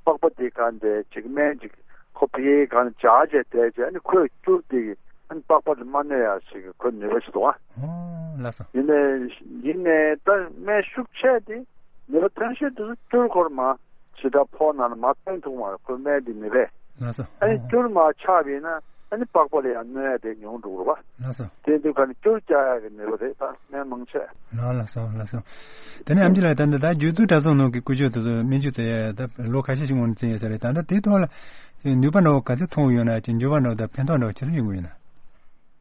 པགས་པ་དེ་ག་འདྲ་ཅིག་སྨན་ཅིག་ཁོ་ཕ་གིའི་ག་འདྲ་འཇགས་བྱས་བསྡད་བྱས། ཨ་ནི་ཁོས་སྐྱུར་དེ་གི་ཨ་ནི་པགས་པ་དེ་མ་གནོད་ཡག་ཅིག་གི་ཁོའི་ནུས་པ་ཞིག་འདུག་པ། ཨོ་ལགས་སོ། ཡིན་ནའི་ཡིན་ནའི་ད་སྨན་ཤུགས་ཆེ་དེ་ནུས་པ་ཐོན་ཤེས་དེ་ཚོ་སྐྱུར་ཁོ་རང་མ་ཇི་ལྟར་ཕོ་ནང་ལ་མ་ཐོན་ཐུབ་མ་རེད། ཁོའི་སྨན་དེ་ནུས་པས། ལགས་སོ། ཨ་ནི་ཨོ། སྐྱུར་མ་ཆགས་པ་ཡིན་ན་ཨ་ནི་པགས་པ་ལ་ཡང་གནོད་ཡ་དེ་ཉུང་འགྲོ་གི་རེད་པ། ལགས་སོ། དེ་དུས་ག་ནི་སྐྱུར་རྒྱག་ཡ་གི་ནུས་པ་རེད། ད་སྨན་མང་ཆེ། ལགས་ལགས་སོ། ལགས་སོ། དེ་ནས་ཨེམ་ཆི་ལགས་ད་ལྟ་ད་རྒྱུད་སྟོད་གྲྭ་ཚང་ནང་གི་སྐུ་ཞབས་དེ་ཚོ་སྨན་བཅོས་དེ་ད་ལོ་ཁ་ཤས་ཤིག་སྔོན་ནས་བྱས་ཡོད་ས་རེད། ད་ལྟ་དེའི་ཐོག་ལ་ནུས་པ་འདྲ་བོ་ག་ཚོད་ཐོན་གྱི་ཡོད་ན། ཅིག་འགྱུར་བ་འདྲ་བོ་ད་ཕན་ཐོགས་འདྲ་བོ་ཇི་ལྟར་ཡོང་གི་ཡོད་ན།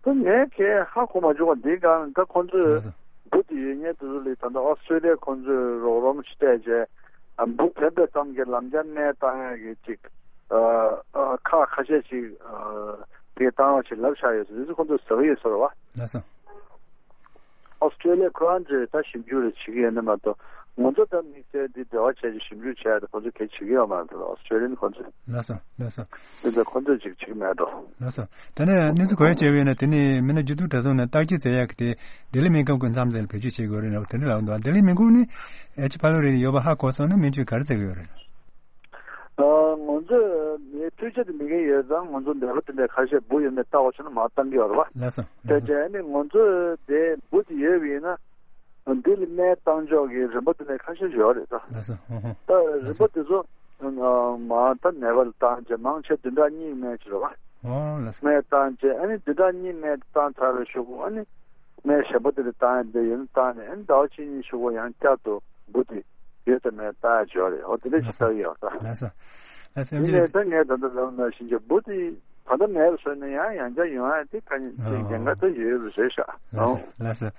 ད་ངས་གས་ཧ་གོ་མ་བྱུང་བ། འདིའི་སྒང་ད་ཁོང་ཚོས་ལགས་སོ། འབུ་དེ་ཡོད་མཁན་དེ་ཚོ་ལ་ད་ལྟ་ཨོ་སི་ཀྲེ་ལི་ཡ་ཁོང་ཚོས་རོགས་རམ་ཞིག་སྤྲད་བྱས། ཨ་འབུ་ཐོན་པའི་མཚམས་ཀྱི་ལམ་རྒྱག་སྨན་བཏང་ཡག་གི་ཅིག་ཨ་ཨ་ཁག་ཁ་ཤས་ཅིག་ཨ་དེ་བཏང་བ་ཞིག་ལབ་བཞག་ཡོད་ཟེར། དེ་ཚོ་ཁོང་ཚོས་ཟ་གི་ཡོད་ཟེར་བ། ལགས་སོ། ཨོ་སི་ཀྲེ་ལི་ཡ་ཁོ་རང་ཚོས་ད་ཞིབ་འཇུག་རེ་བྱེད་ཀྱི་ཡོད་ནི་མ་གཏོགས། ང་ཚོ་ད་དམིགས་བསལ་འདི་འབྲེལ་བ་བྱས་ཀྱི་ཞིབ་འཇུག་བྱས་ཏེ་ཁོ་ཚོས་གལ་བྱེད་ཀྱི་ཡོད་མ་རེད། ཨོ་སི་ཀྲེ་ལི་ཡ་ནི་ཁོ་ཚོས། ལགས་སོ། ལགས་སོ། འདི་ཚོ་ཁོ་ཚོས་ཅིག་བྱེད་ཀྱི་མེད་འགྲོ། ལགས་སོ། ད་ནས་གནས་ཚུལ་ག་རེ་བྱས་པ་ཡིན་ན། དེ་ནས་མི་སྣ་རྒྱུད་སྟོད་གྲྭ་ཚང་ནས་བརྟག་དཔྱད་མཛད་ཡག་གི་དེ་ལྡི་ལི་སྨན་ཁང་སྐུ་མཚམས་ཚད་ལ་བེད་སྤྱོད་བྱེད་དགོས་རེད་ན། དེ་འདྲ་ལབ་འདུག་ལྡི་ལི་སྨན་ཁང་ནི་ཨེ་ཆི་ཕ་ལོ་རི་ཡོད་པ་ཧ་གོ་སོང་ན་སྨན་བཅོས་ག་རེ་མཛད་ཀྱི་ཡོད་རེད། ཨ་ང་ཚོས་མིའི་འཕྲུལ་ཆས་དེ་མེད་མཁན་ཡོད་ཙང་། ང་ཚོ་ནད་པ་དེ་འདྲ་ཁ་ཤས་འབུ་ཡོད་མེད་བལྟ་བ་བྱུང་ན་མར་བཏང་གི་ཡོད་རེད་པ། ལགས་སོ། དེ་ལགས་སོ། བྱས་ནས་ང་ཚོས་དེ་འབུ་དེ་ཡོད་པ་ཡིན་ན། འདི་ལ་སྨན་བཏང་ཕྱོགས་ཀྱི་རིམ་པ་དེ་ནས་ཁ་ཤས་ཡོད་རེད་ད། ལགས་སོ། ཧོ་ཧོ། ད་རིམ་པ་དེ་ཚོ་ཨ་མ་ད་ནད་པ་ལ་བཏང་རྗེས་མང་ཆེ་བདུན་ཕྲག་གཉིས་སྨན་བྱེད་རེད་པ། ཨོ་ལགས་སོ། སྨན་བཏང་རྗེས་ཨ་ནི་བདུན་ཕྲག་གཉིས་སྨན་བཏང་ཚར་བའི་གཞུག་གུ་ཨ་ནི་སྨན་གཞན་པ་དེ་ལ་བཏང་ཡ་དེ་ཡོད་ན་བཏང་ནས། ཨ་ནི་ཟླ་བ་གཅིག་གཉིས་གཞུག་གུ་ཡང་བསྐྱར་དུ་འབུ་དེ་ཡོད་ཙམ་སྨན་བཏང་ཡ་ཡོད་རེད། ཨོ་དེ་འདྲ་ཞིག་ལགས་སོ། བཏང་ཡོད་ད། ལགས་སོ། ལགས་སོ། ཨེམ་ཆི་ལགས། དེ་ནས་ད་ངས་ད་ལྟ་ལབ་ནང་བཞིན་གྱི་འབུ་དེ་ད་ལྟ་མེད་པ་བཟོས་ན་ཡང་ཡང་བསྐྱར་ཡོང་ཡ་དེ་ཁ་ཉིན་ཅིག་ཨོ་འགན་ཁག་ད་ཡོད་རེད་ཤག་ལགས་སོ། ཨོ། ལགས་སོ།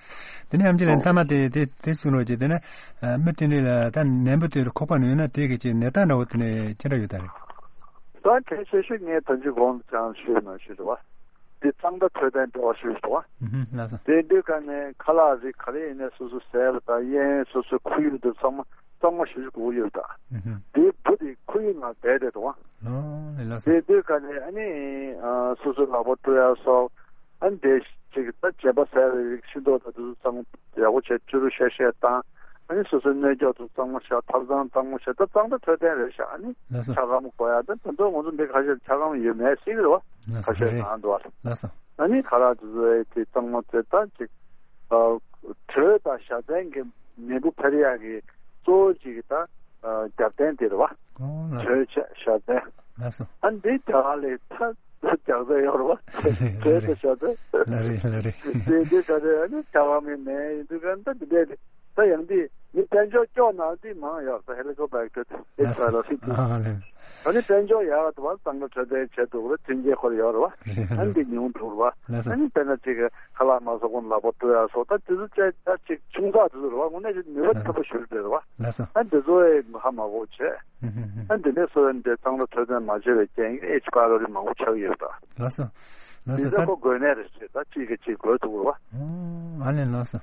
དེ་ནས་ཨེམ་ཆི་ལགས། ཨོ། མཐའ་མ་དེ་དེ་དེ་གསུང་རོགས་གྱིས། དེ་ནས་ཨ་མི་དེ་འདྲ་ལ་ད་ནད་འབུ་དེ་ཁོག་པ་ནང་ཡོད་ན་དེ་གི་ཅིག་ནད་རྟགས་འདྲ་བོ་དེ་ནས་ཅི་འདྲ་ཡོད་ད་རེད། ད་གལ་ཆེ་ཤོས་ངས་ད་ཅི་གོང་དུ་ཅང་ཞུས་ནང་བཞིན་རེད་པ། འདི་གཙང་སྦྲ་འཕྲོད་བསྟེན་འདྲ་བོ་ཞིག་རེད་པ། ཨུ་ཧུམ། ལགས་སོ། དེ་དུས་ག་ནས་ཁ་ལག་རིགས་ག་རེ་ཡིན་ནའི་སོ་སོ་ཟས་པ་དང་། གཡས་གཡོན་སོ་སོའི་ཁོར་ཡུག་དེ་ཚང་མ་གཙང་མ་ཞེ་པོ་ཅིག་དགོས་ཀྱི་ཡོད་ད། ཨུ་ཧུམ། དེའི་འབུ་དེ་ཁོར་ཡུག་ནང་བསྡད་བསྡད་འདུག་པ། ཨོ་ལགས་སོ། དེ་དུས་ག་ནས་ཨ་ནི་ཨ་སོ་སོའི་ལག་པ་བཀྲུ་ཡ་སོགས། ཨ་ནི་དེ་ཅིག་ད་བྱེད་པ་ཟས་པའི་རིགས་ཤིང་ཏོག་དང་དེ་ཚོ་གཙང་མ་ཡག་པོ་བྱས་བཅུ་རུ་ཤ་ཤ་བཏང་། ཨ་ནི་སོ་སོའི་སྣོད་སྐྱོགས་དེ་གཙང་མ་བཞག་ཐབ་ཚང་གཙང་མ་བཞག་ད་གཙང་སྦྲ་འཕྲོད་བསྟེན་རེད་ཤག་ཨ་ནི་ལགས་སོ། འཁྱག་སྒམ་དགོས་ཡ་ད་ད་དུང་ང་ཚོ་འདི་ཁ་ཤས་འཁྱག་སྒམ་ཡོད་མེད་ཤེས་ཀྱི་རེད་པ། ལགས་སོ། ཁ་ཤས་རེད། གང་འདུག་པ། ལགས་སོ། ཨ་ནི་ཁ་ལག་དེ་ཚོ་ཨེ་དེ་གཙང་མ་བྱས་ད་ཅིག་ཨ་དྲོད་དང་ཞ་ཚན་གྱི་ནད་འབུ་འཕེལ་ཡག་གི་གཙོ་བོ་གཅིག་གི་ད་ཨ་རྒྱབ་རྟེན་དེ་རེད་པ། ཨོ་ལགས་སོ། དྲོད་ཆ་ཞ་ཚན། ལགས་སོ། ཨ་འདི་རྒྱ་གར་ལ་ད་རྒྱག་ས་ཡོད་རེད་པ། དྲོད་དང་ཞ་ཚན། ལགས་རེད། ལགས་རེད། དེ་དེ་ད་དེ་ཨ་ནི་རྒྱ་གར་མི་ནད་ཡིན་དུས་ག་ད་འདི་འདྲས་རེད། ད་ཡང་འདི་མི་དཔལ་འབྱོར་སྐྱོ་ན་འདི་མང་ཡོད་ད་ཧེ་ལི་ཀོ་པེག་ཏར་ཨེ་ཆི་པའི་ལོ་རི་ཊི། ཨ་ལེ། ད་ནི་དཔལ་འབྱོར་ཡག་ཏུ་བ་གཙང་ལ་འཕྲོད་བསྟེན་བྱེད་འདུག་ར་མཐུན་རྐྱེན་ཁོར་ཡོད་ར་བ། ཨ་ནི་འདི་ཉུང་འགྲོ་ར་བ། ཨ་ནི་དཔེར་ན་ཅིག་ཁ་ལག་མ་ཟ་གོང་ལག་པ་བཀྲུ་ཡ་སོགས་ད་དེ་ཚོ་བྱས་ད་ཅིག་ཆུང་ཙག་དེ་ཚོ་ར་བ་དངོས་གནས་ནུས་པ་ཆེན་པོ་ཞིག་རེད་ར་བ། ཨ་འདི་ཚོ་ཧ་མ་གོ་བྱས། ཨ་འདི་ནས་སོ་ཡོན་འདི་གཙང་ལ་འཕྲོད་བསྟེན་མ་བྱས་པའི་རྐྱེན་གྱིས་ཨེ་ཆི་པའི་ལོ་རི་མང་པོ་ཆགས་ཡོད་ད། ལགས་སོ། ལགས་སོ། འདི་ད་ཁོ་དགོས་གནད་རེད་ཟེར་ད་གཅིག་གིས་གཅིག་དགོས་ཐུག་ར་བ། ཨོ། ཨ་ལེ་ལགས་སོ།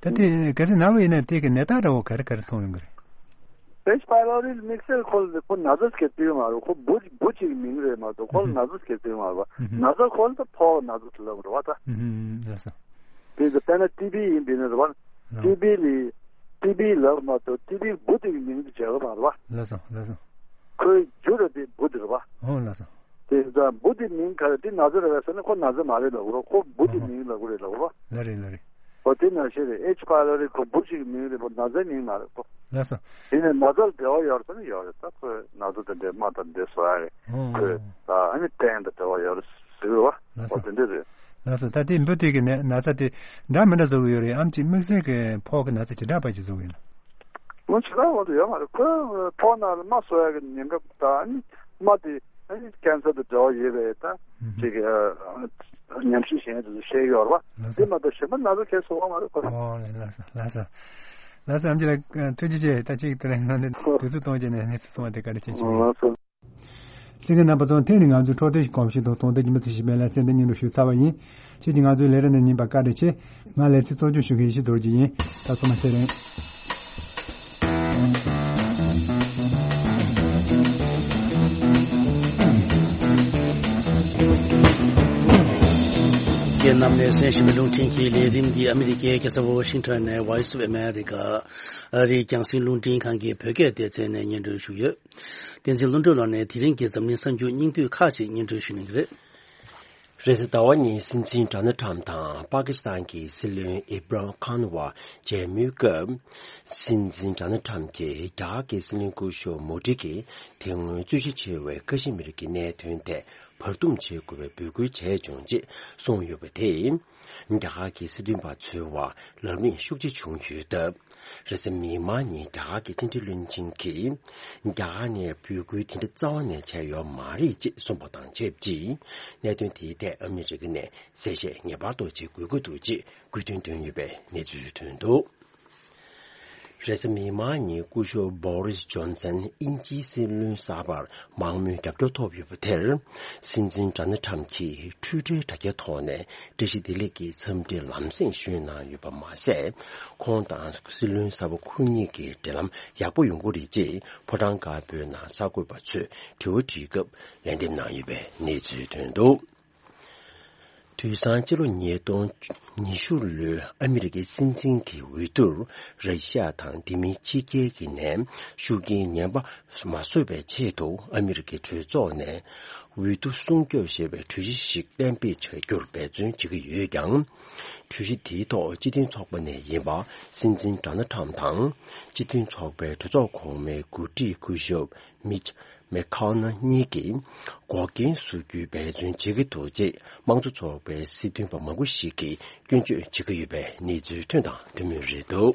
ད་དེ་གལ་སྲིད་ན་བ་ཡིན་ན་དེ་གི་ནད་རྟགས་འདྲ་བོ་ག་རེ་ག་རེ་མཐོང་ཡོང་གི་རེད། ཨེ་ཆི་པའི་ལོ་རི་དམིགས་བསལ་ཁོ་ལ་ཁོ་ན་ཚ་སྐྱེ་ཚུལ་མ་རེད། ཁོ་འབུ་འབུ་གཅིག་མིང་རེད་མ་གཏོགས་ཁོ་ལ་ན་ཚ་སྐྱེ་ཚུལ་མ་རེད་བ། ན་ཚ་ཁོ་ལ་ད་ཕོག་ན་ཚ་དེ་ལབ་རེད་བ་ད། ལགས་སོ། དེ་ཚོ་དཔེར་ན་ཊི་བི་ཡིན་པས་ན་རེད་བ། ཊི་བི་ལི་ཊི་བི་ལབ་མ་གཏོགས་ཊི་བི་འབུ་དེ་གི་མིང་དུ་བྱ་གི་མ་རེད་བ། ལགས་སོ་ལགས་སོ། ཁོའི་རྒྱུ་ར་དེ་འབུ་དེ་རེད་བ། ཨོ་ལགས་སོ། དེ་ཚོ་འབུ་དེ་མིང་ག་རེ་དེ་ན་ཚ་རེད་བས་ཟེར་ན་ཁོ་ན་ཚ་མ་རེད་ལབ་གི་རེད། ཁོ་འབུ་དེ་མིང་ལབ་གི་རེད་ལབ་གི་རེད་བ། ལགས་རེད་ལགས་རེད། ཨོ་དེ་ནང་བཞིན་རེད། ཨེ་ཆི་པའི་ལོ་རི་ཁོ་འབུ་ཞིག་གི་མིང་རེད་པ། ན་ཚའི་མིང་མ་རེད་པ། ལགས་སོ། དེ་ནས་ན་ཚ་ལ་འབྲེལ་བ་ཡོད་རེད་ཟེར་ན་ཡོད་རེད། ད་ཁོས་ན་ཚ་དེ་འདྲའི་རྨ་དང་འདྲའི་བཟོ་ཡ་རེད། ཨོ། ཁོས་ད་ཨ་ནི་སྟེང་དང་འབྲེལ་བ་ཡོད་རེད་ཟེར་བ། ལགས་སོ། ཨོ་དེ་འདྲ་རེད། ལགས་སོ། ད་དེ་འབུ་དེ་གི་ནད་ན་ཚ་དེ་འདྲ་མི་འདྲ་བཟོ་གི་ཡོད་རེད་ཨམ། ཅིག་དམིགས་བསལ་གི་ཕོག་གི་ན་ཚ་ཇི་འདྲ་པ་ཅིག་བཟོ་གི་ཡོད་ན། ལོ་ཇི་འདྲ་བ་དུ་ཡོད་མ་རེད། ཁོས་ཕོག་ན་རྨ་བཟོ་ཡ་གི་ཉེན་ཁ་ད་ཨ་ནི་རྨ་དེ་ཨ་ནི་ཀན་སར་དང་འབྲེལ་བ་ཡོད་པའི་ད་ཅིག་ཉམས་ཞིབ་བྱེད་མཁན་དེ་ཚོ་བཤད་ཀྱི་ཡོད་རེད་བ། དེ་མ་གཏོགས་གཞན་པ་ན་ཚ་གས་བཟོ་བ་མ་རེད་ཁོ། ཨོ་ལགས་སོ་ལགས་སོ། ལགས་སོ། ཨམ་ཆི་ལགས་ཐུགས་རྗེ་ཆེ། ད་ཅིག་དེ་རིང་ང་ཚོ་དུས་ཚོད་གཏོང་བྱས་ནས་གནས་ཚུལ་གསུང་བ་དེ་བཀའ་དྲིན་ཆེ་ཞུ། ལགས་སོ། གསན་མཁན་རྣམ་པ་ཚོ་ཐེངས་འདིའི་ང་ཚོའི་འཕྲོད་བསྟེན་གོམས་གཤིས་དང་དོན་དག་རྒྱུན་མི་ཚེ་ཞིག་མེད་ལ་ཚེ་འདི་སྙན་སྒྲོན་ཞུ་ཚར་བ་ཡིན། ཁྱེད་ཀྱིས་ང་ཚོའི་ལས་རིམ་ནང་ཉན་པར་བཀའ་དྲིན་ཆེ། ང་ལས་ཚིག་གཙོ་སྐྱོང་ཞུ་མཁན་ཡེ་ཤེས་རྡོ་རྗེ་ཡིན། ད་ཚང་མ་ཚེ་རིང་། ཁྱེད་རྣམས་ནས་གསན་བཞིན་པའི་རླུང་འཕྲིན་གྱི་ལས་རིམ་འདི་ཨ་མི་རི་ཀའི་རྒྱལ་ས་ཝ་ཤིང་ཊོན་ནས་Voice of America ཨ་རིའི་རྒྱང་སྲིང་རླུང་འཕྲིན་ཁང་གི་བོད་སྐད་སྡེ་ཚན་ནས་སྙན་སྒྲོན་ཞུས་ཡོད། བསྟན་འཛིན་ཀླུ་སྒྲུབ་ལགས་ནས་དེ་རིང་གི་འཛམ་གླིང་གསར་འགྱུར་སྙིང་བསྡུས་ཁག་ཅིག་སྙན་སྒྲོན་ཞུ་གནང་གི་རེད། རེས་གཟའ་ཟླ་བ་ཉིན་སྲིད་འཛིན་ཌོ་ནལ་ཊམ་དང་པ་ཀི་སི་ཐན་གྱི་སྲིད་བློན་ཨི་བྷ་རན་ཁཱན་བར་མཇལ་མོལ་སྐབས། སྲིད་འཛིན་ཌོ་ནལ་ཊམ་གྱིས་རྒྱ་གར་གྱི་སྲིད་བློན་སྐུ་ཞབས་མོ་ཌི་གིས་དེ་སྔོན་རྩོད་གཞི་ཆེ་བའི་ཀ་ཤི་མིར་གྱི་གནད་དོན་ཐད་བར་འདུམ་བྱེད་དགོས་པའི་འབོད་སྐུལ་བྱས་བྱུང་ཅེས་གསུངས་ཡོད་པ་དེས། རྒྱ་གར་གྱི་སྲིད་དོན་པ་ཚོའི་བར་ལབ་གླེང་ཤུགས་ཆེ་བྱུང་ཡོད་སྟབས། རེས་གཟའ་མིག་དམར་ཉིན་རྒྱ་གར་གྱི་ཕྱི་འབྲེལ་བློན་ཆེན་གྱིས། རྒྱ་གར་ནས་འབོད་སྐུལ་དེ་འདྲ་རྩ་བ་ནས་བྱས་ཡོད་མ་རེད་ཅེས་གསུངས་པ་དང་ཆབས་ཅིག་གནད་དོན་དེའི་ཐད་ཨ་མི་རི་ཀ་ནས་གསལ་བཤད་ངེས་པར་དུ་བྱེད་དགོས་ཀྱི་འདུག་ཅེས་དགོས་འདུན་བཏོན་ཡོད་པའི་གནས་ཚུལ་ཐོན་འདུག་རེས་གཟའ་མིག་དམར་ཉིན་སྐུ་ཞབས་བྷོ་རིས་ཇོན་སན་དབྱིན་ཇིའི་སྲིད་བློན་གསར་པར་མང་མོས་རྒྱབ་སྐྱོར་ཐོབ་ཡོད་པ་དེར། སྲིད་འཛིན་ཌོ་ནལ་ཊམ་གྱིས་འཕྲུལ་བསྟར་དྲ་རྒྱའི་ཐོག་ནས་བཀྲ་ཤིས་བདེ་ལེགས་ཀྱི་འཚམས་འདྲི་ལམ་སེང་ཞུས་གནང་ཡོད་པ་མ་ཟད། ཁོང་དང་སྲིད་བློན་གསར་པ་ཁོ་གཉིས་ཀྱི་འབྲེལ་ལམ་ཡག་པོ་ཡོང་གི་རེད་ཅེས་ཕོ་བྲང་དཀར་པོའི་ནང་གསར་འགོད་པ་ཚོས་དྲི་བ་དྲིས་སྐབས་ལན་འདེབས་གནང་ཡོད་པའི་གནས་ཚུལ་ཐོན་འདུག་དུས་སང་སྤྱི་ལོ་ཉིས་སྟོང་ཉི་ཤུ་ལོའི་ཨ་མི་རི་ཀའི་སྲིད་འཛིན་གྱི་འོས་བསྡུར་ར་ཤི་ཡ་དང་དེ་མིན་ཕྱི་རྒྱལ་གྱི་ནས་ཤུགས་རྐྱེན་ངན་པ་མ་བཟོ་བའི་ཆེད་དུ་ཨ་མི་རི་ཀའི་གྲོས་ཚོགས་ནས་འོས་བསྡུ་སྲུང་སྐྱོབ་ཞེས་པའི་གྲོས་གཞི་ཞིག་གཏན་འབེབས་བྱ་རྒྱུར་འབད་བརྩོན་བྱེད་ཀྱི་ཡོད་ཀྱང་། གྲོས་གཞི་དེའི་ཐོག་སྤྱི་མཐུན་ཚོགས་པ་ནས་ཡིན་པ་སྲིད་འཛིན་ཌོ་ནལ་ཊམ་དང་སྤྱི་མཐུན་ཚོགས་པའི་གྲོས་ཚོགས་གོང་མའི་འགོ་ཁྲིད་སྐུ་ཞབས་མིཆ་མེ་ཁ་ནལ་གཉིས་ཀྱིས་འགོག་རྐྱེན་བཟོ་རྒྱུའི་འབད་བརྩོན་བྱེད་ཀྱི་འདུག་ཅེས་དམངས་གཙོ་ཚོགས་པའི་སྲིད་དོན་པ་མང་པོ་ཞིག་གིས་སྐྱོན་བརྗོད་བྱེད་ཀྱི་ཡོད་པའི་གནས་ཚུལ་ཐོན་དང་ཐོན་མུས་རེད་འདུག་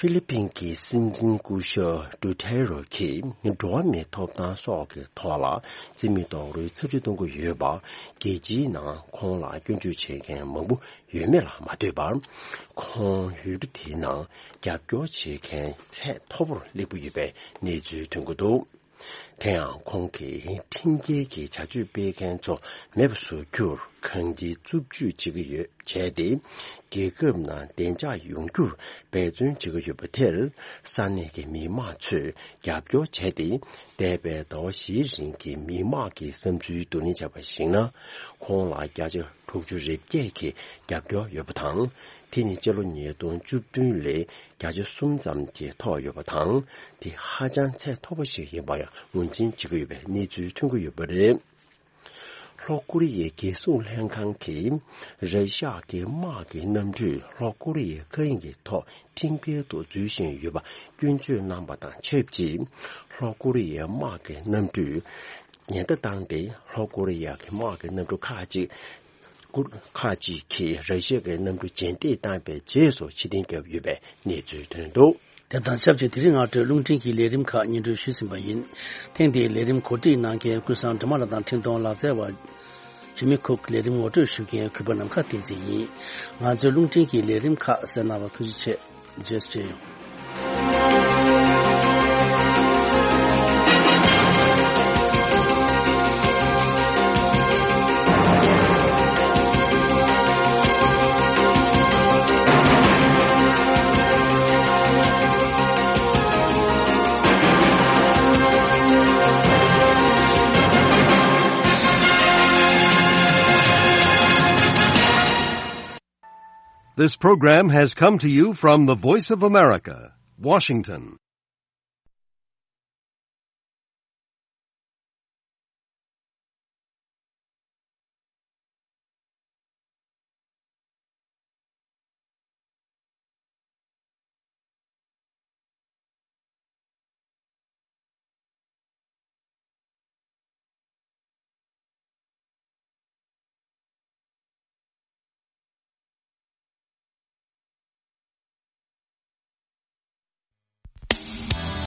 ཧྥི་ལི་པིན་གྱི་སྲིད་འཛིན་སྐུ་ཞབས་ཌུ་ཐེ་རོ་གིས་འགྲོ་བ་མིའི་ཐོབ་ཐང་སོགས་ཀྱི་ཐོག་ལ་རྩིས་མེད་རྡོག་རོལ་ཚབས་ཆེ་གཏོང་གི་ཡོད་པ། རྒྱལ་སྤྱིའི་ནང་ཁོང་ལ་སྐྱོན་བརྗོད་བྱེད་མཁན་མང་པོ་ཡོད་མེད་ལ་མ་ལྟོས་པར། ཁོང་ཡུལ་གྲུ་དེའི་ནང་རྒྱབ་སྐྱོར་བྱེད་མཁན་ཚད་མཐོ་པོར་སླེབས་ཀྱི་ཡོད་པའི་གནས་ཚུལ་ཐོན་གྱི་འདུག་དེ་ཡང་ཁོང་གིས་ཁྲིམས་འགལ་གྱི་བྱ་སྤྱོད་སྤེལ་མཁན་ཚོ་མེད་པ་བཟོ་རྒྱུར་གང་ཅིའི་རྩུབ་སྤྱོད་བྱེད་ཀྱི་ཡོད། བྱས་ཏེ། རྒྱལ་ཁབ་ནང་བདེ་འཇགས་ཡོང་རྒྱུར་འབད་བརྩོན་བྱེད་ཀྱི་ཡོད་པ་དེར། ས་གནས་ཀྱི་མི་མང་ཚོས་རྒྱབ་སྐྱོར་བྱས་ཏེ། འདས་པའི་ཟླ་བ་བཞིའི་རིང་གི་མི་མང་གི་བསམ་ཚུལ་བསྡུ་ལེན་བྱས་པར་གཞིགས་ན། ཁོང་ལ་བརྒྱ་ཆ་དྲུག་ཅུ་རེ་བརྒྱད་ཀྱི་རྒྱབ་སྐྱོར་ཡོད་པ་དང་། དེ་ནི་སྤྱི་ལོ་ཉིས་སྟོང་བཅུ་བདུན་ལས་བརྒྱ་ཆ་གསུམ་ཙམ་གྱིས་མཐོ་ཡོད་པ་དང་། དེ་ཧ་ཅང་ཚད་མཐོ་པོ་ཞིག་ཡིན་པ་ཡང་ངོས་འཛིན་བྱེད་ཀྱི་ཡོད་པའི་གནས་ཚུལ་ཐོན་གྱི་ཡོད་པ་རེད། ལྷོ་ཀོ་རི་ཡའི་རྒྱལ་སྲུང་ལྷན་ཁང་གིས་ར་ཤ་ཡ་གི་དམག་གི་གནམ་གྲུས་ལྷོ་ཀོ་རི་ཡའི་མཁའ་དབྱིངས་ཀྱི་ཐོག་ཁྲིམས་འགལ་དུ་འཛུལ་བཞིན་ཡོད་པ་སྐྱོན་བརྗོད་གནང་པ་དང་ཆབས་ཅིག་ལྷོ་ཀོ་རི་ཡའི་དམག་གི་གནམ་གྲུས་ཉེན་བརྡ་བཏང་སྟེ། ལྷོ་ཀོ་རི་ཡ་གི་དམག་གི་གནམ་གྲུ་ཁག་ཅིག་ གུར་ཁག་ཅིག་གིས་ར་ཤི་ཡ་གི་གནམ་གྲུ་རྗེས་འདེད་བཏང་བའི་རྗེས་སུ་ཕྱིར་འཐེན་བརྒྱབ་ཡོད་པའི་གནས་ཚུལ་ཐོན་འདུག། དེ་དང་ཆབས་ཅིག་དེ་རིང་སྔ་དྲོའི་རླུང་འཕྲིན་གྱི་ལས་རིམ་ཁག་སྙན་སྒྲོན་ཞུས་ཟིན་པ་ཡིན། ཐེངས་འདིའི་ལས་རིམ་གོ་སྒྲིག་གནང་མཁན་ཀུན་བཟང་སྒྲོལ་མ་ལགས་དང་འཕྲིན་གཏོང་ལག་རྩལ་བ་ཇི་མི་ཁུག། ལས་རིམ་ངོ་སྤྲོད་ཞུ་མཁན་གུས་པ་ནམ་མཁའ་བསྟན་འཛིན་ཡིན། ང་ཚོའི་རླུང་འཕྲིན་གྱི་ལས་རིམ་ཁག་གསན་གནང་བར་ཐུགས་རྗེ་ཆེ། རྗེས་སུ་མཇལ་ཡོང་། This program has come to you from the Voice of America, Washington.